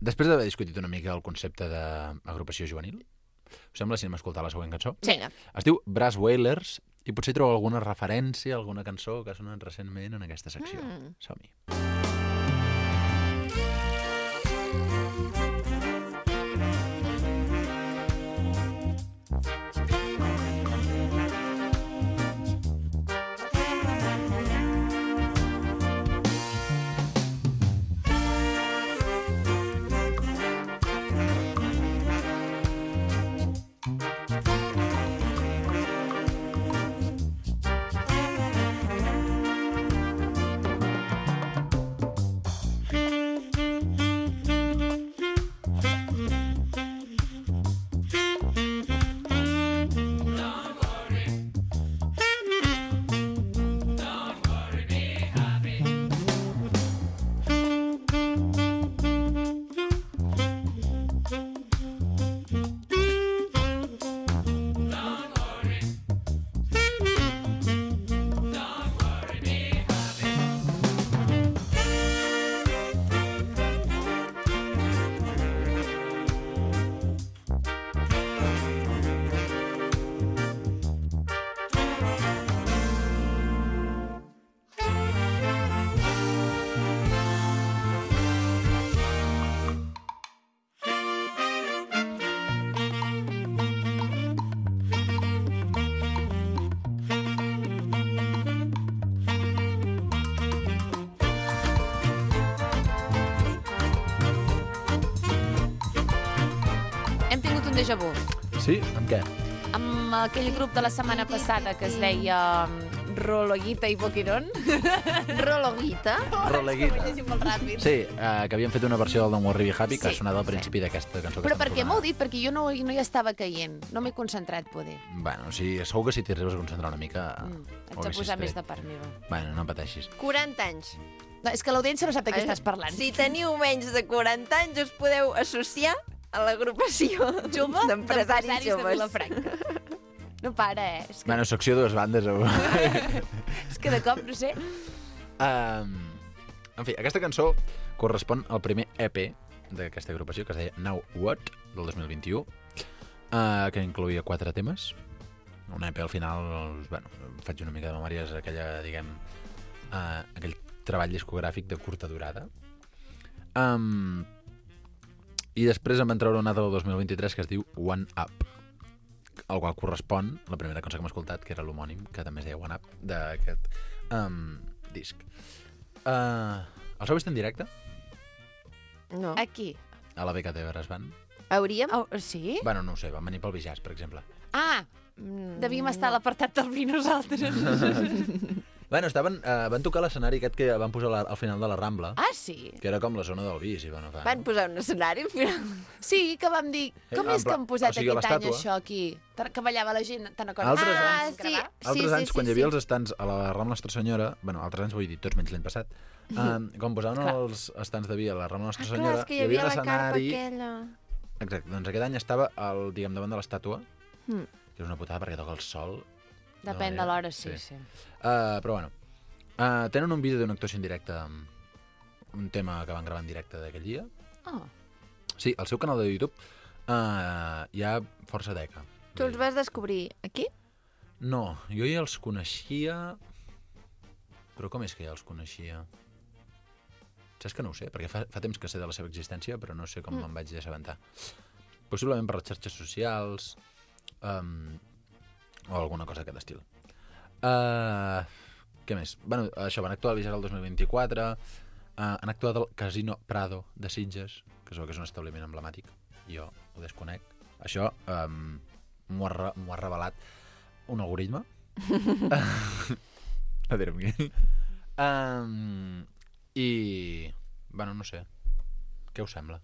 Speaker 10: Després d'haver discutit una mica el concepte d'agrupació juvenil, us sembla si anem a escoltar la següent cançó?
Speaker 1: Vinga.
Speaker 10: Es diu Brass Wailers i potser trobo alguna referència, alguna cançó que ha sonat recentment en aquesta secció. Som-hi.
Speaker 2: un déjà vu.
Speaker 10: Sí? Amb què?
Speaker 2: Amb aquell grup de la setmana passada que es deia Rologuita i Boquerón.
Speaker 1: Rologuita?
Speaker 10: Roleguita.
Speaker 2: Ho he llegit molt ràpid.
Speaker 10: Sí, que havien fet una versió del Don't Worry Be Happy que ha sonat al principi d'aquesta cançó.
Speaker 2: Però per què m'heu dit? Perquè jo no hi estava caient. No m'he concentrat, poder.
Speaker 10: Bueno, sí, segur que si t'hi arribes a concentrar una mica...
Speaker 2: Haig de posar més de part meva.
Speaker 10: Bueno, no pateixis.
Speaker 1: 40 anys.
Speaker 2: No, és que l'audiència no sap de què estàs parlant.
Speaker 1: Si teniu menys de 40 anys, us podeu associar a l'agrupació
Speaker 2: Jove
Speaker 1: d'empresaris
Speaker 2: de
Speaker 1: joves.
Speaker 2: Vilafranca. No para, És que,
Speaker 10: Bueno, secció dues bandes.
Speaker 2: és que de cop, no sé...
Speaker 10: En fi, aquesta cançó correspon al primer EP d'aquesta agrupació, que es deia Now What, del 2021, que incloïa 4 temes. Un EP al final, bueno, faig una mica de memòria, és aquella, diguem, aquell treball discogràfic de curta durada. I després em van treure un altre del 2023 que es diu One Up, al qual correspon la primera cançó que hem escoltat, que era l'homònim, que també es deia One Up, d'aquest disc. El seu vist en directe?
Speaker 1: No.
Speaker 2: Aquí.
Speaker 10: A la BKT Brass Band?
Speaker 1: Hauríem?
Speaker 2: Oh, sí?
Speaker 10: Bueno, no ho sé, van venir pel Bijàs, per exemple.
Speaker 2: Ah, devíem estar a l'apartat del vi nosaltres.
Speaker 10: Bueno, van tocar l'escenari aquest que van posar al final de la Rambla,
Speaker 2: Ah, sí?
Speaker 10: que era com la zona del vi, si bueno, fa.
Speaker 1: Van posar un escenari al final.
Speaker 2: Sí, que vam dir, com és que han posat
Speaker 10: o sigui,
Speaker 2: aquest any
Speaker 10: l'estàtua.
Speaker 2: això aquí? Que ballava la gent, te'n recordes?
Speaker 10: Altres
Speaker 1: anys.
Speaker 2: Sí.
Speaker 10: Altres anys, quan hi havia els estants a la Rambla Nostra Senyora, bueno, altres anys vull dir, tots menys l'any passat, quan posaven els estants de vi a la Rambla Nostra
Speaker 1: Clar,
Speaker 10: Senyora,
Speaker 1: és que hi havia
Speaker 10: un
Speaker 1: la carpa
Speaker 10: escenari...
Speaker 1: aquella.
Speaker 10: Exacte, doncs aquest any estava diguem, davant de l'estàtua,
Speaker 1: Mm.
Speaker 10: que és una putada perquè toca el sol.
Speaker 2: Depèn de l'hora, sí.
Speaker 10: Però bueno, tenen un vídeo d'una actuació en directe, un tema que van gravar en directe d'aquell dia.
Speaker 2: Oh.
Speaker 10: Sí, al seu canal de YouTube hi ha força teca.
Speaker 1: Tu els vas descobrir aquí?
Speaker 10: No, jo ja els coneixia... Però com és que ja els coneixia? Saps que no ho sé? Perquè fa temps que sé de la seva existència, però no sé com me'n vaig assabentar. Possiblement per les xarxes socials o alguna cosa d'aquest estil. Què més? Bueno, això, van actuar al Bijàs el 2024, han actuat al Casino Prado de Sitges, que és un establiment emblemàtic. Jo ho desconec. Això m'ho ha revelat un algoritme. A dir-me què. I... Bueno, no sé. Què us sembla?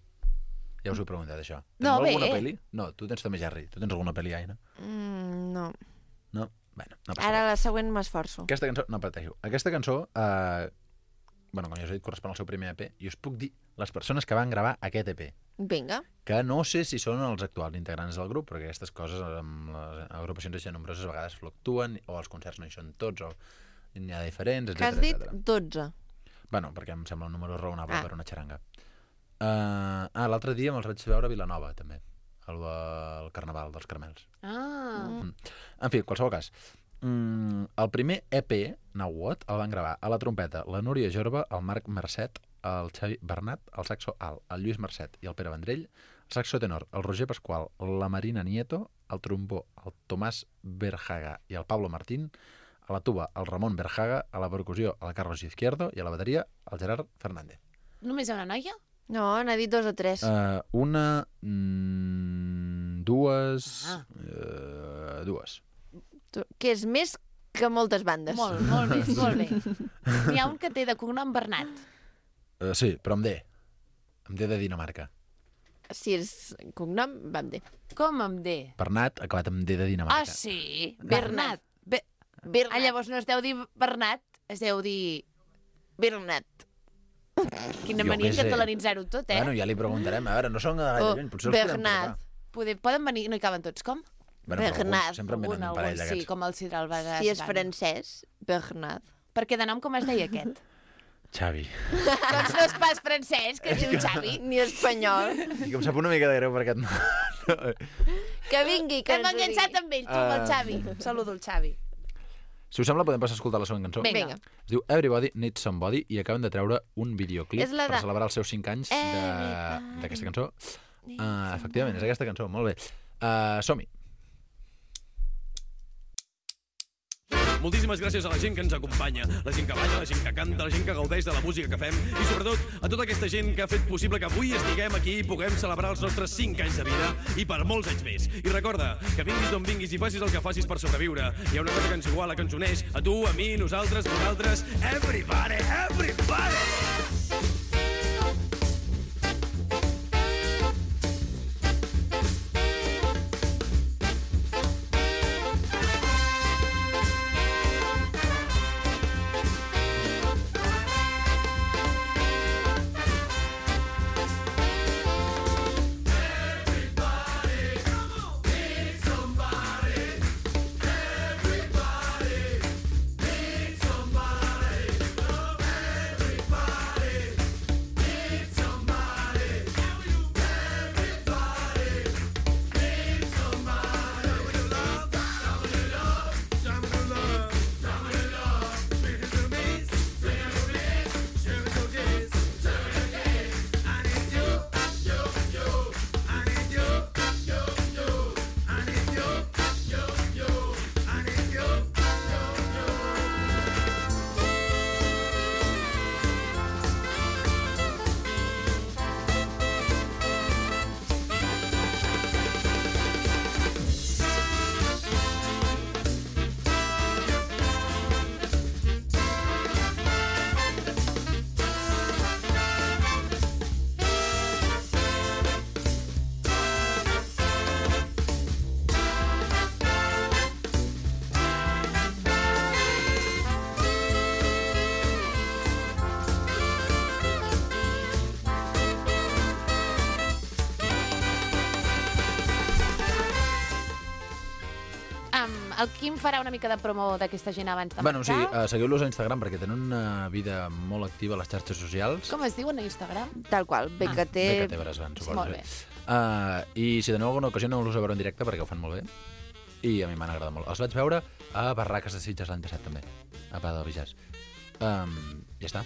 Speaker 10: Ja us ho he preguntat, això.
Speaker 2: No,
Speaker 10: Teniu alguna
Speaker 2: bé.
Speaker 10: pel·li? No, tu tens també Jerry. Tu tens alguna pel·li, Aina?
Speaker 1: No.
Speaker 10: No? Bueno, no passa
Speaker 1: Ara
Speaker 10: res.
Speaker 1: la següent m'esforço.
Speaker 10: Aquesta cançó... No pateixo. Aquesta cançó, bueno, com ja us he dit, correspon al seu primer EP, i us puc dir les persones que van gravar aquest EP,
Speaker 1: Vinga.
Speaker 10: que no sé si són els actuals integrants del grup, perquè aquestes coses amb les agrupacions així nombroses a vegades fluctuen, o els concerts no hi són tots, o n'hi ha diferents,
Speaker 1: Que has
Speaker 10: etc.
Speaker 1: dit 12.
Speaker 10: Bueno, perquè em sembla un número raonable
Speaker 1: Ah.
Speaker 10: per una xaranga. L'altre dia me'ls vaig veure a Vilanova, també, al Carnaval dels Caramels.
Speaker 2: Ah.
Speaker 10: En fi, en qualsevol cas, el primer EP, Now What, el van gravar a la trompeta la Núria Jorba, el Marc Mercet, el Xavi Bernat, el saxo alt, el Lluís Mercet i el Pere Vendrell, el saxo tenor, el Roger Pasqual, la Marina Nieto, el trombó, el Tomàs Berjaga i el Pablo Martín, a la tuba, el Ramon Berjaga, a la percussió, el Carlos Izquierdo i a la bateria, el Gerard Fernández.
Speaker 2: Només hi ha una noia?
Speaker 1: No, n'ha dit 2 o 3.
Speaker 10: Una, dues... Dues.
Speaker 1: Que és més que moltes bandes.
Speaker 2: Molt, molt bé, molt bé. N'hi ha un que té de cognom Bernat.
Speaker 10: Sí, però amb D. Amb D de Dinamarca.
Speaker 1: Si és cognom, vam dir.
Speaker 2: Com amb D?
Speaker 10: Bernat, acabat amb D de Dinamarca.
Speaker 2: Ah, sí?
Speaker 1: Bernat.
Speaker 2: Ah, llavors no es deu dir Bernat, es deu dir...
Speaker 1: Bernat.
Speaker 2: Quina
Speaker 10: Jo
Speaker 2: mania
Speaker 10: què sé.
Speaker 2: catalanitzar-ho tot, eh?
Speaker 10: Bueno, ja li preguntarem. A veure, no són gaire lluny, potser els podem
Speaker 1: Bernat.
Speaker 10: trucar.
Speaker 2: Poden venir, no hi caben tots, com?
Speaker 10: Bueno, però
Speaker 1: Bernat.
Speaker 10: alguns sempre en venen un parell
Speaker 2: sí,
Speaker 10: d'aquests.
Speaker 2: com el Sidral Bagas.
Speaker 1: Si és francès, Bernat.
Speaker 2: Perquè de nom com es deia aquest?
Speaker 10: Xavi.
Speaker 2: Doncs no és pas francès, que es diu Xavi.
Speaker 1: Ni espanyol.
Speaker 10: I que em sap una mica de greu perquè...
Speaker 1: Que vingui, que
Speaker 2: Hem
Speaker 1: ens ho digui.
Speaker 2: enganxat amb ell, tu amb el Xavi. Saludo el Xavi.
Speaker 10: Si us sembla, podem passar a escoltar la següent cançó.
Speaker 2: Vinga.
Speaker 10: Es diu Everybody Needs Somebody i acaben de treure un videoclip
Speaker 1: És la
Speaker 10: per
Speaker 1: de-
Speaker 10: celebrar els seus 5 anys d'aquesta cançó. Efectivament, és aquesta cançó, molt bé. Som-hi.
Speaker 11: Moltíssimes gràcies a la gent que ens acompanya, la gent que balla, la gent que canta, la gent que gaudeix de la música que fem i, sobretot, a tota aquesta gent que ha fet possible que avui estiguem aquí i puguem celebrar els nostres 5 anys de vida i per molts anys més. I recorda que vinguis d'on vinguis i facis el que facis per sobreviure. Hi ha una cosa que ens iguala, que ens uneix a tu, a mi, nosaltres, vosaltres, everybody, everybody!
Speaker 2: El Quim farà una mica de promo d'aquesta gent abans de
Speaker 10: Bueno, sí,
Speaker 2: marxar.
Speaker 10: seguiu-los a Instagram perquè tenen una vida molt activa a les xarxes socials.
Speaker 2: Com es diuen a Instagram?
Speaker 1: Tal qual, BKT...
Speaker 10: BKT Bresban, suposo.
Speaker 2: Molt bé.
Speaker 10: I si teniu alguna ocasió aneu-los a veure en directe perquè ho fan molt bé. I a mi m'han agradat molt. Els vaig veure a Barraques de Sitges l'any passat també, a Pada del Bijàs. Ja està.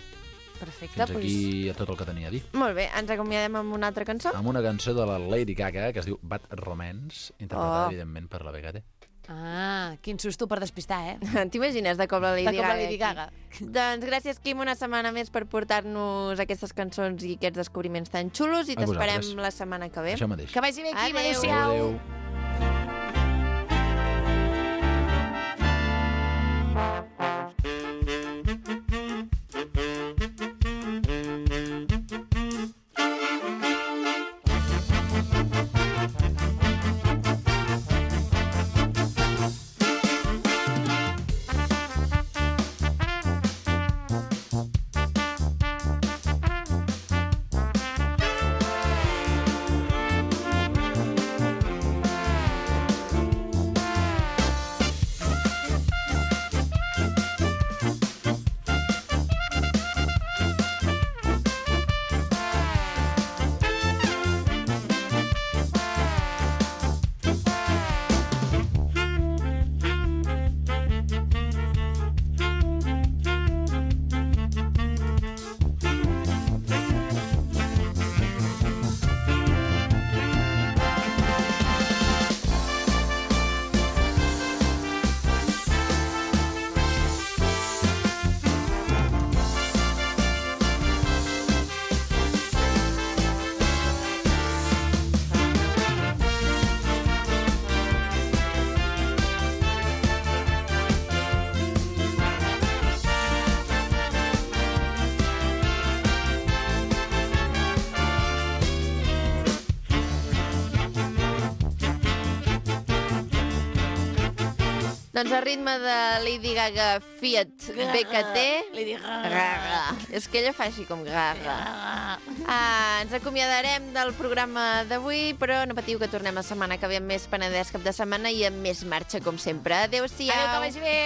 Speaker 2: Perfecte,
Speaker 10: Fins aquí tot el que tenia a dir.
Speaker 1: Molt bé, ens acomiadem amb una altra cançó?
Speaker 10: Amb una cançó de la Lady Gaga que es diu Bad Romance, interpretada, evidentment, per la BKT.
Speaker 2: Ah, quin susto per despistar, eh?
Speaker 1: T'imagines de com la Lady
Speaker 2: De com la
Speaker 1: Gaga?
Speaker 2: Lady Gaga.
Speaker 1: Doncs gràcies, Quim, una setmana més per portar-nos aquestes cançons i aquests descobriments tan xulos i
Speaker 10: A
Speaker 1: t'esperem
Speaker 10: vosaltres.
Speaker 1: la setmana que ve.
Speaker 10: Això mateix.
Speaker 2: Que vagi bé, Quim.
Speaker 1: Adéu.
Speaker 2: Adéu-siau.
Speaker 10: Adéu.
Speaker 1: Doncs al ritme de Lady Gaga Fiat BKT...
Speaker 2: Lady
Speaker 1: Gaga. És que ella fa així com Gaga. Ens acomiadarem del programa d'avui, però no patiu que tornem la setmana que ve amb més Penedès cap de setmana i amb més marxa, com sempre. Adéu-siau.
Speaker 2: Adéu, que vagi bé.